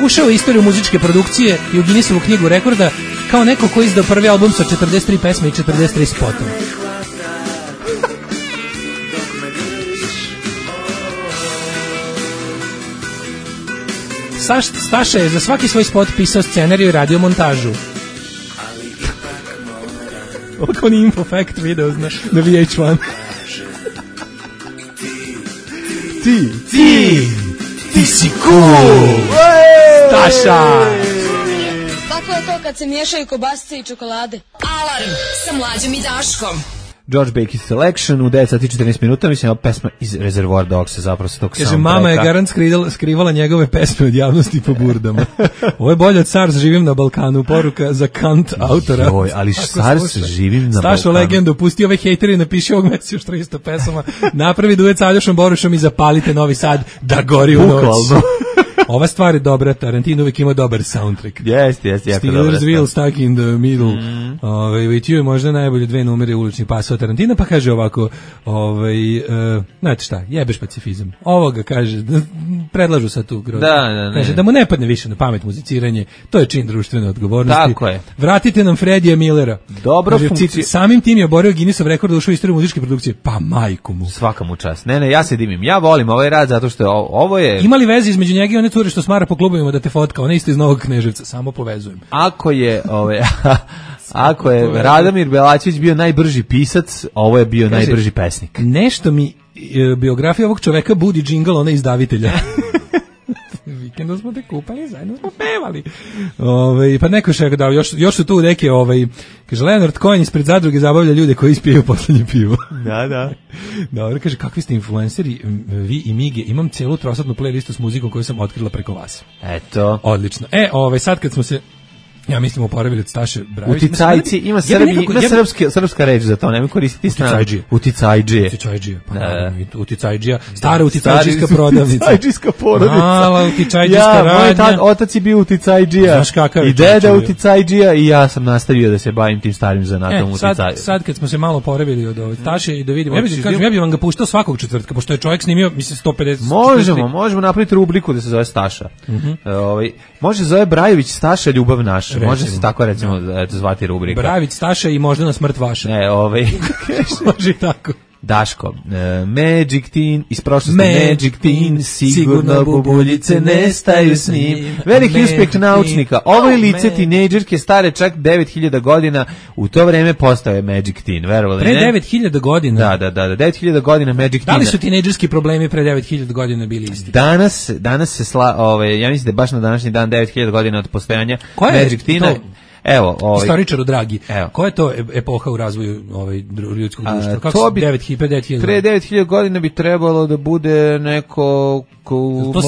ušao u istoriju muzičke produkcije i u Guinnessovu knjigu rekorda kao neko ko je izdao prvi album sa četrdeset tri pesme i četrdeset tri spotova. Saš, Staša je za svaki svoj spot pisao scenariju i radio montažu. Ovako ni Info Fact video na, na V H jedan. Ti, ti, ti si cool! Staša! Kako je to kad se miješaju kobasice i čokolade? Alarm sa Mlađom i Daškom. George Baker Selection u devet sati i četrnaest minuta, mislim, ova pesma iz Reservoir Dogsa, zapravo sa tog soundtracka. Kaže, mama je garant skrivala, skrivala njegove pesme od javnosti po burdama. Ovo je bolje od SARS, živim na Balkanu, poruka za Kant autora. Joj, ali SARS, živim na Balkanu. Stašo legendu, pusti ove hejteri, napiši ovog meseca još tristo pesama, napravi duet sa Aljošom Borušom i zapalite Novi Sad da gori u noć. Ova stvar je dobra, Tarantino uvijek ima dobar soundtrack. Jeste, jeste, jako dobra. Steelers Wheel, Stuck in the Middle. Mm. Ove, with you je možda najbolje dve numere uličnih pasova Tarantina, pa kaže ovako, ovaj, uh, znate šta, jebeš pacifizam. Ovoga kaže, predlažu sad tu. Da, da, ne. Kaže, da mu ne padne više na pamet muziciranje, to je čin društvene odgovornosti. Tako je. Vratite nam Freddija Millera. Dobro funkcija. Samim tim je oborio Guinnessov rekord da ušao u istoriju muzičke produkcije. Pa majku mu. Svaka mu čast. Ne, ne, ja se dimim. Ja volim ovaj rad zato što je, ovo je... Ima li veze između njega i one cure što smara po klubovima da te fotka? Ona isto iz Novog Kneževca, samo povezujem. Ako je, ove, ako je Radomir Belačević bio najbrži pisac, ovo je bio kaže, najbrži pesnik. Nešto mi e, biografija ovog čoveka budi džingl, ona izdavitelja. Vikendom smo te kupali, zajedno smo pevali. Ove, pa neko še da još, još su tu neke, ovaj, kaže, Leonard Cohen ispred zadruge zabavlja ljude koji ispijaju poslednje pivo. Da, da. Dobro, kaže, kakvi ste influenceri, vi i Mige, imam celu trosatnu playlistu s muzikom koju sam otkrila preko vas. Eto. Odlično. E, ovaj, sad kad smo se ja mislim oporavili od Staše Brajović. Uticajci, ima, Srbi, ja nekako, ima srpske, srpska reč za to, nemoj koristiti stranu. Uticajđije. Uticajđije. Pa da. Uticajđija. Stara uticajđijska prodavnica. Uticajđijska porodica. Mala uticajđijska ja, radnja. Moj tad, otac je bio uticajđija. Znaš kakav je. I deda uticajđija i ja sam nastavio da se bavim tim starim zanatom e, uticajđija. Sad, sad kad smo se malo oporavili od ove Staše i da vidimo, ja bih kažem, ja bih vam ga puštao svakog četvrtka, pošto je čovjek snimio, mislim, sto pedeset. Možemo, možemo napraviti rubriku da se zove Staša. Ovaj, može zove Brajović Staša ljubav naša. Može se tako recimo eto zvati rubrika. Bravić Staša i možda na smrt vaša. Ne, ovaj može tako. Daško, uh, Magic Teen iz prošlosti, Magic, Magic Teen, sigurno bubuljice nestaju s njim. Veliki Magic uspeh naučnika. Ovo je lice oh, tinejdžerke stare čak devet hiljada godina, u to vreme postao je Magic Teen, verovali pre ne? Pre devet hiljada godina? Da, da, da, da, devet hiljada godina Magic Teen. Da li su tinejdžerski problemi pre devet hiljada godina bili isti? Danas, danas se sla, ove, ja mislim da je baš na današnji dan devet hiljada godina od postojanja Magic Teena. Evo, ovaj istoričaru dragi. Evo. Koja je to epoha u razvoju ovaj ljudskog društva? Kako to bi devet hiljada pre devet hiljada godina bi trebalo da bude neko ko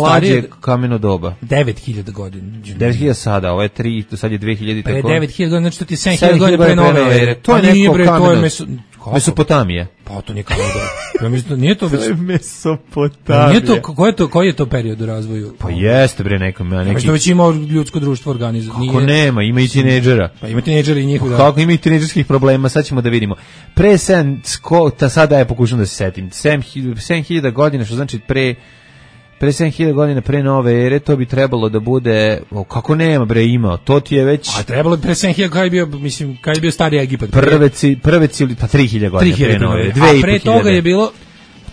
mlađe kameno doba. devet hiljada godina. devet hiljada sada, ovo je tri, to sad je dve hiljade tako. Pre devet hiljada godina, znači to ti sedam hiljada godina pre nove ere. To je neko kameno. Kako? Mesopotamija. Pa to nije kameno doba. Ja mislim nije to Mesopotamija. Nije to, koji je to, koji je to period u razvoju? Pa jeste bre nekom, ja neki. Što već ima ljudsko društvo organizovano. Kako nema, ima i tinejdžera. Pa ima tinejdžeri i njihov. Kako ima i tinejdžerskih problema, sad ćemo da vidimo. Pre sedam, ta sada je pokušam da se setim. sedam hiljada godina, što znači pre pre sedam hiljada godina pre nove ere, to bi trebalo da bude, o, kako nema bre ima, to ti je već... A trebalo pre sedam hiljada, kada je bio, mislim, kada je bio stari Egipat? Prve, prve cili, pa tri hiljade godina pre nove ere, a pre toga je bilo...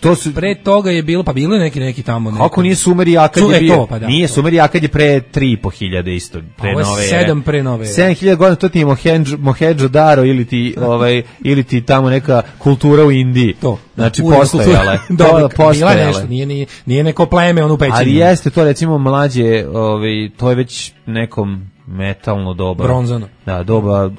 To su, pre toga je bilo, pa bilo je neki neki tamo neki. Kako nije Sumer i Akad je bio? Pa da, nije to. Sumer i Akad je pre tri i po hiljade isto, pre nove. Ovo je sedam pre nove. sedam hiljada godina, to ti je Mohendžo-Daro ili ti ovaj ili ti tamo neka kultura u Indiji. To. Znači postojala. Dobro, bila nešto, nije nije nije neko pleme ono pećenje. Ali jeste to recimo mlađe, ovaj to je već nekom metalno doba. Bronzano. Da, doba,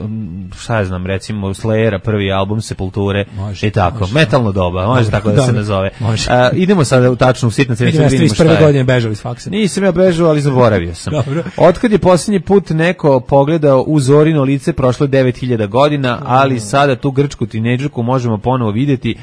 šta ja znam, recimo Slayera, prvi album Sepulture može, i tako. Može, metalno doba, može tako da, da se nazove. Može. A, idemo sada u tačnu sitnicu. Vidimo šta je. trideset prve godine bežali s faksa. Nisam ja bežao, ali zaboravio sam. Dobro. Otkad je posljednji put neko pogledao u Zorino lice, prošlo devet hiljada godina, ali sada tu grčku tinejdžerku možemo ponovo vidjeti.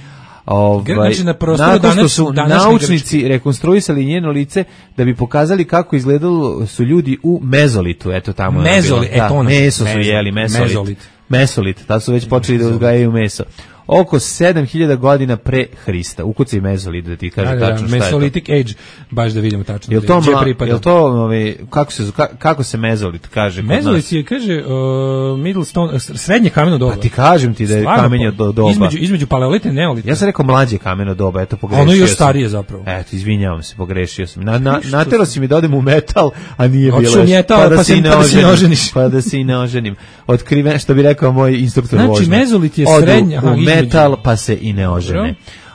Ovaj, znači na prostoru nakon što danas, su naučnici Grčke rekonstruisali njeno lice da bi pokazali kako izgledalo su ljudi u mezolitu, eto tamo Mezoli, je bilo. E, to da, meso su jeli, mesolit. Mezolit. Mesolit, tad su već počeli da uzgajaju meso. oko sedam hiljada godina pre Hrista. Ukucaj mezolit da ti kaže da, da, tačno šta je to. Mesolithic age, baš da vidimo tačno. Jel to, mla, jel to ovaj, kako, se, kako se mezolit kaže? Mezolit je, kaže, uh, middle stone, srednje kameno doba. Pa ti kažem ti da je Stvarno, kamenje do doba. Između, između paleolita i neolita. Ja sam rekao mlađe kameno doba, eto pogrešio ono sam. Ono još starije zapravo. Eto, izvinjavam se, pogrešio sam. Na, na, natero si mi da odem u metal, a nije bilo. Oču metal, pa, da pa, se, pa da se ne oženiš. Pa da se i ne oženim. Otkriven, što bi rekao moj instruktor znači, vožnje. Znači, mezolit je Odu srednja. u aha, metal, pa se i ne ožene.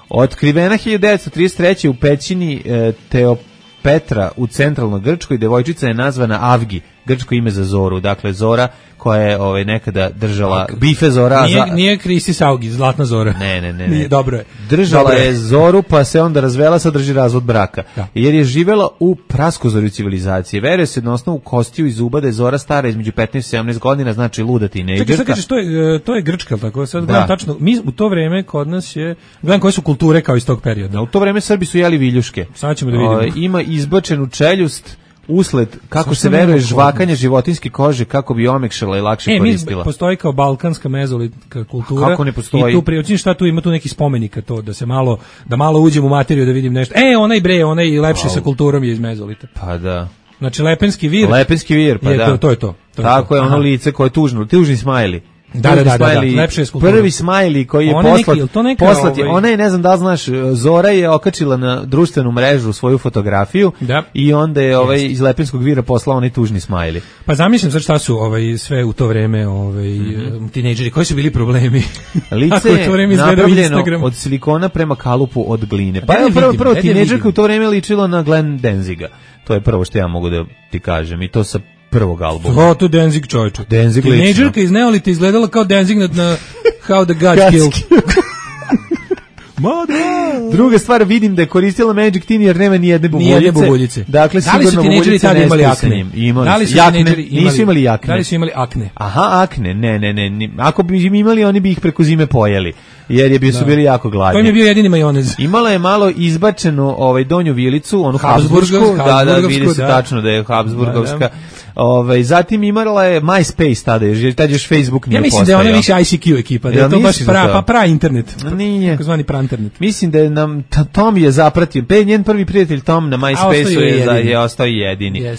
Otkrivena hiljadu devetsto trideset treće u pećini e, Teopetra u centralnoj Grčkoj, devojčica je nazvana Avgi, grčko ime za Zoru, dakle Zora koja je ovaj, nekada držala bife Zora. Nije, nije Kristis Augi, Zlatna Zora. Ne, ne, ne. ne. Nije, dobro je. Držala dobro je. je Zoru, pa se onda razvela, sad drži razvod braka. Da. Jer je živela u praskozorju civilizacije. Veruje se na osnovu kostiju i zuba da je Zora stara između petnaest i sedamnaest godina, znači luda tinejdžerka. Čekaj, sad kažeš, to je, to je Grčka, tako? Sad gledam tačno, mi u to vreme kod nas je, gledam koje su kulture kao iz tog perioda. U to vreme Srbi su jeli viljuške. Sad ćemo da vidimo. O, ima izbačenu čeljust, usled, kako se veruje, žvakanje životinjske kože kako bi omekšala i lakše e, koristila. Mi postoji kao balkanska mezolitka kultura. Kako ne postoji? I tu priučim šta tu ima tu neki spomenika to, da se malo, da malo uđem u materiju da vidim nešto. E, onaj bre, onaj lepši wow. sa kulturom je iz mezolita. Pa da. Znači, Lepenski vir. Lepenski vir, pa je da. To, to je to. to Tako je, to. je ono lice koje je tužno, tužni smajli. Da, da, da, da, da, lepše je skulptura. Prvi smajli koji je poslat, poslat je, ona je, ne znam da li znaš, Zora je okačila na društvenu mrežu svoju fotografiju da. I onda je ovaj, iz Lepenskog vira poslao onaj tužni smajli. Pa zamišljam sad šta su ovaj, sve u to vreme ovaj, mm-hmm. tinejdžeri, koji su bili problemi? Lice je napravljeno od silikona prema kalupu od gline. Pa evo prvo, prvo tinejdžerka u to vreme ličila na Glenn Danziga. To je prvo što ja mogu da ti kažem i to sa prvog albuma. O, to Danzig čovječu. Danzig lično. Tinejdžerka iz Neolita izgledala kao Danzig na, na How the Gods Killed. Druga stvar, vidim da je koristila Magic Teen jer nema ni jedne bubuljice. Ni jedne bubuljice. Dakle, da li su tinejdžeri tada imali akne? Imali da li su jakne, imali, nisu imali akne. Da li su imali akne? Aha, akne, ne, ne, ne. ne. Ako bi imali, oni bi ih preko zime pojeli. Jer je bi su bili jako gladni. To im je bio jedini majonez. Imala je malo izbačenu ovaj donju vilicu, onu Habsburgsku, da, da, vidi se da. tačno da je Habsburgovska. Da, da. Ovaj zatim imala je MySpace tada, jer tad još Facebook nije postojao. Ja mislim postojao. Da je ona više I C Q ekipa, da je ja, to baš pra, pa pra internet. Nije. Takozvani pra internet. Mislim da je nam Tom je zapratio, pe njen prvi prijatelj Tom na MySpaceu je, je, je ostao jedini. Uh,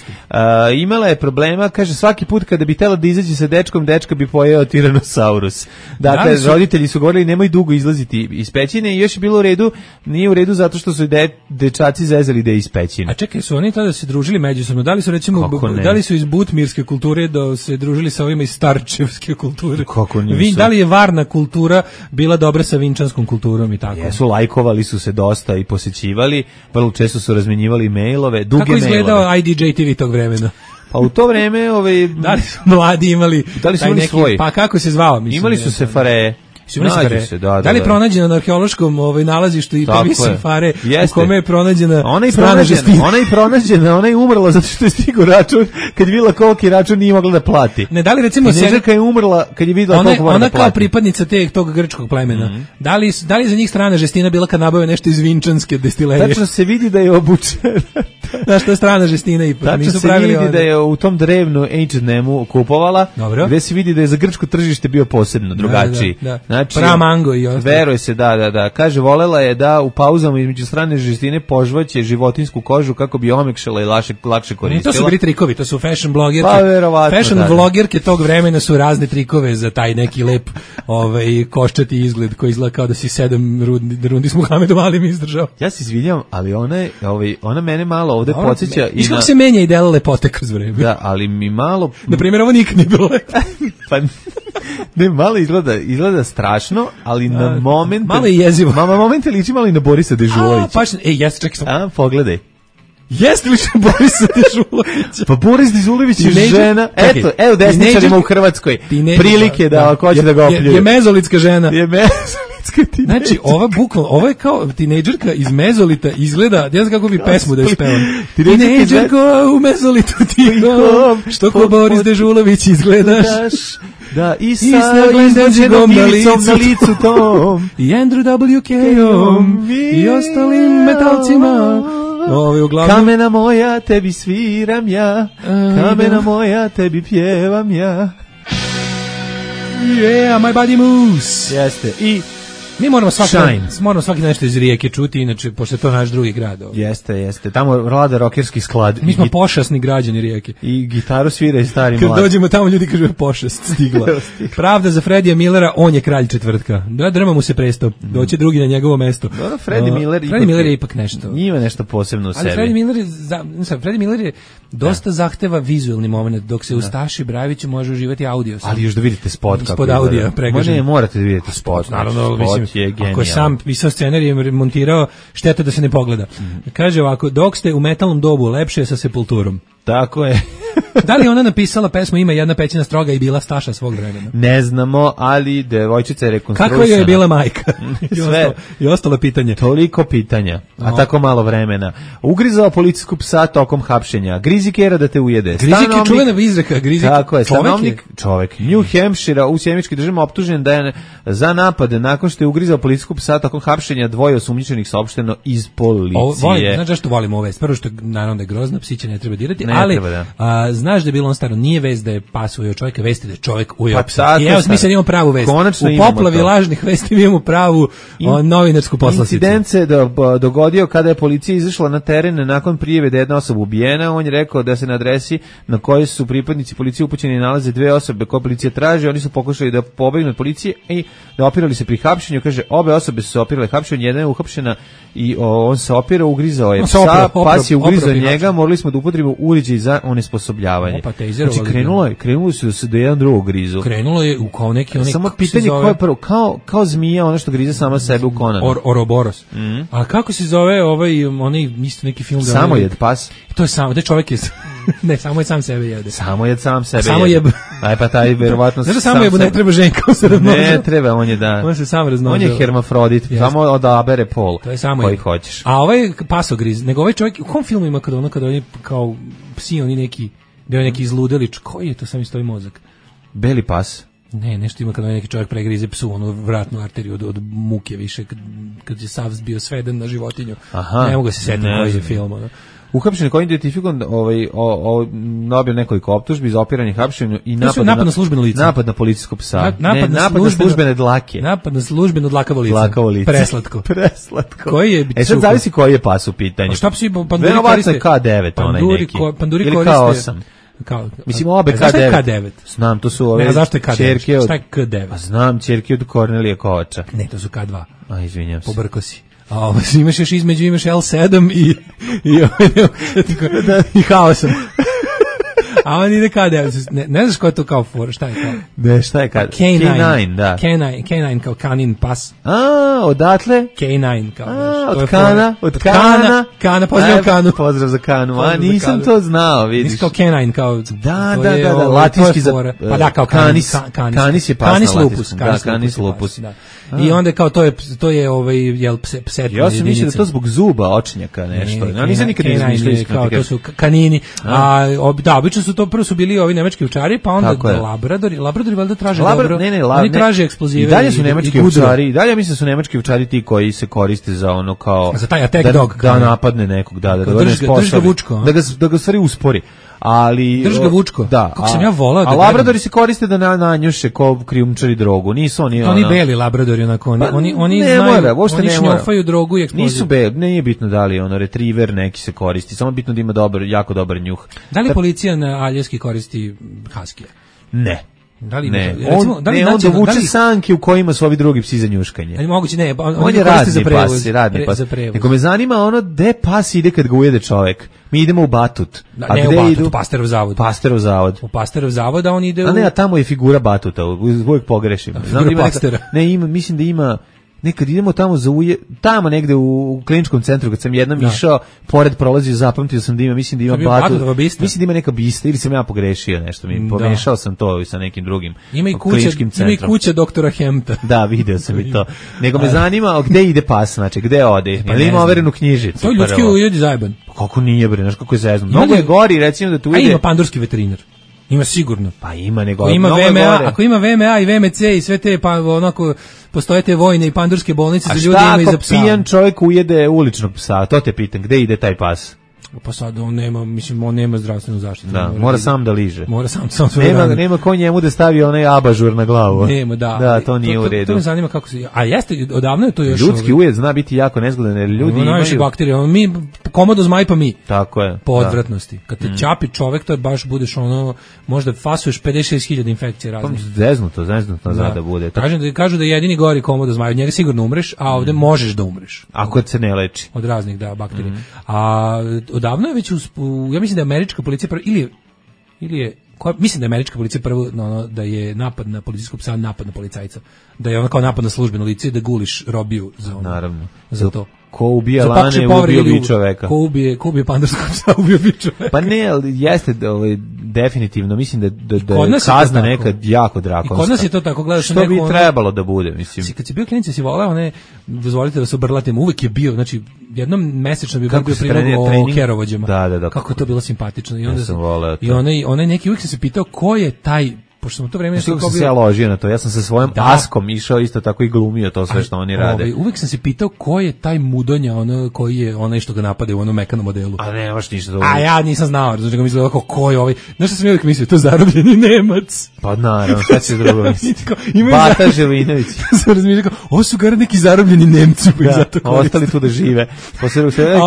imala je problema, kaže svaki put kada bi htela da izađe sa dečkom, dečka bi pojeo Tyrannosaurus. Dakle, da su... roditelji su govorili nemoj dugo izlaziti iz pećine i još je bilo u redu, nije u redu zato što su de, dečaci zezali da je iz pećine. A čekaj, su oni tada se družili međusobno? Da li su recimo da li su iz butmirske kulture da se družili sa ovima iz starčevske kulture? Kako nisu? Vi, da li je varna kultura bila dobra sa vinčanskom kulturom i tako? Jesu, lajkovali su se dosta i posećivali, vrlo često su razmenjivali mailove, duge kako mailove. Kako izgledao I D J T V tog vremena? Pa u to vreme, ovaj da li su mladi imali, da li su imali neki, svoj? Pa kako se zvao, mislim. Imali su se fare. Se, da, da, da li je pronađena na arheološkom ovaj nalazištu i prvi sefare u kome je pronađena ona je strana žestina? Ona je pronađena, ona je umrla zato što je stigao račun, kad je videla koliki račun nije mogla da plati. Ne, da li recimo Tinejdžerka je umrla kad je videla koliko mora da plati. Ona kao pripadnica te, tog grčkog plemena, mm-hmm. da, li, da li za njih strana žestina bila kad nabave nešto iz vinčanske destilerije? Tačno se vidi da je obučena. Znaš, to je strana žestina ipak. Tačno se vidi onda da je u tom drevnu H and M-u kupovala, dobro. Gde se vidi da je za grčko tržište bio posebno drugačiji. Da, da, da. Znači, pra mango i ostalo. Veruje se, da, da, da. Kaže, volela je da u pauzama između strane žestine požvaće životinsku kožu kako bi omekšala i lakše, lakše koristila. To su bili trikovi, to su fashion blogerke. Pa, verovatno, fashion da, blogerke tog vremena su razne trikove za taj neki lep ovaj, koščati izgled koji izgleda kao da si sedam rundi, rundi s Muhamedom Alim izdržao. Ja se izvinjam, ali ona, je, ovaj, ona mene malo ovde ona, podsjeća. Viš kako se menja ideal lepote kroz vreme. Da, ali mi malo... Na primjer, ovo nikad nije bilo lepo. Pa... Ne, malo izgleda, izgleda strašno, ali na A, moment... Malo je jezivo. Mama momente liči malo i na Borisa Dežulovića. A, pa, ej, jeste, čekaj sam. A, pogledaj. Jeste li što Borisa Dežulovića? Pa Boris Dežulović je žena. Eto, evo desničarima u Hrvatskoj. Prilike da ako hoće da ga opljuju. Je mezolitska žena. Je mezolitska tinejdžerka. Znači, ova bukvalno, ovo je kao tinejdžerka iz mezolita izgleda, ne znam kako bi pesmu da je spevam. Tinejdžerka u mezolitu tihom, što ko Boris Dežulović izgledaš. Da, i sa izlađenom ilicom na licu tom. I Andrew W K-om i ostalim metalcima. Ove, uglavnom... Kamena moja, tebi sviram ja, kamena moja, tebi pjevam ja. Yeah, my body moves. Jeste. I Mi moramo svaki, moramo svaki nešto iz Rijeke čuti, inače, pošto je to naš drugi grad. Ovdje. Jeste, jeste. Tamo vlada rokerski sklad. Mi smo git... pošasni građani Rijeke. I gitaru svira i stari mlad. Kad dođemo tamo, ljudi kažu pošast stigla. Pravda za Fredija Millera, on je kralj četvrtka. Da, drma mu se presto. Doće drugi na njegovo mesto. Dobro, Freddie uh, Miller, Freddie Miller je ipak nešto. Ima nešto posebno u ali sebi. Freddie Miller je, za, Freddie Miller je dosta da. zahteva vizualni moment, dok se u Staši Brajeviću može uživati audio. Ali još da vidite spot kako ispod audija pregažen. Ne, morate da vidite spot. Naravno, spot mislim, je genijalno. Ako je sam pisao scenarij i montirao, šteta da se ne pogleda. Mm. Kaže ovako, dok ste u metalnom dobu, lepše je sa Sepulturom. Tako je. Da li ona napisala pesmu Ima jedna pećina stroga i bila Staša svog vremena? Ne znamo, ali devojčica je rekonstruisana. Kakva joj je bila majka? I, ostalo, I ostalo pitanje. Toliko pitanja, a no. tako malo vremena. Ugrizao policijsku psa tokom hapšenja. Grizi kera da te ujede. Grizik je čuvena izreka. Grizik, tako je, stanovnik, čovek. New Hampshire u sjemičkoj državi optužen da je za napad nakon što je ugrizao policijsku psa tokom hapšenja dvoje osumnjičenih saopšteno iz policije. Ovo, volim, znaš zašto volimo ove? Prvo što naravno da je grozna, psiće ne treba dirati, ne ali treba, da. a, znaš da je bilo on staro, nije vest da je pas ujeo čovjeka, vesti da je čovjek ujeo pa, psa. I evo smisla da imamo pravu vest. Konačno u poplavi lažnih vesti imamo pravu In, o, novinarsku poslasticu. Incident se do, dogodio kada je policija izašla na teren nakon prijave da je jedna osoba ubijena. On je rekao da se na adresi na kojoj su pripadnici policije upućeni nalaze dve osobe koje policija traži. Oni su pokušali da pobegnu od policije i da opirali se pri hapšenju. Kaže, obe osobe su se opirale hapšenju, jedna je uhapšena i o, on se opirao, ugrizao je psa, opra, opra, pas je ugrizao opra, njega, morali smo da upotrebimo uređaj za onesposobljavanje. Opa, znači, krenulo je, krenulo su da se do jedan drugog grizu. Krenulo je u kao neki onaj samo pitanje ko je prvo, kao, kao zmija, ono što grize sama sebe u Konanu. Or, Oroboros. Mm. A kako se zove ovaj, onaj, isto neki film? Samo jed pas. To je samo, da čovjek je, ne, samo je sam sebe jede. Samo je sam sebe samo jede. Aj pa taj verovatno sam, samo je, ne treba ženka se razmnožiti. Ne treba, on je da. On se sam razmnožio. On je hermafrodit, yes. Samo odabere pol. To je samo koji je. hoćeš. A ovaj pasogriz, nego ovaj čovjek, u kom filmu ima kada ono, kada oni kao psi, oni neki, da je neki izludelič, koji je to sam istoji mozak? Beli pas. Ne, nešto ima kada neki čovjek pregrize psu, onu vratnu arteriju od, od muke više, kad, kad je sav bio sveden na životinju. Aha, ne mogu se setiti koji je film. Ono. Uhapšen koji je identifikovan ovaj, o, o, dobio nekoliko optužbi za opiranje hapšenju i napad, napad na, na službeno lice. Napad na policijskog psa. Na, napad, ne, na, napad službeno, na službene dlake. Napad na službeno dlakavo lice. Dlakavo lice. Preslatko. Preslatko. Koji je e sad zavisi koji je pas u pitanju. A šta psi panduri verovatno koriste? Je K devet onaj neki. Ko, panduri ili koriste. K osam. Kao, mislim obe K devet. Zašto je K devet? Znam, to su ove ne, zašto je K devet? Čerke od, šta je K devet? A znam, čerke od Kornelije Kovača. Ne, to su K dva. A, izvinjam se. Pobrko si. A ovo, imaš još između, imaš L sedam i i, i H osam. A on ide K devet. Ne, ne znaš ko je to kao for, šta je kao? Ne, šta je K devet? Da. K devet, K devet kao kanin pas. A, odatle? K devet kao. A, od Kana, od Kana. Kana, pozdrav Kanu. Pozdrav za Kanu. A, nisam to znao, vidiš. Nisi kao K devet kao. Da, da, da, da, latinski za... Pa da, kao kanis. Kanis je pas na latinskom. Lupus. Da, kanis lupus. I onda kao to je to je ovaj jel pset. Ja sam mislio da to zbog zuba očnjaka nešto. Ne, ja nisam nikad izmišljao kao to su kanini. A da, obično su to prvo su bili ovi nemački ovčari, pa onda labradori, labradori valjda traže dobro. Ne, ne, oni traže eksplozive. I dalje su nemački ovčari, i dalje mislim da su nemački ovčari ti koji se koriste za ono kao za taj attack dog, da napadne nekog, da, da, da da ga da ga stvari uspori. Ali drži ga vučko. Da, kako sam ja volao da. A labradori se koriste da na nanjuše ko krijumčari drogu. Nisu oni oni ona... beli labradori onako oni pa, oni oni ne znaju mora, oni šnjofaju drogu i eksploziju. Nisu beli, nije bitno da li ono retriever neki se koristi, samo bitno da ima dobar, jako dobar njuh. Da li policija na Aljaski koristi haskije? Ne. Da li ne, ima, recimo, on, da li ne, on dovuče da li... sanke u kojima su ovi drugi psi za njuškanje. Ali moguće ne, on, on je radni za prevoz, pas, radni pre, pas. Nego me zanima ono gde pas ide kad ga ujede čovek. Mi idemo u Batut. Da, a ne gde u Batut, idu? U Pasterov zavod. Pasterov zavod. U Pasterov zavod, a on ide u... A ne, a tamo je figura Batuta, uvijek pogrešim. Da, Znam da ima neka, ne, ima, mislim da ima... Nekad idemo tamo za uje, tamo negde u, u kliničkom centru, kad sam jednom da. išao, pored prolazio, zapamtio sam da ima, mislim da ima Batu, mislim da ima neka bista, ili sam ja pogrešio nešto, mi da. pomešao sam to sa nekim drugim ima i kuća, ima i kuća doktora Hemta. Da, video sam i to. Nego me zanima gde ide pas, znači, gde ode, pa ili ima overenu knjižicu. To ljudski ujedi zajeban. Kako nije, bre, znaš kako je zezno. Mnogo je gori, recimo da tu ide... A ima pandurski veterinar. Ima sigurno. Pa ima nego. Ako ima V M A, ako ima V M A i V M C i sve te pa onako postoje te vojne i pandurske bolnice za ljude ima i za psa. A šta ako pijan čovjek ujede uličnog psa? To te pitam, gde ide taj pas? Pa sad on nema, mislim, on nema zdravstvenu zaštitu. Da, mora, mora sam da liže. Mora sam, sam nema, rane. nema ko njemu da stavi onaj abažur na glavu. Nema, da. Da, to nije to, to, u redu. To me zanima kako se... A jeste, odavno je to još... Ljudski ujed zna biti jako nezgodan, jer ljudi imaju... Najviše bakterije, ono, mi, komodo zmaj pa mi. Tako je. Po odvratnosti. Kad te mm. čapi čovek, to je baš budeš ono, možda fasuješ pedeset šest hiljada infekcija raznih. Zeznuto, zeznuto zna da bude. Kažem da, kažu da je jedini gori komodo zmaj, od njega sigurno umreš, a ovde mm. možeš da umreš. Ako se ne leči. Od raznih, da, bakterija. Mm. A odavno je već, uz, ja mislim da je američka policija prvo, ili, ili je, koja, mislim da je američka policija prvo, no, no, da je napad na policijskog psa, napad na policajca. Da je ono kao napad na službeno lice, da guliš robiju za ono. Naravno. Za to. Ko ubija lane, ubio bi čoveka. Ko ubije, ko ubije pandarskog psa, ubio bi čoveka. Pa ne, ali jeste, ovaj, definitivno, mislim da, da, da je kazna nekad jako drakonska. I kod nas je to tako, gledaš... Što bi trebalo da bude, mislim. Si, kad si bio klinici, si voleo, ne, dozvolite da se obrlatim, uvek je bio, znači, jednom mesečno bi bio prilog o kerovođama. Da, da, da. Kako je to bilo simpatično. I onda ja sam voleo to. I onaj, onaj neki, uvek sam se pitao ko je taj, pošto sam u to vreme... Što sam se ja ložio na to, ja sam sa svojom da. askom išao isto tako i glumio to sve što oni rade. Ovaj, uvek sam se pitao ko je taj mudonja, ono, koji je onaj što ga napade u onom mekanom modelu. A ne, baš ništa da A ja nisam znao, znači ga mislio ovako, ko je ovaj, znaš što sam uvijek mislio, to je zarobljeni Nemac. Pa naravno, šta će drugo misliti? Bata Želinović. Sam razmišljao, ovo su gar neki zarobljeni Nemci, pa da, zato koriste. Ostali tu da žive. Posle se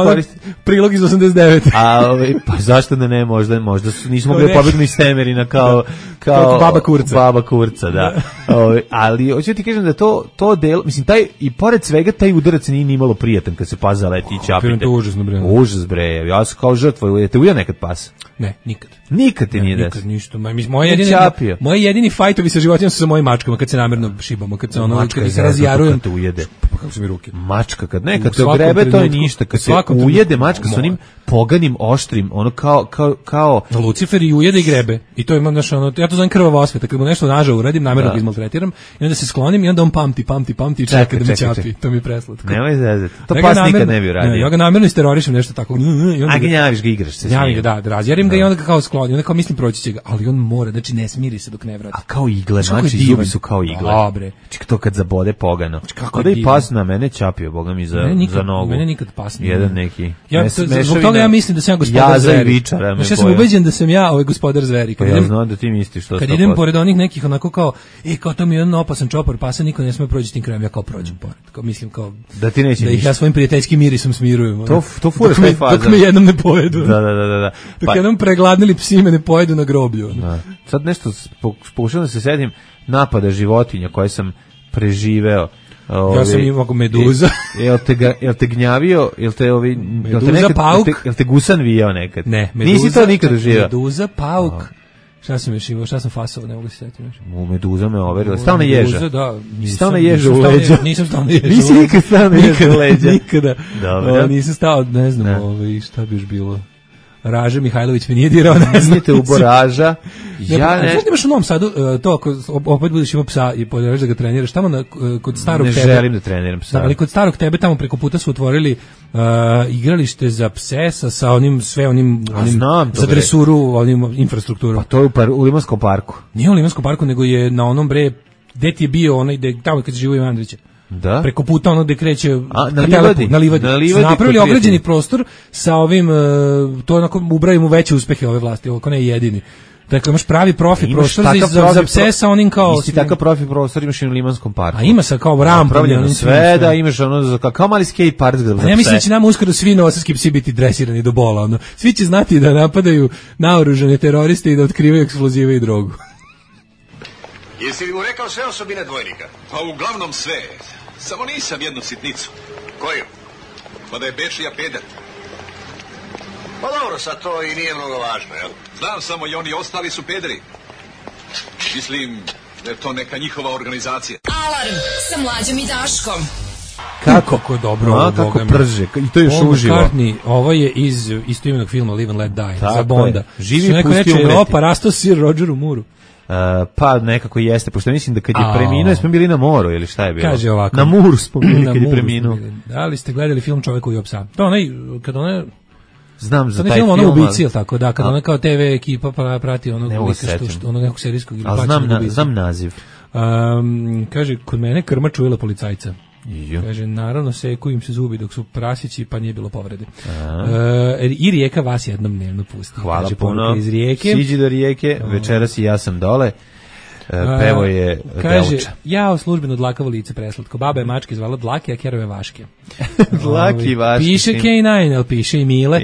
prilog iz osamdeset devete. A ovaj, pa zašto da ne, možda, možda su, nismo mogli pobegnuti iz Temerina kao, kao baba kurca. Baba kurca, da. Ove, ali hoću ti kažem da to to del, mislim taj i pored svega taj udarac nije ni malo prijatan kad se pas zaleti i čapite. To užasno bre. Užas bre. Ja sam kao žrtva, te ujeo nekad pas? Ne, nikad. Nikad ti nije desilo. Nikad ništa. Moje jedini moje jedini fajtovi sa životinjama su sa mojim mačkama kad se namerno šibamo, kad se ono kad se razjarujem te ujede. Pa kako su mi ruke. Mačka kad nekad te grebe to je ništa, kad se ujede mačka sa onim poganim oštrim, ono kao kao kao Lucifer i ujede i grebe. I to imam naš ono, ja to zovem krvava osveta, kad mu nešto nažao uradim, namerno ga izmaltretiram i onda se sklonim i onda on pamti, pamti, pamti i čeka da me ćapi. To mi je preslatko. Nemoj zezati. To pas nikad ne bi uradio. Ja ga namerno isterorišem nešto tako. A gnjaviš ga, igraš se. Gnjavim ga, da, razjarim ga i onda ga kao sklonim, onda kao mislim proći će ga, ali on mora, znači ne smiri se dok ne vrati. A kao igle, znači zubi su kao igle. Dobre. Ček to kad zabode pogano. Kada i pas na mene ćapio, boga mi za za nogu. Mene nikad pas nije. Jedan neki. Ja zbog toga ja mislim da sam ja gospodar zveri. Ja sam ubeđen da sam ja ovaj gospodar zveri. Kad ja znam da ti misliš što. Kad idem pored onih nekih onako kao, e kao to mi je jedan opasan čopor, pasa niko ne sme proći tim krajem, ja kao prođem pored. Kao mislim kao da ti neće da ih ja svojim prijateljskim mirisom smirujem. To to fura taj faza. Dok me jednom ne pojedu. Da, da, da, da. Dok jednom pregladnili psi me ne pojedu na groblju. Da. Sad nešto pokušavam da se setim napada životinja koje sam preživeo. Ove, ja sam imao meduza. Jel te, ga, jel te gnjavio, jel te, ovi, meduza, jel te, nekad, pauk. Jel te, jel te gusan vijao nekad? Ne, meduza. Nisi to nikad doživio? Meduza, pauk. Oh. Šta sam još imao, šta sam fasao, ne mogu se setiti. U meduza me overila. Stao na ježa. Meduza, da. Stao na ježa u leđa. Nisam stao na ježa. Nisi nikad stao na ježa u leđa. Nikada. Dobro. O, nisam stao, ne znam, ne. Ovaj, šta bi još bilo. Raža Mihajlović mi nije dirao, ne znam. Nijete u boraža. Ja ne. Znaš da imaš u Novom Sadu to, ako opet budeš imao psa i podjelaš da ga treniraš, tamo na, kod starog ne tebe. Ne želim da treniram psa. Da, ali kod starog tebe tamo preko puta su otvorili uh, igralište za pse sa, sa onim, sve onim, onim znam, za dresuru, onim infrastrukturom. Pa to je u, par, u Limanskom parku. Nije u Limanskom parku, nego je na onom bre, gde ti je bio onaj, de, tamo kad se živo Ivan Andrića. Da? Preko puta ono gde kreće A, na, livadi. na livadi. Na livadi napravili ograđeni prostor sa ovim, uh, to onako ubrajimo veće uspehe ove vlasti, ako ne jedini. Dakle, imaš pravi profi prostor za, za, za pse sa onim kao... Isti takav profi prostor imaš i u Limanskom parku. A ima sa kao rampa. Pravljeno sve, da imaš ono za, kao mali skate park za pse. Ja mislim da će nam uskoro svi novosadski psi biti dresirani do bola. Ono. Svi će znati da napadaju naoružane teroriste i da otkrivaju eksplozive i drogu. Jesi li mu rekao sve osobine dvojnika? Pa uglavnom sve. Samo nisam jednu sitnicu. Koju? Pa da je Bečija peder. Pa dobro, sad to i nije mnogo važno, jel? Znam samo i oni ostali su pederi. Mislim da je to neka njihova organizacija. Alarm sa Mlađom i Daškom. Kako, kako dobro, a, kako prže, i to još Paul uživo. McCartney, ovo je iz istoimenog filma Live and Let Die, tako za Bonda. Živi, pusti umreti. Opa, rastao sir Rogeru Mooru. Uh, pa nekako jeste, pošto mislim da kad je preminuo, smo bili na moru ili šta je bilo? Kaže ovako. Na muru smo bili kad je preminuo. Da li ste gledali film Čovjek koji je psa? To onaj, kad ona... Znam za taj film. film, ono ubici, ili tako, da, kad a, ona kao te ve ekipa pa prati onog ne lika što, što, onog nekog serijskog ili plaćenog ubici. Znam naziv. Um, kaže, kod mene krma čujela policajca. Jo. Kaže, naravno seku im se zubi dok su prasići, pa nije bilo povrede. E, I Rijeka vas jednom dnevno pusti. Hvala kaže, puno. Iz Rijeke. Siđi do Rijeke, večeras i ja sam dole. Pevo je kaže, Delča. jao službeno dlakavo lice preslatko. Baba je mačke zvala Dlake, a kerove Vaške. Dlaki Vaške. Piše K devet, ali piše i Mile.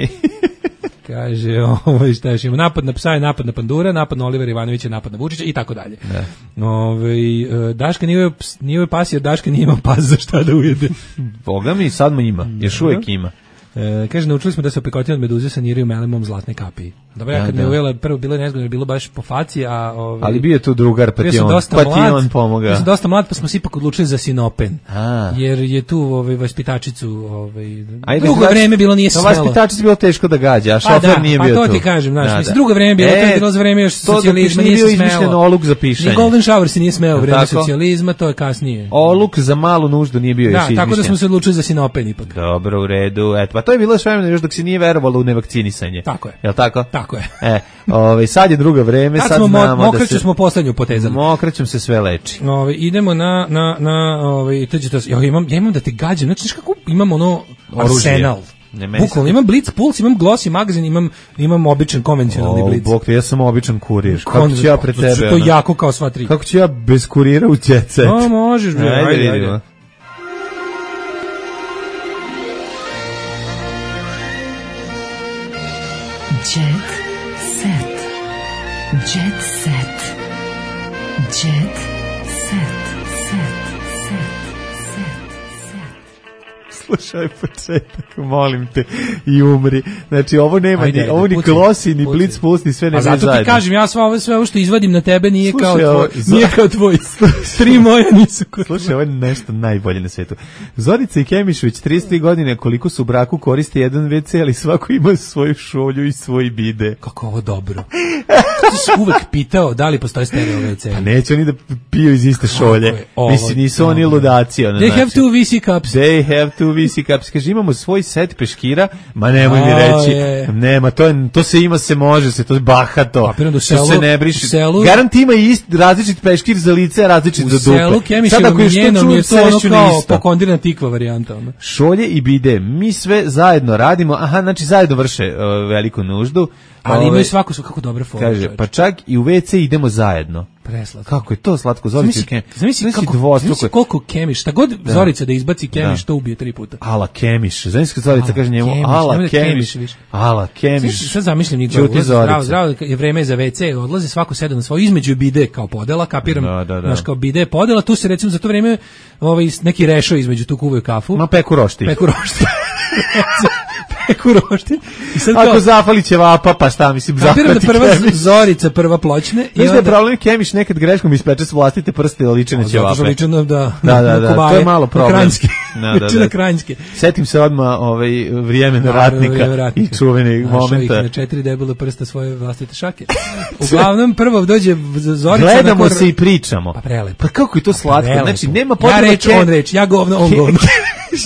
Kaže, ovo šta još ima, napad na psa je napad na pandura, napad na Olivera Ivanovića, napad na Vučića i tako dalje. Ove, Daška nije nije pas jer Daška nije imao pas za šta da ujede. Boga mi, sad mu ima, još uvijek ima. E, kaže, naučili smo da se opekotine od meduze saniraju melemom zlatne kapije. Dobro, ja kad da, me uvela, prvo bilo nezgodno, bilo baš po faci, a... Ove, ali bio tu drugar, pa ti on, pa ti on pomoga. Ja sam dosta mlad, pa smo se ipak odlučili za sinopen. A. Jer je tu ove, vaspitačicu... Ove, ajde, drugo vreme bilo nije se smelo. Vaspitačicu bilo teško da gađa, a šofer pa da, nije pa bio tu. Pa to ti kažem, znaš, da, mislim, da. drugo vreme bilo, e, to je bilo za vreme još socijalizma, nije se smelo. Izmišljen oluk za pišanje. Ni Golden Shower se nije smeo, vreme socijalizma, to je kasnije. Oluk za malu nuždu nije bio još izmišljen. Da, tako da smo se odlučili za sinopen ipak. Dobro, u redu. Eto, pa to je bilo sve još dok se nije verovalo u nevakcinisanje. Tako je. Jel tako? Tako je. E, ovaj sad je drugo vreme, sad, sad smo znamo mo- da se smo poslednju potezali. Mokraćem se sve leči. Ovaj idemo na na na ovaj to ja imam ja imam da te gađam, znači kako imam ono arsenal. Bukvalno imam Blitz Puls, imam Glossy magazin, imam imam običan konvencionalni oh, Blitz. Bog, ja sam običan kurir. Kako ću ja pred tebe? To jako kao sva tri. Kako ću ja bez kurira u jet set? No, možeš, bre, ajde, ajde. ajde. Jet set. Jet set. Jet set. Set. Set. Set. Slušaj početak, molim te, i umri. Znači, ovo nema, ajde, ni, ovo ni Glossy, ni Blitz Puls, ni sve ne zajedno. A zato ti kažem, ja sve ovo, sve ovo što izvadim na tebe nije slušaj, kao tvoj. Ovo, nije kao tvoj. Tri moja nisu kod. Slušaj, ovo je nešto najbolje na svetu. Zorica i Kemišović, trideset tri godine, koliko su u braku koriste jedan ve ce, ali svako ima svoju šolju i svoj bide. Kako ovo dobro. Ti si uvek pitao da li postoji stereo ve ce. Pa neće oni da piju iz iste šolje. Mislim, nisu dobro. Oni ludaci. Ono, They znači, have two ve ce cups. They have two ve ce cups. Kaže, imamo svoj set peškira, ma nemoj mi reći. Je. Nema, to, je, to se ima, se može, se to je bahato. To selu, se ne briši. Selu, garant ima i ist, različit peškir za lice, različit za dupe. U selu Kemiševom i njenom je to ono kao pokondirana tikva varijanta. Ono. Šolje i bide, mi sve zajedno radimo, aha, znači zajedno vrše uh, veliku nuždu. Ali ove, imaju svako su kako dobre fore. Kaže, čovječ. Pa čak i u ve ce idemo zajedno. Preslatko. Kako je to slatko, Zorica i Kemiš. Zamisli kako, zamisli koliko Kemiš, šta god da. Zorica da izbaci Kemiš, da. To ubije tri puta. Ala Kemiš, zamisli Zorica kaže njemu, Kemiš, ala Kemiš, Kemiš ala Kemiš. Sad zamišljam njih dvoje, zdravo, zdravo, je vreme za ve ce, odlazi svako sedam na svoj, između bide kao podela, kapiram, da, da, da. Znaš kao bide podela, tu se recimo za to vreme ovaj, neki rešo između tu kuvaju kafu. Ma peku roštilj. Peku roštilj. Peku roštilj. Ako kao, zafali ćevapa, pa šta mislim, zahvati da prva Kemiš. Zorica prva pločne. Znaš da je problem, Kemiš nekad greškom ispeče s vlastite prste liče na ćevape. Zato što liče na, da, da, da, da, kobaje, to je malo problem. Na kranjske. Da, da, da. Na kranjske. Setim se odmah ovaj, vrijeme na ratnika, ratnika i čuveni momenta. Na četiri debele prsta svoje vlastite šake. Uglavnom, prvo dođe Zorica. Gledamo kor... se i pričamo. Pa prelepo. Pa kako je to slatko, prelepo. Znači nema potrebe. Ja reč, on reč, ja govno, on govno.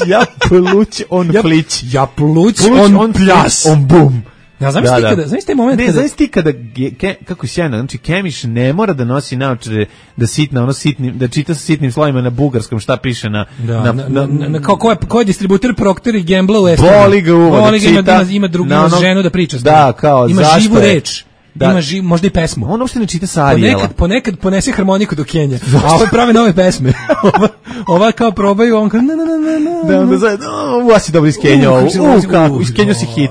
Ja pluć, on ja, plić. Ja pluć, pluć on, on pljas. On bum. Ja znam da, ti kada, znaš taj moment ne, kada... Ne, znaš ti kada, ke, kako je sjajno, znači Kemiš ne mora da nosi naočare, da sitna, ono sitnim, da čita sa sitnim slovima na bugarskom šta piše na... Da, na, na, na, na, na kao ko je, ko je distributer Procter i Gamble u Estonu. Boli ga uvo, Boli da čita... Ima, ima drugu ono, ženu da priča. Da, kao, ima zašto živu je? reč. Da. Ima živ, možda i pesmu. On uopšte ne čita sa Arijela. Ponekad, ponekad ponese harmoniku do Kenja. A ovo prave nove pesme. ova, ova kao probaju, on kao na na na na. Da, onda zajedno, ova si dobro iz Kenja. U, kako, iz Kenja si hit.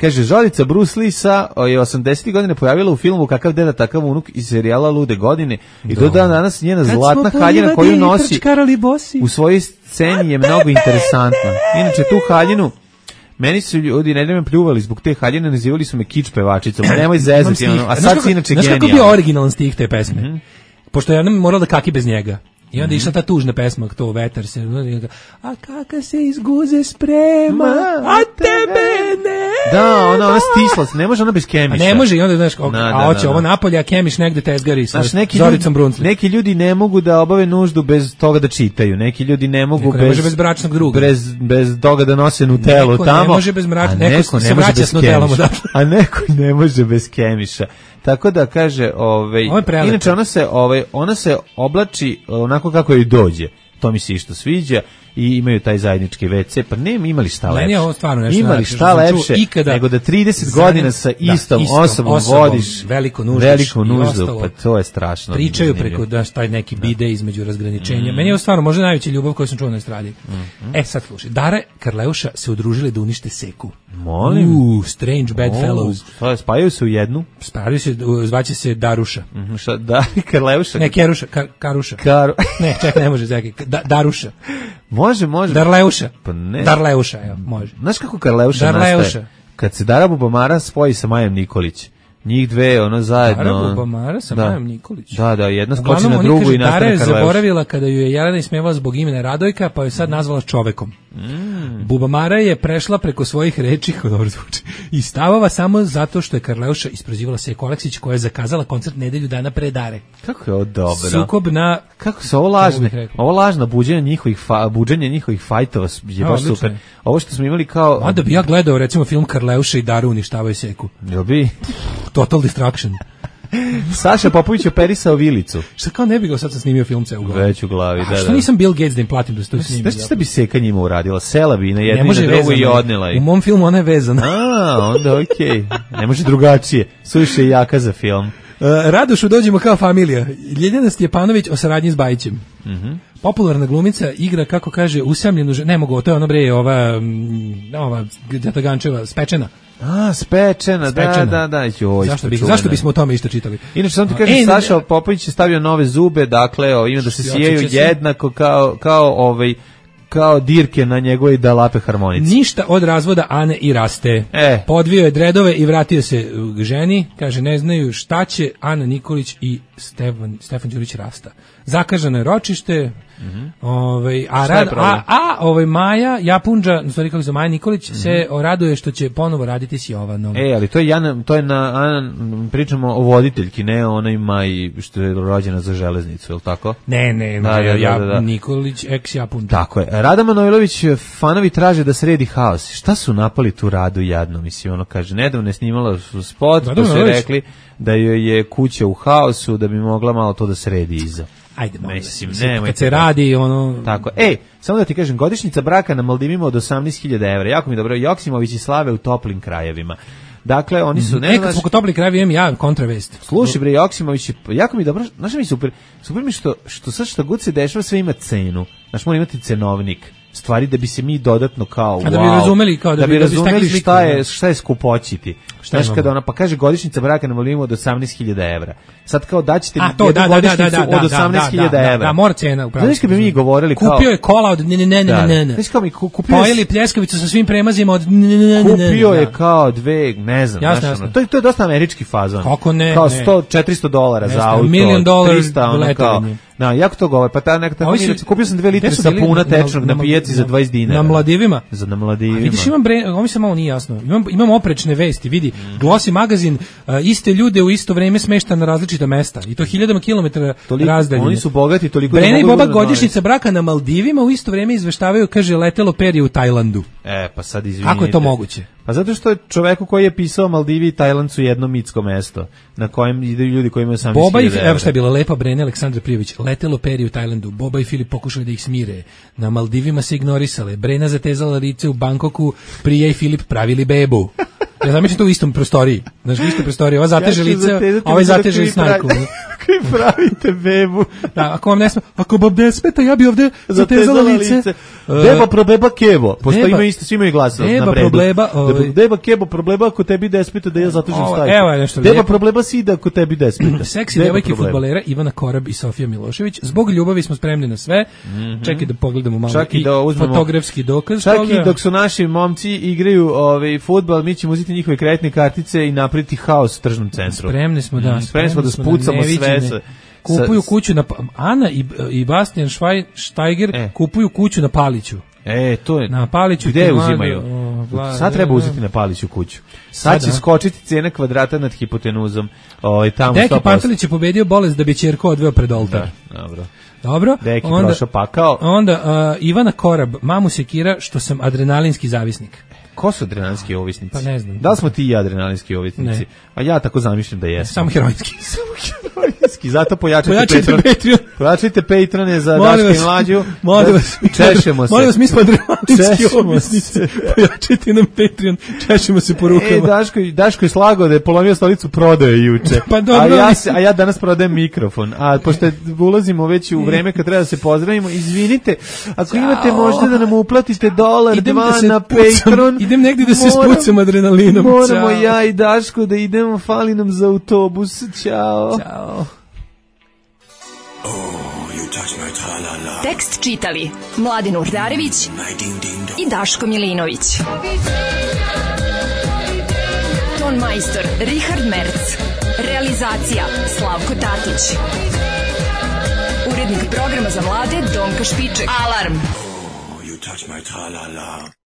Kaže, Zorica Bruce Lee sa je osamdesetih godina pojavila u filmu Kakav deda, takav unuk iz serijala Lude godine. I do dan danas njena zlatna haljina koju nosi u svojoj sceni je mnogo interesantna. Inače, tu haljinu meni su ljudi nedeljom pljuvali zbog te haljine, nazivali su me kič pevačicom. Nemoj zezati, ono, a sad si inače genijalno. Znaš kako bio originalan stih te pesme? Mm-hmm. Pošto ja nam morala da kaki bez njega. I onda mm-hmm. išla ta tužna pesma, to vetar se, a kaka se iz guze sprema, a tebe ne. Da, ona, ona stisla se, ne može ona bez Kemiša. A ne može, i onda, znaš, a, da, a hoće da, ovo da. napolje, a Kemiš negde tezgari sa neki Zoricom Bruncli. Neki ljudi ne mogu da obave nuždu bez toga da čitaju, neki ljudi ne mogu neko bez, ne može bez bračnog druga. Bez, bez toga da nose Nutellu neko tamo. Neko ne može bez bračnog, neko, neko se vraća s Nutellom. A neko ne može bez Kemiša. Tako da kaže, ovaj, inače ona se, ovaj, ona se oblači onako kako joj dođe. to mi se isto sviđa i imaju taj zajednički ve ce, pa nema imali šta lepše. Meni je ovo stvarno nešto imali najlepše šta što sam čuo lepše ikada nego da trideset zanim- godina sa da, istom, istom osobom, osobom vodiš veliku nuždu veliku i nuždu, ostalo. pa to je strašno. Pričaju zanimljivo. preko da taj neki bide između razgraničenja. Mm. Meni je ovo stvarno možda najveća ljubav koju sam čuo na estradi. Mm-hmm. E sad slušaj, Dara Karleuša se udružili da unište Seku. Molim. Uuu, strange bad O, fellows. šta, spajaju se u jednu? Spajaju se, u- zvaće se Daruša. Mhm, šta, da, Karleuša. Ne, Keruša, Kar, Karuša. Karu. Ne, čekaj, ne može, čekaj. Da, Daruša. Može, može. Darleuša. Pa ne. Darleuša, evo, može. Znaš kako Karleuša Darleuša. nastaje? Kad se Dara Bubamara spoji sa Majom Nikolić. Njih dve, ono zajedno. Dara Bubamara sa da. Majom Nikolić. Da, da, jedna skoči Uglavnom, na oni drugu kažu, i Dara nastane je Karleuša. zaboravila kada ju je Jelena ismevala zbog imena Radojka, pa ju sad nazvala čovekom. Mm. Bubamara je prešla preko svojih reči, kako dobro zvuči, i stavova samo zato što je Karleuša isprozivala Seku Aleksić, koja je zakazala koncert nedelju dana pre Dare. Kako je ovo dobro? Sukob na... Kako su ovo Kako bih lažne? rekao? Ovo lažno buđenje njihovih fa, buđenje njihovih fajtova je A, baš odlično super. je. Ovo što smo imali kao Onda bi ja gledao recimo film Karleuša i Daru uništavaju Seku. Jel bi? Total Destruction. Saša Popović operisao vilicu. Šta kao ne bi ga sad sam snimio film ceo u glavi. Već u glavi, A da, što da. nisam Bill Gates da im platim da se to snimi? Znaš šta bi Seka njima uradila? Sela bi na Ne jednu i može na drugu i vezano. odnela ih. U mom filmu ona je vezana. A, onda okej. Ne može drugačije. Suviše je jaka za film. Uh, Radošu dođemo kao familija. Ljeljana Stjepanović o saradnji s Bajićem. Mhm. Popularna glumica igra, kako kaže, usamljenu ženu. Ne mogu, to je ono bre, ova, mm, ova Đatagančeva, Spečena. A, spečena, Spečena. da, da, da. Joj, Zašto, bi, čuvena. zašto bismo o tome isto čitali? Inače, samo ti A, kažem, e, ne, Saša Popović je stavio nove zube, dakle, o, ima da se Što sijaju odsjeća se? jednako kao, kao, ovaj, kao dirke na njegove da lape harmonici. Ništa od razvoda Ane i raste. E. Podvio je dredove i vratio se k ženi. Kaže, ne znaju šta će Ana Nikolić i Stefan, Stefan Đurić rasta. Zakažano je ročište. Ovaj, a, Šta je rad, problem? a, a ovaj Maja Japunđa, u stvari kako se Maja Nikolić, se raduje što će ponovo raditi s Jovanom. E, ali to je Jana, to je na, Ana, pričamo o voditeljki, ne o onoj Maji što je rođena za železnicu, je li tako? Ne, ne, Da, Maja da, da, Ja- da, da. Nikolić, ex Japunđa. Tako je. Rada Manojlović, fanovi traže da sredi haos. Šta su napali tu Radu jadno? Mislim, ono kaže, nedavno je snimala su spot, Rada pa su Manojlović. rekli da joj je kuća u haosu, da bi mogla malo to da sredi iza. Ajde, molim vas, Mislim, mislim, nemojte kad se da- radi, ono... Tako. Ej, samo da ti kažem, godišnjica braka na Maldivima od osamnaest hiljada evra. Jako mi je dobro. Joksimović i Slave u toplim krajevima. Dakle, oni su... Ne, kad smo kod toplih krajevi imam ja kontravest. Slušaj bre, Joksimović, je- jako mi je dobro, znaš šta mi je super, super mi što, što sad šta god se dešava, sve ima cenu. Znaš, mora imati cenovnik. Stvari da bi se mi dodatno kao, A da bi wow, razumeli, kao da bi- da bi razumeli stekli sliku, šta je, da. šta je skupoćiti. Šta Znaš, imamo? kada ona, pa kaže godišnjica braka na Maldivima od osamnaest hiljada evra. Sad kao daćete mi A to jednu da da da da godišnjicu da od osamnaest hiljada evra. Da, mora cena upravo. Znaš kad bi mi govorili kao... Kupio je kola od ne ne ne ne Da, ne ne. znaš kao mi ku- kupio je- Pojeli pljeskavicu sa svim premazima od ne ne ne ne. Kupio je da. kao dve, ne znam, Jasno, znaš, jasno. ono, to, je, to je dosta američki fazon. Kako ne, Kao ne. sto, četiristo dolara Ne za znam, auto, million dollar trista, ono kao, letovanje. da, jako to govore, pa ta neka tako Ovi mi su- reći, kupio sam dve litre Gde su bili? sapuna Na- tečnog na, na- pijaci za na- dvadeset dinara. Na Mladivima? Za na Mladivima. A vidiš, imam bre, ovo mi se malo nije jasno. Imam, imam oprečne vesti, vidi. Glossy magazin, a, iste ljude u isto vreme smešta na različita mesta. I to hiljadama kilometara Toliko- razdaljine. oni su bogati toliko da Brena i mogu Boba da godišnjica braka na Maldivima u isto vreme izveštavaju, kaže, letelo perje u Tajlandu. E, pa sad izvinite. Kako je to moguće? Pa zato što je čoveku koji je pisao Maldivi i Tajland su jedno mitsko mesto, na kojem idu ljudi koji imaju osamnaest Boba i hiljada evra. evo šta je bila lepa Brena Aleksandra Prijović, letelo perje u Tajlandu. Boba i Filip pokušali da ih smire. Na Maldivima se ignorisale. Brena zatezala lice u Bangkoku, Prija i Filip pravili bebu. Ja zamišljam to u istom prostoriji. Znaš, u istoj prostoriji. Ova zateže Ja ću lice, zatezati a ovaj lice dok zateže vi i snajku. pravi- Koji pravite bebu. Da, ako vam ne sme, ako vam ne smeta, ja bi ovde zatezala lice. Beba probeba kevo, pošto Beba- ima isto, svi imaju glas na Beba bredu. probleba, ovaj- Deba- Beba kebo probleba ako tebi despita da ja zatežem Ovo, stajku. evo je nešto Beba lijepo. probleba si da ako tebi despita. Seksi Beba devojke problema. fudbalera Ivana Korab i Sofija Milošević. Zbog ljubavi smo spremni na sve. Čekaj da pogledamo malo Čak i i da uzmemo- fotografski dokaz Čak toga. i dok su naši momci igraju ovaj fudbal, mi ćemo uzeti njihove kreditne kartice i napraviti haos u tržnom centru. Spremni smo da, Mm, spremni smo da na spucamo sve. neviđene. sa- Kupuju sa- kuću na Pa- Ana i i Bastian Schweinsteiger E. kupuju kuću na Paliću. E, to je. Na Paliću Gde je ti mlade, uzimaju? o, vla- Sad treba uzeti na Paliću kuću. Sad Sad, će a? skočiti cena kvadrata nad hipotenuzom. Ovaj tamo Deki sto posto. Pantelić je pobedio bolest da bi ćerku odveo pred oltar. Da, dobro. Dobro. Deki onda, prošao pakao. Onda uh, Ivana Korab, mamu sekira što sam adrenalinski zavisnik. Ko su adrenalinski ovisnici? Pa ne znam. Da li smo ti i ja adrenalinski ovisnici? Ne. A ja tako zamišljam da jesam. Samo heroinski. Samo Zato pojačajte, Pojačajte Patreon. Patreon. Pojačajte Patreone za Molim Daška vas, i Mlađu. molim vas. Češemo se. Molim vas, mi smo adrenalinski Češemo objesnice. Pojačajte nam Patreon, češemo se po rukama. E, Daško, Daško je slagao da je polomio stolicu, prodaje juče. Pa dobro, a, ja, mislim. se- a ja danas prodajem mikrofon. A pošto ulazimo već u vreme kad treba da se pozdravimo, izvinite, ako Ćao. imate možda da nam uplatite dolar, Idem dva da se na pucam, Patreon. idem negdje da se moram- spucam adrenalinom. Moramo Ćao. ja i Daško da idemo, fali nam za autobus. Ćao. Ćao. Tekst čitali Mladin Urdarević i Daško Milinović. Ton majstor Richard Merc. Realizacija Slavko Tatić. Urednik programa za mlade Donka Špiček. Alarm! You touch my tra-la-la.